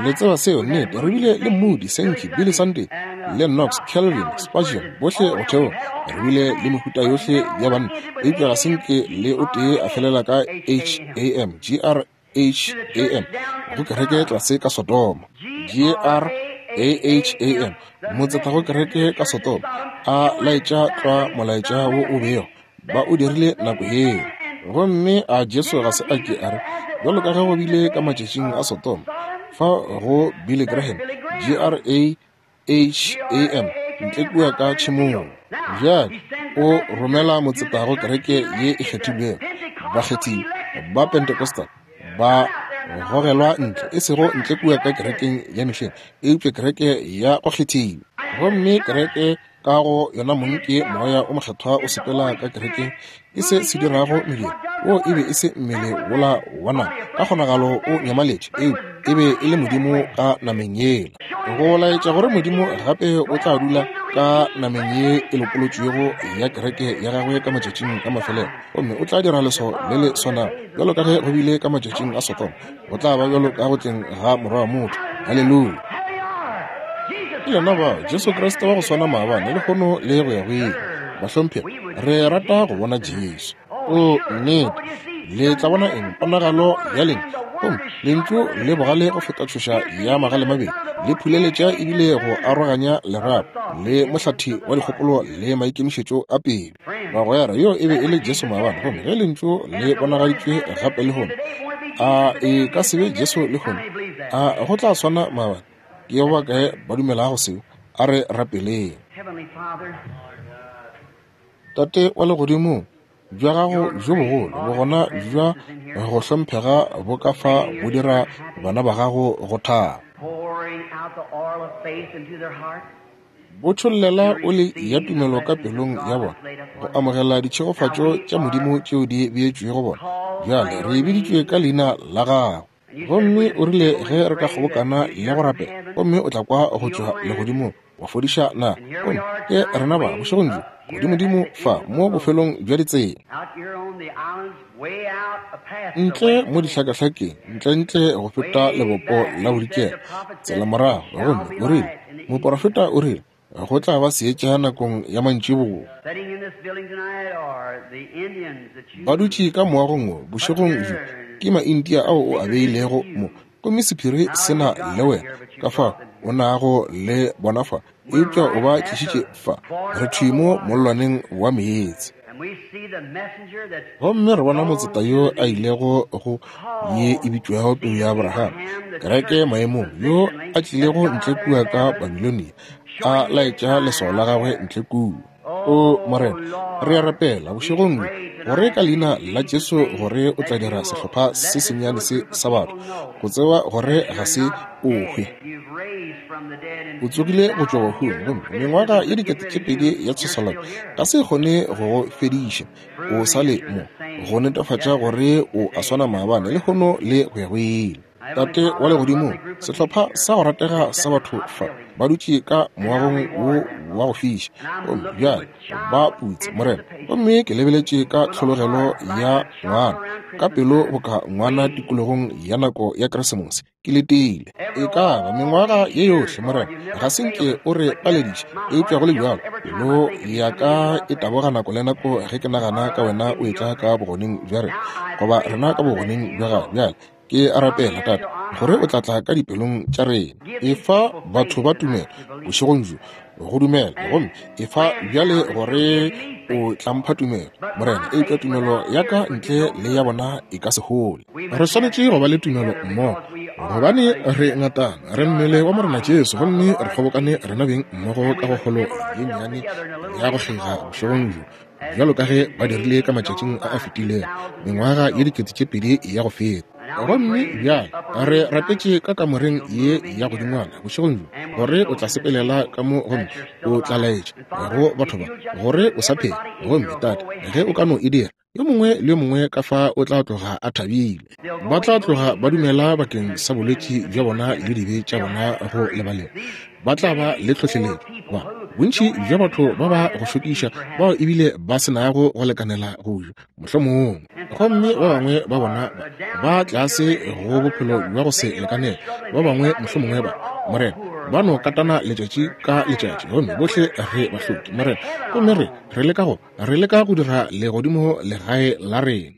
Le tseba seo, nnete. Re bile le Moody, Sankey, Billy Sunday, le Knox, Calvin, Spurgeon, bohle go theoga. Re bile le mehuta yohle ya banna, eupša ga se nke le o tee a felela ka H A M, G R H A M, go kereke tlase ka Sodoma. G R A H A M, motseta go kereke ka Sodoma, a laetša tlwa molaetša wo o bego ba o dirile nako yeo. Gomme a Jesu ga se a ke a re, bjalo ka ge go bile ka matšatšing a Sodoma, fa go Billy Graham, G R A H A M, ntle kua ka tšhemong. Bjale o romela motseta go kereke ye e kgethilwego, bakgethi ba Pentecostal ba gogelwa ntle, e sego ntle kua ka kerekeng ya mehleng, eupša kereke ya go kgethiwa. Gomme kereke ka go yona mong ke Moya o Mokgethwa o sepela ka kerekeng, ke se se dirago mediro. Wo e be e se mmele wola wa nama, ka kgonagalo o nyamaletše, eupša e be e le Modimo ka nameng yela. Go laetša gore Modimo gape o tla dula ka nameng ye e lopolotšwego ya kereke ya gagwe ka matšatšing a mafelelo, gomme o tla dira leswao le le swanago bjalo ka ge go bile ka matšatšing a Sodoma, go tla ba bjalo ka go tleng ga Morwa wa motho. Haleluya! Ke lena bao, Jesu Kriste wa go swana maabane, lehono le go ya go ile. Bahlomphegi, re rata go bona Jesu. O nnete, le tla bona eng? Ponagalo ya lena. Gomme lentšu le bogale go feta tšhoša ya magale mabedi, le phuleletša ebile go aroganya lerapo le mohlathi wa dikgopolo le maikemišetšo a pelo. Bagwera, yo e be e le Jesu maabane, gomme ge lentšu le bonagaditšwe gape lehono, a e ka se be Jesu lehono? A go tla swana maabane? Ke ba bakae ba dumelago seo? A re rapeleng. Tate wa legodimong, bja gago bjo bogolo bogona bja go hlomphega bo ka fa bo dira bana ba gago go thaba. Bo tšhollela oli ya tumelo ka pelong ya bona go amogela ditšhegofatšo tša Modimo tšeo di beetšwego bona. Bjale re biditšwe ka leina la gago, gomme o rile ge re ka kgobokana le go rapela, gomme o tla kwa go tšwa legodimong wa fodiša na. Gomme ke rena ba bošegong bjo godimodimo fa mo bofelong bja ditsela, ntle mo dihlakahlakeng, ntlentle go feta lebopo la bodikela, tsela morago. Gomme o rile, moporofeta o rile, go tla ba seetša nakong ya mantšiboa. Ba dutše ka moagong wo bošegong bjo ke Maindia ao o a beilego mo, gomme sephiri se na le wena ka fa o nago le bona fa, eupša o ba tlišitše fa, re thwi mo mollwaneng wa meetse. Gomme re bona motseta yo a ilego go ye e bitšwago peu ya Abraham, kereke maemong, yo a tlilego ntle kua ka Babilonia, a laetša leswao la gagwe ntle kua. O Morena, re a rapela bošegong bjo gore ka leina la Jesu gore o tla dira sehlopha se sennyane se sa batho go tseba gore ga se o hwe. O tsogile go tšwa bahung, gomme mengwaga ye dikete tše pedi ya tshwesolwana ga se kgone go go fediša. O sa le mo go netefatša gore o a swana maabane, lehono le go ya go ile. Tate wa legodimong, sehlopha sa go ratega sa batho fa ba dutše ka moagong wo wa go fiša, gomme bjale ba putse Morena. Gomme ke lebeletše ka tlhologelo ya ngwana, ka pelo boka ngwana tikologong ya nako ya Keresemose, ke letile. E ka ba mengwaga ye yohle Morena, ga se nke o re palediše, eupša go le bjalo pelo ya ka e taboga nako le nako ge ke nagana ka wena o etla ka bogoneng bja rena, goba rena ka bogoneng bja gago. Bjale ke a rapela Tate gore o tla tla ka dipelong tša rena. Efa batho ba tumelo bošegong bjo go dumela, gomme efa bjale gore o tla mpha tumelo Morena, eupša tumelo ya ka ntle le ya bona e ka se hole. Re swanetše go ba le tumelo mmogo, gobane re ngatana, re mmele wa Morena Jesu, gomme re kgobokane rena beng mmogo ka go kgolo ye nnyane ya go kgega bošegong bjo, bjalo ka ge ba dirile ka matšatšing a a fetilego, mengwaga ye dikete tše pedi ya go feta. Gomme bjale re rapetše ka kamoreng ye ya godingwana bošegong bjo gore o tla sepelela ka mo, gomme o tla laetša go batho ba gore o sa phela. Gomme Tate, ge o ka no e dira, yo mongwe le yo mongwe ka fa o tla tloga a thabile. Ba tla tloga ba dumela bakeng sa bolwetši bja bona le dibe tša bona go lebalelwa. Ba tla ba le tlhohleletšo. Ba bontši bja batho ba ba go šokiša bao ebile ba se nago go lekanela go ja mohlomongwe, gomme ba bangwe ba bona ba tlase go bophelo bja go se lekanele, ba bangwe mohlomongwe ba Morena ba no katana letšatši ka letšatši, gomme bohle re bahloki Morena, gomme re re leka go re leka go dira legodimo legae la rena.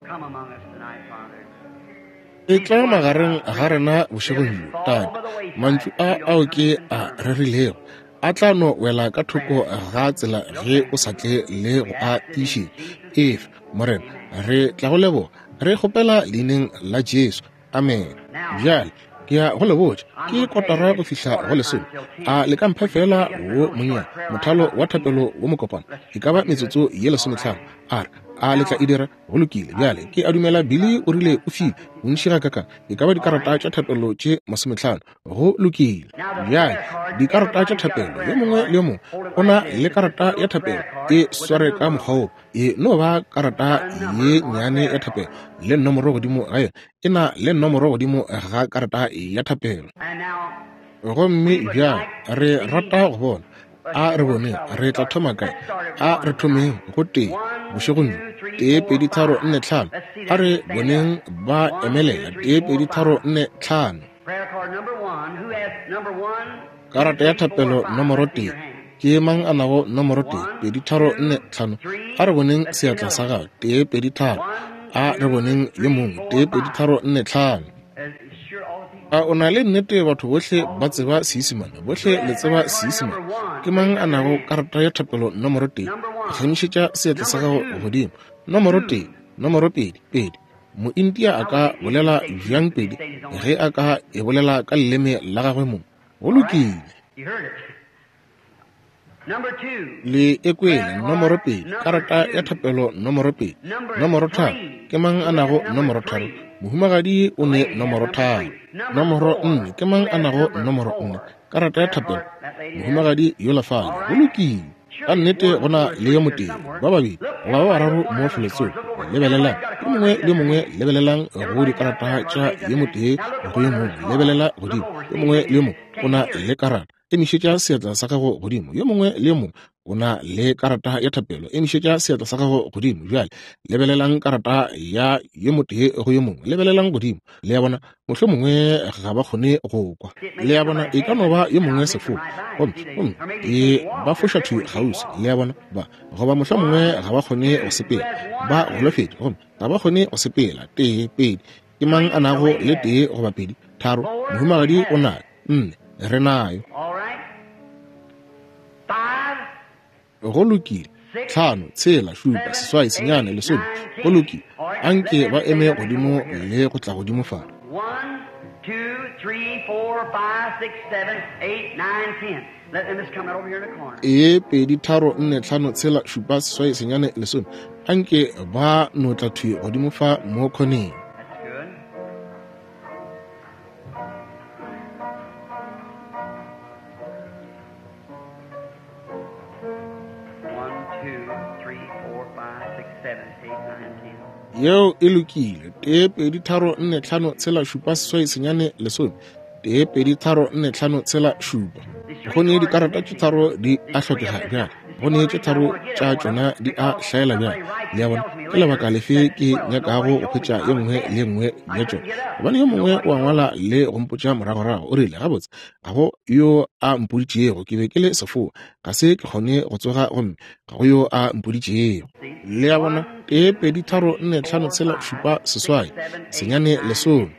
E tla magareng ga rena bošegong bjo Tate, mantšu a ao ke a rerilego a tla no wela ka thoko ga tsela ge o sa tle le go a tiišetša. Efa Morena, re tla go leboga, re kgopela leineng la Jesu, amen. Bjale Ke ya go le botša, ke kotara go fihla go lesome. A le ka mpha fela wo monnyane, mothalo wa thapelo wo mokopana, e ka ba metsotso ye lesometlhano. A re, a le tla e dira? Go lokile. Bjale ke a dumela Billy o rile o file bontši ga kakang, e ka ba dikarata tša thapelo tše masometlhano. Go lokile. Bjale dikarata tša thapelo, yo mongwe le yo mongwe o na le karata ya thapelo, e sware ka mokgwa wo. E no ba karata ye nnyane ya thapelo le nomoro godimo ga yona, e na le nomoro godimo ga karata ya thapelo. Gomme bjale re rata go bona, a re boneng re tla thoma kae. A re thomeng go tee bošegong bjo, tee pedi tharo nne tlhano. A re boneng ba emelela, tee pedi tharo nne tlhano. Karata ya thapelo nomoro tee. Ke mang a nago nomoro tee? Pedi tharo nne tlhano. A re boneng seatla sa gago, tee pedi tharo. A re boneng yo mongwe, tee pedi tharo nne tlhano. A o na le nnete batho bohle ba tseba Seisemane? Bohle le tseba Seisemane. Ke mang a nago karata ya thapelo nomoro tee? Phagamišetša seatla sa gago godimo. Nomoro tee, nomoro pedi, pedi. Moindia a ka bolela bjang pedi ge a ka e bolela ka leleme la gagwe mong? Go lokile. Le e kwele, nomoro pedi, karata ya thapelo nomoro pedi. Nomoro tharo, ke mang a nago nomoro tharo? Mohumagadi o ne nomoro tharo. Nomoro nne, ke mang a nago nomoro nne? Karata ya thapelo, mohumagadi yola fale. Go lokile. Ka nnete go na le yo motee, ba babedi goba ba bararo mo felotsoko. Lebelelang, yo mongwe le yo mongwe lebelelang go dikarata tša yo motee go yo mongwe. Lebelela godimo, yo mongwe le yo mongwe o na le karata. Emišetša seatla sa gago godimo. Yo mongwe le yo mongwe o na le karata ya thapelo. Emišetša seatla sa gago godimo. Bjale lebelelang karata ya yo motee go yo mongwe. Lebelelang godimo. Le a bona, mohlomongwe ga ba kgone go kwa. Le a bona, e ka no ba yo mongwe sefou, gomme gomme e ba foša thwi kgauswi. Le a bona, ba goba mohlomongwe ga ba kgone go sepela, ba golofetše, gomme ga ba kgone go sepela. Tee, pedi. Ke mang a nago le tee goba pedi? Tharo. Mohumagadi o nayo. Nne. Re nayo. Go lokile. Tlhano, tshela, šupa, seswai, senyane, lesome. Go lokile. Anke ba eme godimo le go tla godimo fa. E pedi tharo nne tlhano tshela šupa seswai senyane lesome. Anke ba no tla thwi godimo fa mo khoneng. Yeo e lokile. Tee pedi tharo nne tlhano tshela šupa seswai senyane lesome. Tee pedi tharo nne tlhano tshela šupa. Go ne dikarata tše tharo di a hlokega bjale. Go ne tše tharo tša tšona di a hlaela bjale. Le a bona, ke lebaka lefe ke nyakago go hwetša ye nngwe le ye nngwe ya tšona? Gobane yo mongwe o a ngwala le go mpotša moragorago, o rile, gabotse ga go yo a mpoditšego, ke be ke le sefoa, ga se ke kgone go tsoga, gomme ga go yo a mpoditšego. Le a bona, tee pedi tharo nne tlhano tshela šupa seswai senyane lesome.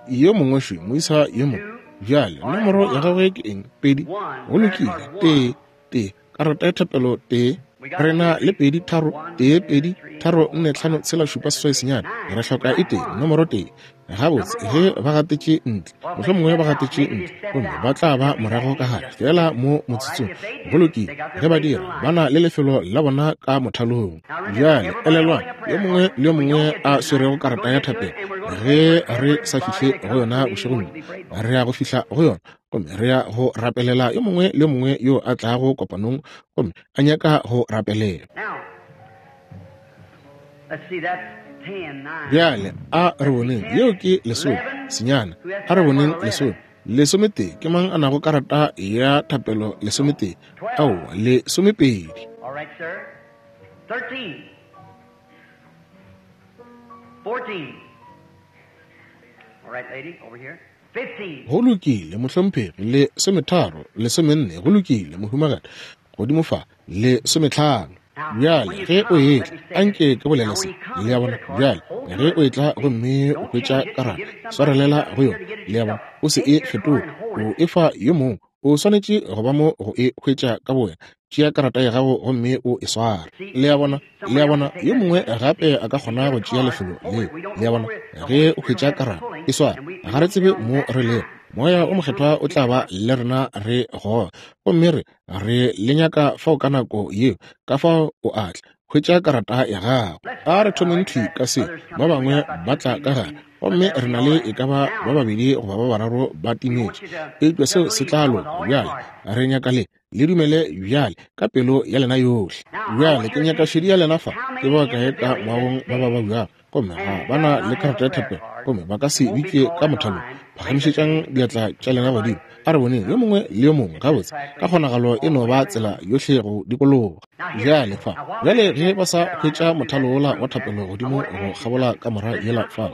Yo mongwe šo, moisa yo mongwe. Bjale nomoro ya gagwe ke eng? Pedi. Go lokile. Tee, tee. Karata ya thapelo tee. Re na le pedi tharo, tee pedi tharo nne tlhano tshela šupa seswai senyane. Re hloka e tee, nomoro tee. Gabotse ge ba gatetše ntle, mohlomongwe ba gatetše ntle, gomme ba tla ba morago ka gare fela mo motsotsong. Go lokile. Ge ba dira, ba na le lefelo la bona ka mothalong. Bjale elelwang, yo mongwe le yo mongwe a swerego karata ya thapelo, ge re sa fihle go yona bošegong bjo, re ya go fihla go yona, gomme re ya go rapelela yo mongwe le yo mongwe yo a tlago kopanong gomme a nyaka go rapelela. Bjale a re boneng, yeo ke lesome senyane. A re boneng lesome, lesometee. Ke mang a nago karata ya thapelo lesometee? Aowa, lesomepedi. Go lokile, mohlomphegi. Lesometharo, lesomenne. Go lokile, mohumagadi. Godimo fa, lesometlhano. Bjale ge o etla, anke ke bolele se. Le a bona? Bjale ge o etla gomme o hwetša karata, swarelela go yona. Le a bona? O se e fetoge, o e fa yo mongwe. O swanetše go ba mo go e hwetša ka bowena. Tšea karata ya gago gomme o e sware. Le a bona, le a bona, yo mongwe gape a ka kgona go tšea lefelo leo. Le a bona, ge o hwetša karata, e sware. Ga re tsebe mo re lego. Moya o mokgethwa o tla ba le rena re goga. Gomme re, re le nyaka fao ka nako yeo, ka fao o a tla. Hwetša karata ya gago. A re thomeng thwi ka se, ba bangwe ba tla ka gare. Gomme re na le e ka ba ba babedi goba ba bararo ba timetše. Eupša seo se tla loka. Bjale, re nyaka le, le dumele bjale ka pelo ya lena yohle. Bjale, ke nyaka šedi ya lena fa. Ke ba bakae ka moagong ba ba babjago, gomme ga ba na le karata ya thapelo, gomme ba ka se bitšwe ka mothalong. Phagamišetšang diatla tša lena godimo. A re boneng yo mongwe le yo mongwe gabotse, ka kgonagalo e no ba tsela yohle go dikologa. Bjale fa, bjale ge ba sa hwetša mothalo wola wa thapelo godimo go kgabola kamora yela fa,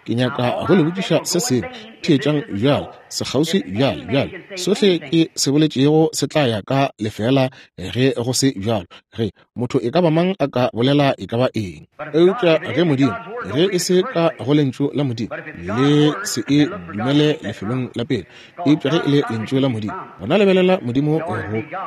ke nyaka go le botšiša se sengwe. Theetšang bjale, sekgauswi bjale, bjale sohle ke se boletšego se tla ya ka lefeela ge go se bjalo. Ge motho e ka ba mang a ka bolela e ka ba eng, eupša ge Modimo, ge e se ka go lentšu la Modimo, le se e dumele lefelong la pele. Eupša ge e le lentšu la Modimo, gona lebelela Modimo go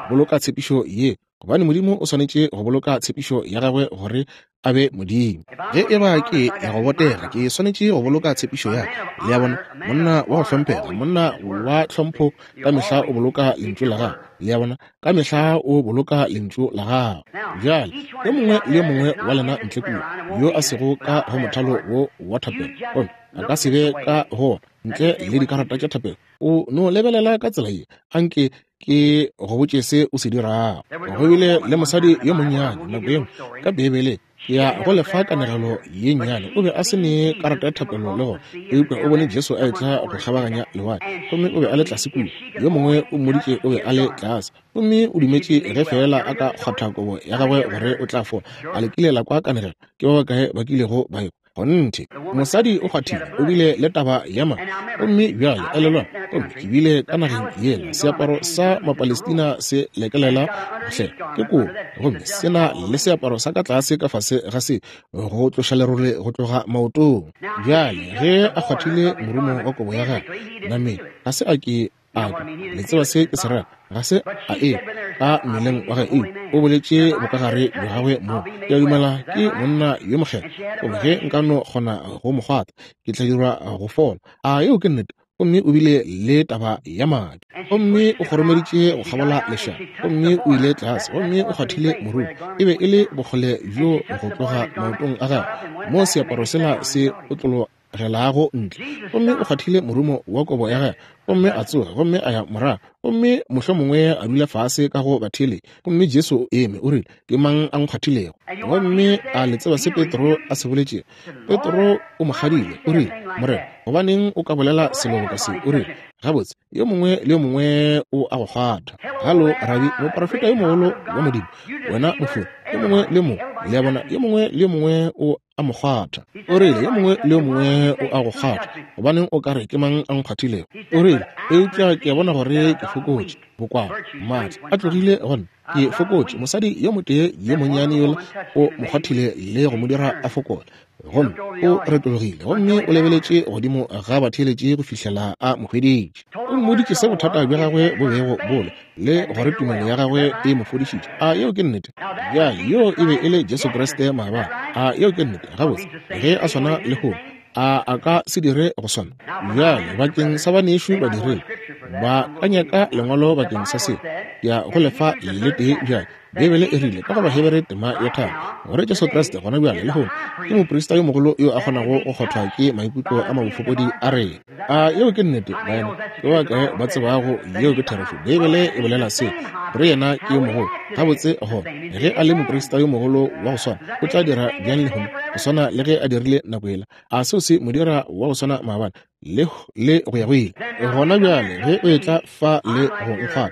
boloka tshepišo ye, gobane Modimo o swanetše go boloka tshepišo ya gagwe gore a be Modimo. Ge e ba ke ya go botega, ke swanetše go boloka tshepišo ya ka. Le a bona, monna wa go hlomphega, monna wa tlhompho ka mehla o boloka lentšu la gagwe. Le a bona, ka mehla o boloka lentšu la gagwe. Bjale, yo mongwe le yo mongwe wa lena ntle kua, yo a sego ka go mothalo wo wa thapelo, gomme a ka se be ka go ntle le dikarata tša thapelo, o no lebelela ka tsela ye, anke ke go botše se o se dirago. Go bile le mosadi yo monnyane nako ye nngwe ka Beibeleng, ke ya go lefa kanegelo ye nnyane. O be a se ne karata ya thapelo le gona, eupša o bone Jesu a etla go kgabaganya lewatle, gomme o be a le tlase kua. Yo mongwe o mmoditše o be a le tlase, gomme o dumetše ge feela a ka kgwatha kobo ya gagwe gore o tla fola. A le kile la kwa kanegelo? Ke ba bakae ba kilego ba ekwa? Kgonthe, mosadi o kgwathile, o bile le taba ya madi. Gomme bjale elelwang, gomme ke bile ka nageng yela, seaparo sa Mapalestina se lekelela hle ke kobo, gomme se na le seaparo sa ka tlase ka fase ga se go tloša lerole go tloga maotong. Bjale ge a kgwathile morumo wa kobo ya gagwe nameng, ga se a ke a kwa. Le tseba se ke se rera, ga se a e ka mmeleng wa gagwe, o boletše bokagare bja gagwe mo. Ke a dumela ke monna yo mokgethwa, gomme ge nka no kgona go mo kgwatha, ke tla dirwa go fola. A yeo ke nnete? Gomme o bile le taba ya madi, gomme o kgoromeditše go kgabola lešaba, gomme o ile tlase, gomme o kgwathile morumo. E be e le bokgole bjo go tloga maotong a gagwe mo seaparo sela se otlologelago ntle, gomme o kgwathile morumo wa kobo ya gagwe, gomme a tsoga, gomme a ya morago, gomme mohlomongwe a dula fase ka go batheeletši. Gomme Jesu o eme, o rile, ke mang a nkgwathilego? Gomme a le tseba se Petro a se boletšego? Petro o mo kgadile, o rile, Morena, gobaneng o ka bolela selo boka se? O rile, gabotse, yo mongwe le yo mongwe o a go kgwatha. Halo, rabi, moprofeta yo mogolo wa Modimo, wena mofori, yo mongwe le yo mongwe, le a bona, yo mongwe le yo mongwe o a mo kgwatha. O rile, yo mongwe le yo mongwe o a go kgwatha, gobaneng o ka re ke mang a nkgwathilego? O rile, eupša ke a bona gore ke fokotše, bokwala, maatla a tlogile go nna, ke fokotše. Mosadi yo motee yo monnyane yola o mo kgwathile le go mo dira a fokola, gomme o retologile, gomme o lebeletše godimo ga batheeletši go fihlela a mo hweditše. O mmoditše se bothata bja gagwe bo bego bo le, le gore tumelo ya gagwe e mo fodišitše. A yeo ke nnete? Bjale yo e be e le Jesu Kriste maabane. A yeo ke nnete? Gabotse, ge a swana lehono, a a ka se dire go swana? Bjale bakeng sa banešu badiredi, ba ka nyaka lengwalo bakeng sa se, ke ya go lefa le tee bjale. Beibele e rile ka go Bahebere tema ya tharo gore Jesu Kriste gona bjale lehono ke moprista yo mogolo yo a kgonago go kgothwa ke maikutlo a mabofokodi a rena. A yeo ke nnete, baena? Ke ba kae ba tsebago yeo ke therešo? Beibele e bolela se, gore yena ke yo mogolo. Gabotse gona, ge a le moprista yo mogolo wa go swana, o tla dira bjang lehono go swana le ge a dirile nako yela? A seo se mo dira wa go swana maabane le le go ya go ile? Gona bjale ge o etla fa le go nkgwatha,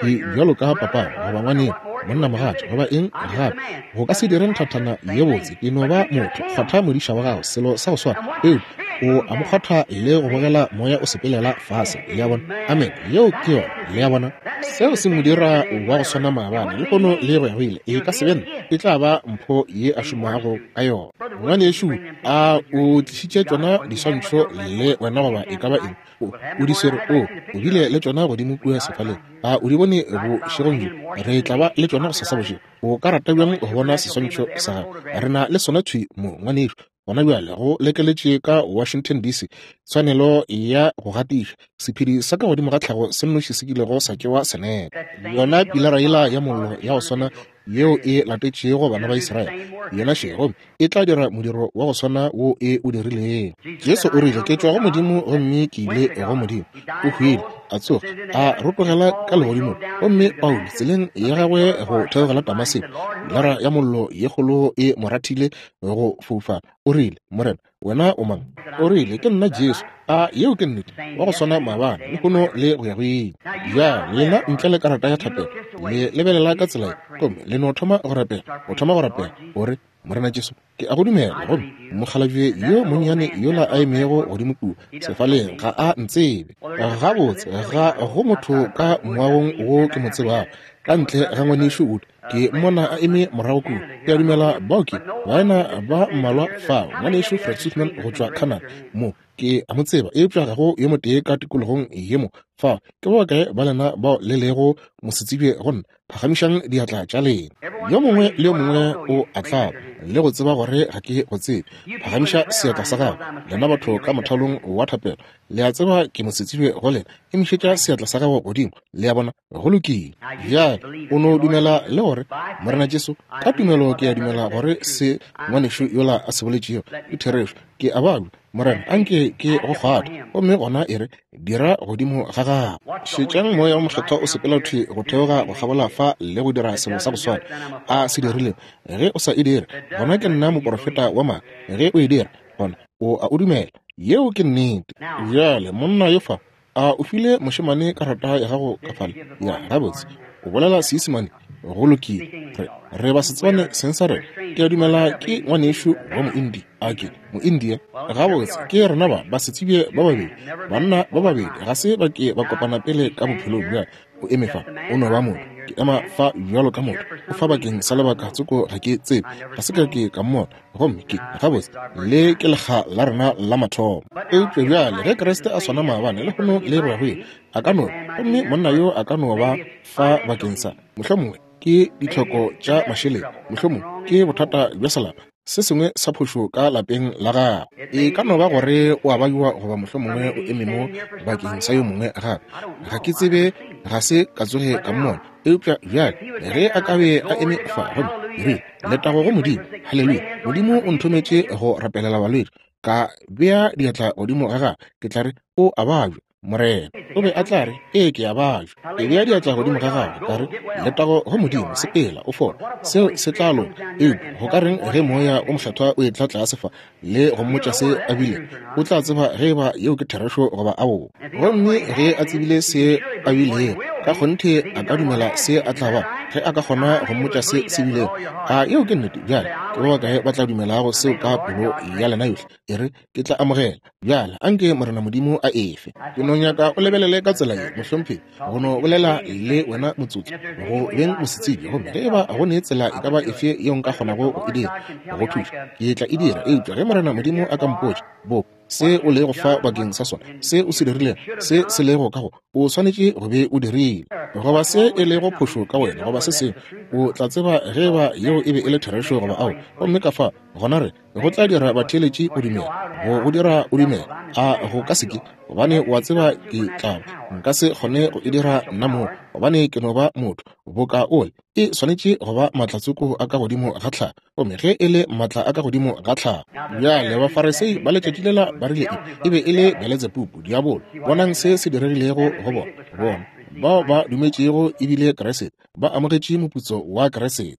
ke bjalo ka papa goba ngwaneno, monna mogatša goba eng gape, go ka se dire nthathana ye botse. Ke no ba motho. Kgwatha modiša wa gago, selo sa go swana. Eupša O a mo kgwatha le go bogela moya o sepelela fase. Le a bona? Amen. Yeo ke yona. Le a bona? Seo se mo dira wa go swana maabane, lehono le go ya go ile. E ka se be nna, e tla ba mpho ye a šomago ka yona. Ngwanešu, a o tlišitše tšona diswantšho le wena goba e ka ba eng? O, o di swere, o, o bile le tšona godimo kua sefaleng. A o di bone bošegong bjo? Re tla ba le tšona gosasa bošego. O ka rata bjang go bona seswantšho sa gago? Re na le sona thwi mo, ngwanešu. Gona bjale go lekeletše ka Washington D C, tshwanelo ya go gatiša sephedi sa ka godimo ga tlhago se nnoši se kilego sa tšewa senepe. Yona pilara yela ya mollo ya go swana yeo e latetšego bana ba Israele, yena še, gomme e tla dira modiro wa go swana wo e o dirilego. Jesu o rile, ke tšwa go Modimo gomme ke ile go Modimo. O hwile, a tsoga, a rotogela ka legodimong. Gomme Paulo tseleng ya gagwe go theogela Damaseko, pilara ya mollo ye kgolo e mo rathile go foufala. O rile, Morena, wena o mang? O rile, ke nna Jesu. A yeo ke nnete, wa go swana maabane, lehono le go ya go ile. Bjale lena ntle le karata ya thapelo, le lebelela ka tsela ye, gomme le no thoma go rapela. O thoma go rapela, o re, Morena Jesu, ke a go dumela. Gomme mokgalabje yo monnyane yola a emego godimo kua sefaleng ga a ntsebe gabotse. Ga go motho ka moagong wo ke mo tsebago ka ntle ga ngwanešu Wood. Ke mmona a eme morago kua. Ke a dumela bao ke baena ba mmalwa fao, ngwanešu Fred Sothmann go tšwa Canada mo, ke a mo tseba, eupša ga go yo motee ka tikologong ye mo fao. Ke ba bakae ba lena bao le lego mosetsebje go nna? Phagamišang diatla tša lena. Yo mongwe le yo mongwe o a tlaba le go tseba gore ga ke go tsebe. Phagamiša seatla sa gago. Lena batho ka mothalong wa thapelo, le a tseba ke mosetsebje go lena. Emišetša seatla sa gago godimo. Le a bona? Go lokile. Bjale o no dumela le gore Morena Jesu, ka tumelo ke a dumela gore se ngwanešu yola a se boletšego ke therešo. Ke a babja, Morena, anke ke go kgwathe. Gomme gona e re, dira godimo ga gago. Šetšang moya wa mokgethwa o sepela thwi go theoga go kgabola fa le go dira selo sa go swana a se dirilego. Ge o sa e dire, gona ke nna moporofeta wa maaka. Ge o e dira, gona o a o dumela. Yeo ke nnete. Bjale monna yo fa, a o file mošemane karata ya gago ka fale? Ya, gabotse. O bolela Seisemane? Go lokile. Re, re ba setswane seng sa rena. Ke a dumela ke ngwanešu wa Moindia. A ke Moindia? Gabotse, ke rena ba basetsebje ba babedi, banna ba babedi ga se ba ke ba kopana pele ka bophelong. Bjale o eme fa, o no ba motho. Ke ema fa bjalo ka motho. O fa bakeng sa lebaka tsoko, ga ke tsebe, ga se ka ke ka mmona. Gomme ke gabotse, le ke lekga la rena la mathomo. Eupša bjale ge Kriste a swana maabane, lehono le go ya go ile, a ka no, gomme monna yo a ka no ba fa bakeng sa mohlomongwe ke ditlhoko tša mašeleng, mohlomongwe ke bothata bja selapa, se sengwe sa phošo ka lapeng la gagwe. E ka no ba gore o a bajwa, goba mohlomongwe o eme mo bakeng sa yo mongwe gape. Ga ke tsebe, ga se ka tsoge ka mmona. Eupša bjale ge a ka be a eme fa, gomme rile, letago go Modimo, haleluya, Modimo o nthometše go rapelela balwetši, ka bea diatla godimo ga gagwe, ke tla re, o a bajwa, Morena. O be a tla re, ee, ke a bajwa. Ke bea diatla godimo ga gagwe, ka re, letago go Modimo, sepela, o fole. Seo se tla loka. Eupša go ka reng ge moya o mokgethwa o etla tlase fa le go mmotša se a bile? O tla tseba ge eba yeo ke therešo goba aowa. Gomme ge a tsebile se a bilego, ka kgonthe a ka dumela se a tla ba, ge a ka kgona go mmotša se se bilego. A yeo ke nnete? Bjale ke ba bakae ba tla dumelago seo ka pelo ya lena yohle? E re, ke tla amogela. Bjale anke Morena Modimo a efe. Ke no nyaka o lebelele ka tsela ye, mohlomphegi, go no bolela le wena motsotso, go beng mosetsebje. Gomme ge eba go ne tsela e ka ba efe yeo nka kgonago go e dira go thuša, ke tla e dira. Eupša ge Morena Modimo a ka mpotša bo se o lego fa bakeng sa sona, se o se dirilego, se se lego ka go, o swanetše go be o dirile, goba se e lego phošo ka wena, goba se sengwe, o tla tseba ge eba yeo e be e le therešo goba ao. Gomme ka fa gona re go tla dira batheeletši o dumela, go go dira o dumela. A go ka se ke, gobane o a tseba ke tla nka se kgone go e dira nna mo, gobane ke no ba motho boka ole. E swanetše go ba matlatsoko a ka godimo ga tlhago, gomme ge e le matla a ka godimo ga tlhago. Bjale Bafarisei ba letšatši lela ba rile e be e le Beletsebubu, diabolo. Bonang se se diregilego go bona. Bona bao ba dumetšego ebile Kriste, ba amogetše moputso wa Kriste.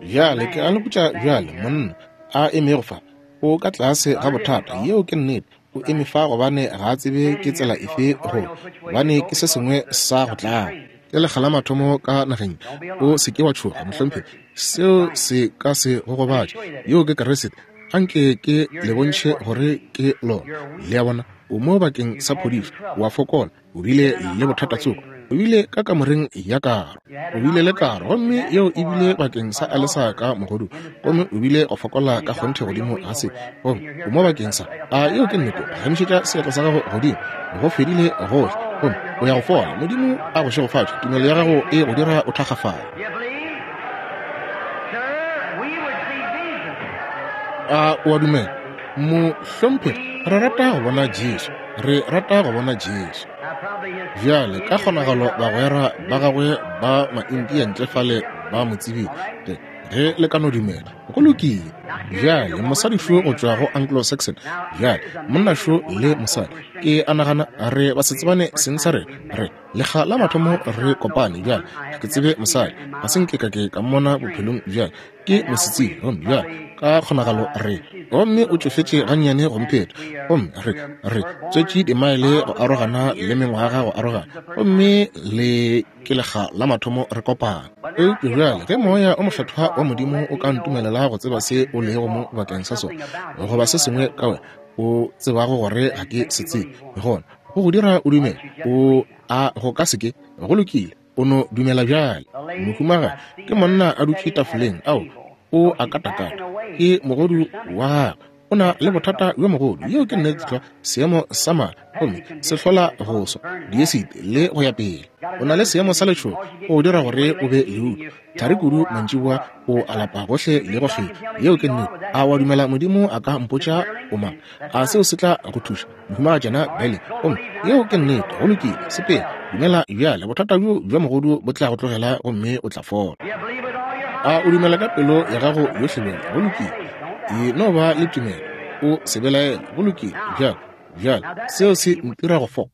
Bjale ke a le botša bjale, monna a emego fa o ka tlase ga bothata. Yeo ke nnete. O eme fa gobane ga a tsebe ke tsela efe go, gobane ke se sengwe sa go tlaba. Ke lekga la mathomo ka nageng. O se ke wa tšhoga, mohlomphegi. Seo se ka se go gobatše. Yeo ke Kriste Anke ke le bontšhe gore ke lona. Le a bona, o mo bakeng sa phodišo, wa fokola, o bile le bothata tsoko, o bile ka kamoreng ya karo, o bile le karo, gomme yeo e bile bakeng sa alesa ka mogodu, gomme o bile go fokola ka kgonthe godimo ga se, gomme o mo bakeng sa, a yeo ke nnete, phagamišetša seatla sa gago godimo, go fedile gohle, gomme o ya go fola. Modimo a go šegofatše, tumelo ya gago e go dira o thakgafale. A o a dumela? Mohlomphegi, re rata go bona Jesu, re rata go bona Jesu. Bjale ka kgonagalo bagwera ba gagwe ba Maindia ntle fale ba mo tsebile, ge le ka no dumela, go lokile. Bjale mosadi šo go tšwa go Anglo-Saxon, bjale monna šo le mosadi, ke a nagana re ba se tsebane seng sa rena, re lekga la mathomo re kopane. Bjale ga ke tsebe mosadi, ga se nke ka ke ka mmona bophelong bjale, ke mosetsebje, gomme bjale ka kgonagalo re, gomme o tšofetše gannyane go mpheta, gomme re re tswetše dimaele go arogana le mengwaga go arogana, gomme le ke lekga la mathomo re kopana. Eupša bjale ge moya o mokgethwa wa Modimo o ka ntumelela go tseba se o lego mo bakeng sa sona, goba se sengwe ka wena o tsebago gore ga ke se tsebe, gona go go dira o dumele, o a go ka se ke, go lokile, o no dumela bjale. Mohumagadi ke monna a dutše tafoleng, ao o a katakata, ke mogodu wa gagwe, o na le bothata bjo mogodu, yeo ke nnete tlwa, seemo sa mala, gomme se hlola go swa, diesite le go ya pele. O na le seemo sa letšhogo, o dira gore o be leutu, thari kudu mantšiboa, o alapa gohle le go kgetha, yeo ke nnete. A wa dumela Modimo a ka mpotša o mang? A seo se tla go thuša, mohumagatšana Bele? Gomme yeo ke nnete, go lokile, sepela, dumela bjale, bothata bjo bja mogodu bo tla go tlogela gomme o tla fola. A o dumela ka pelo ya gago yohle bjale? Go lokile, e no ba le tumelo, o se belaele. Go lokile, bjale, bjale seo se ntira go fola.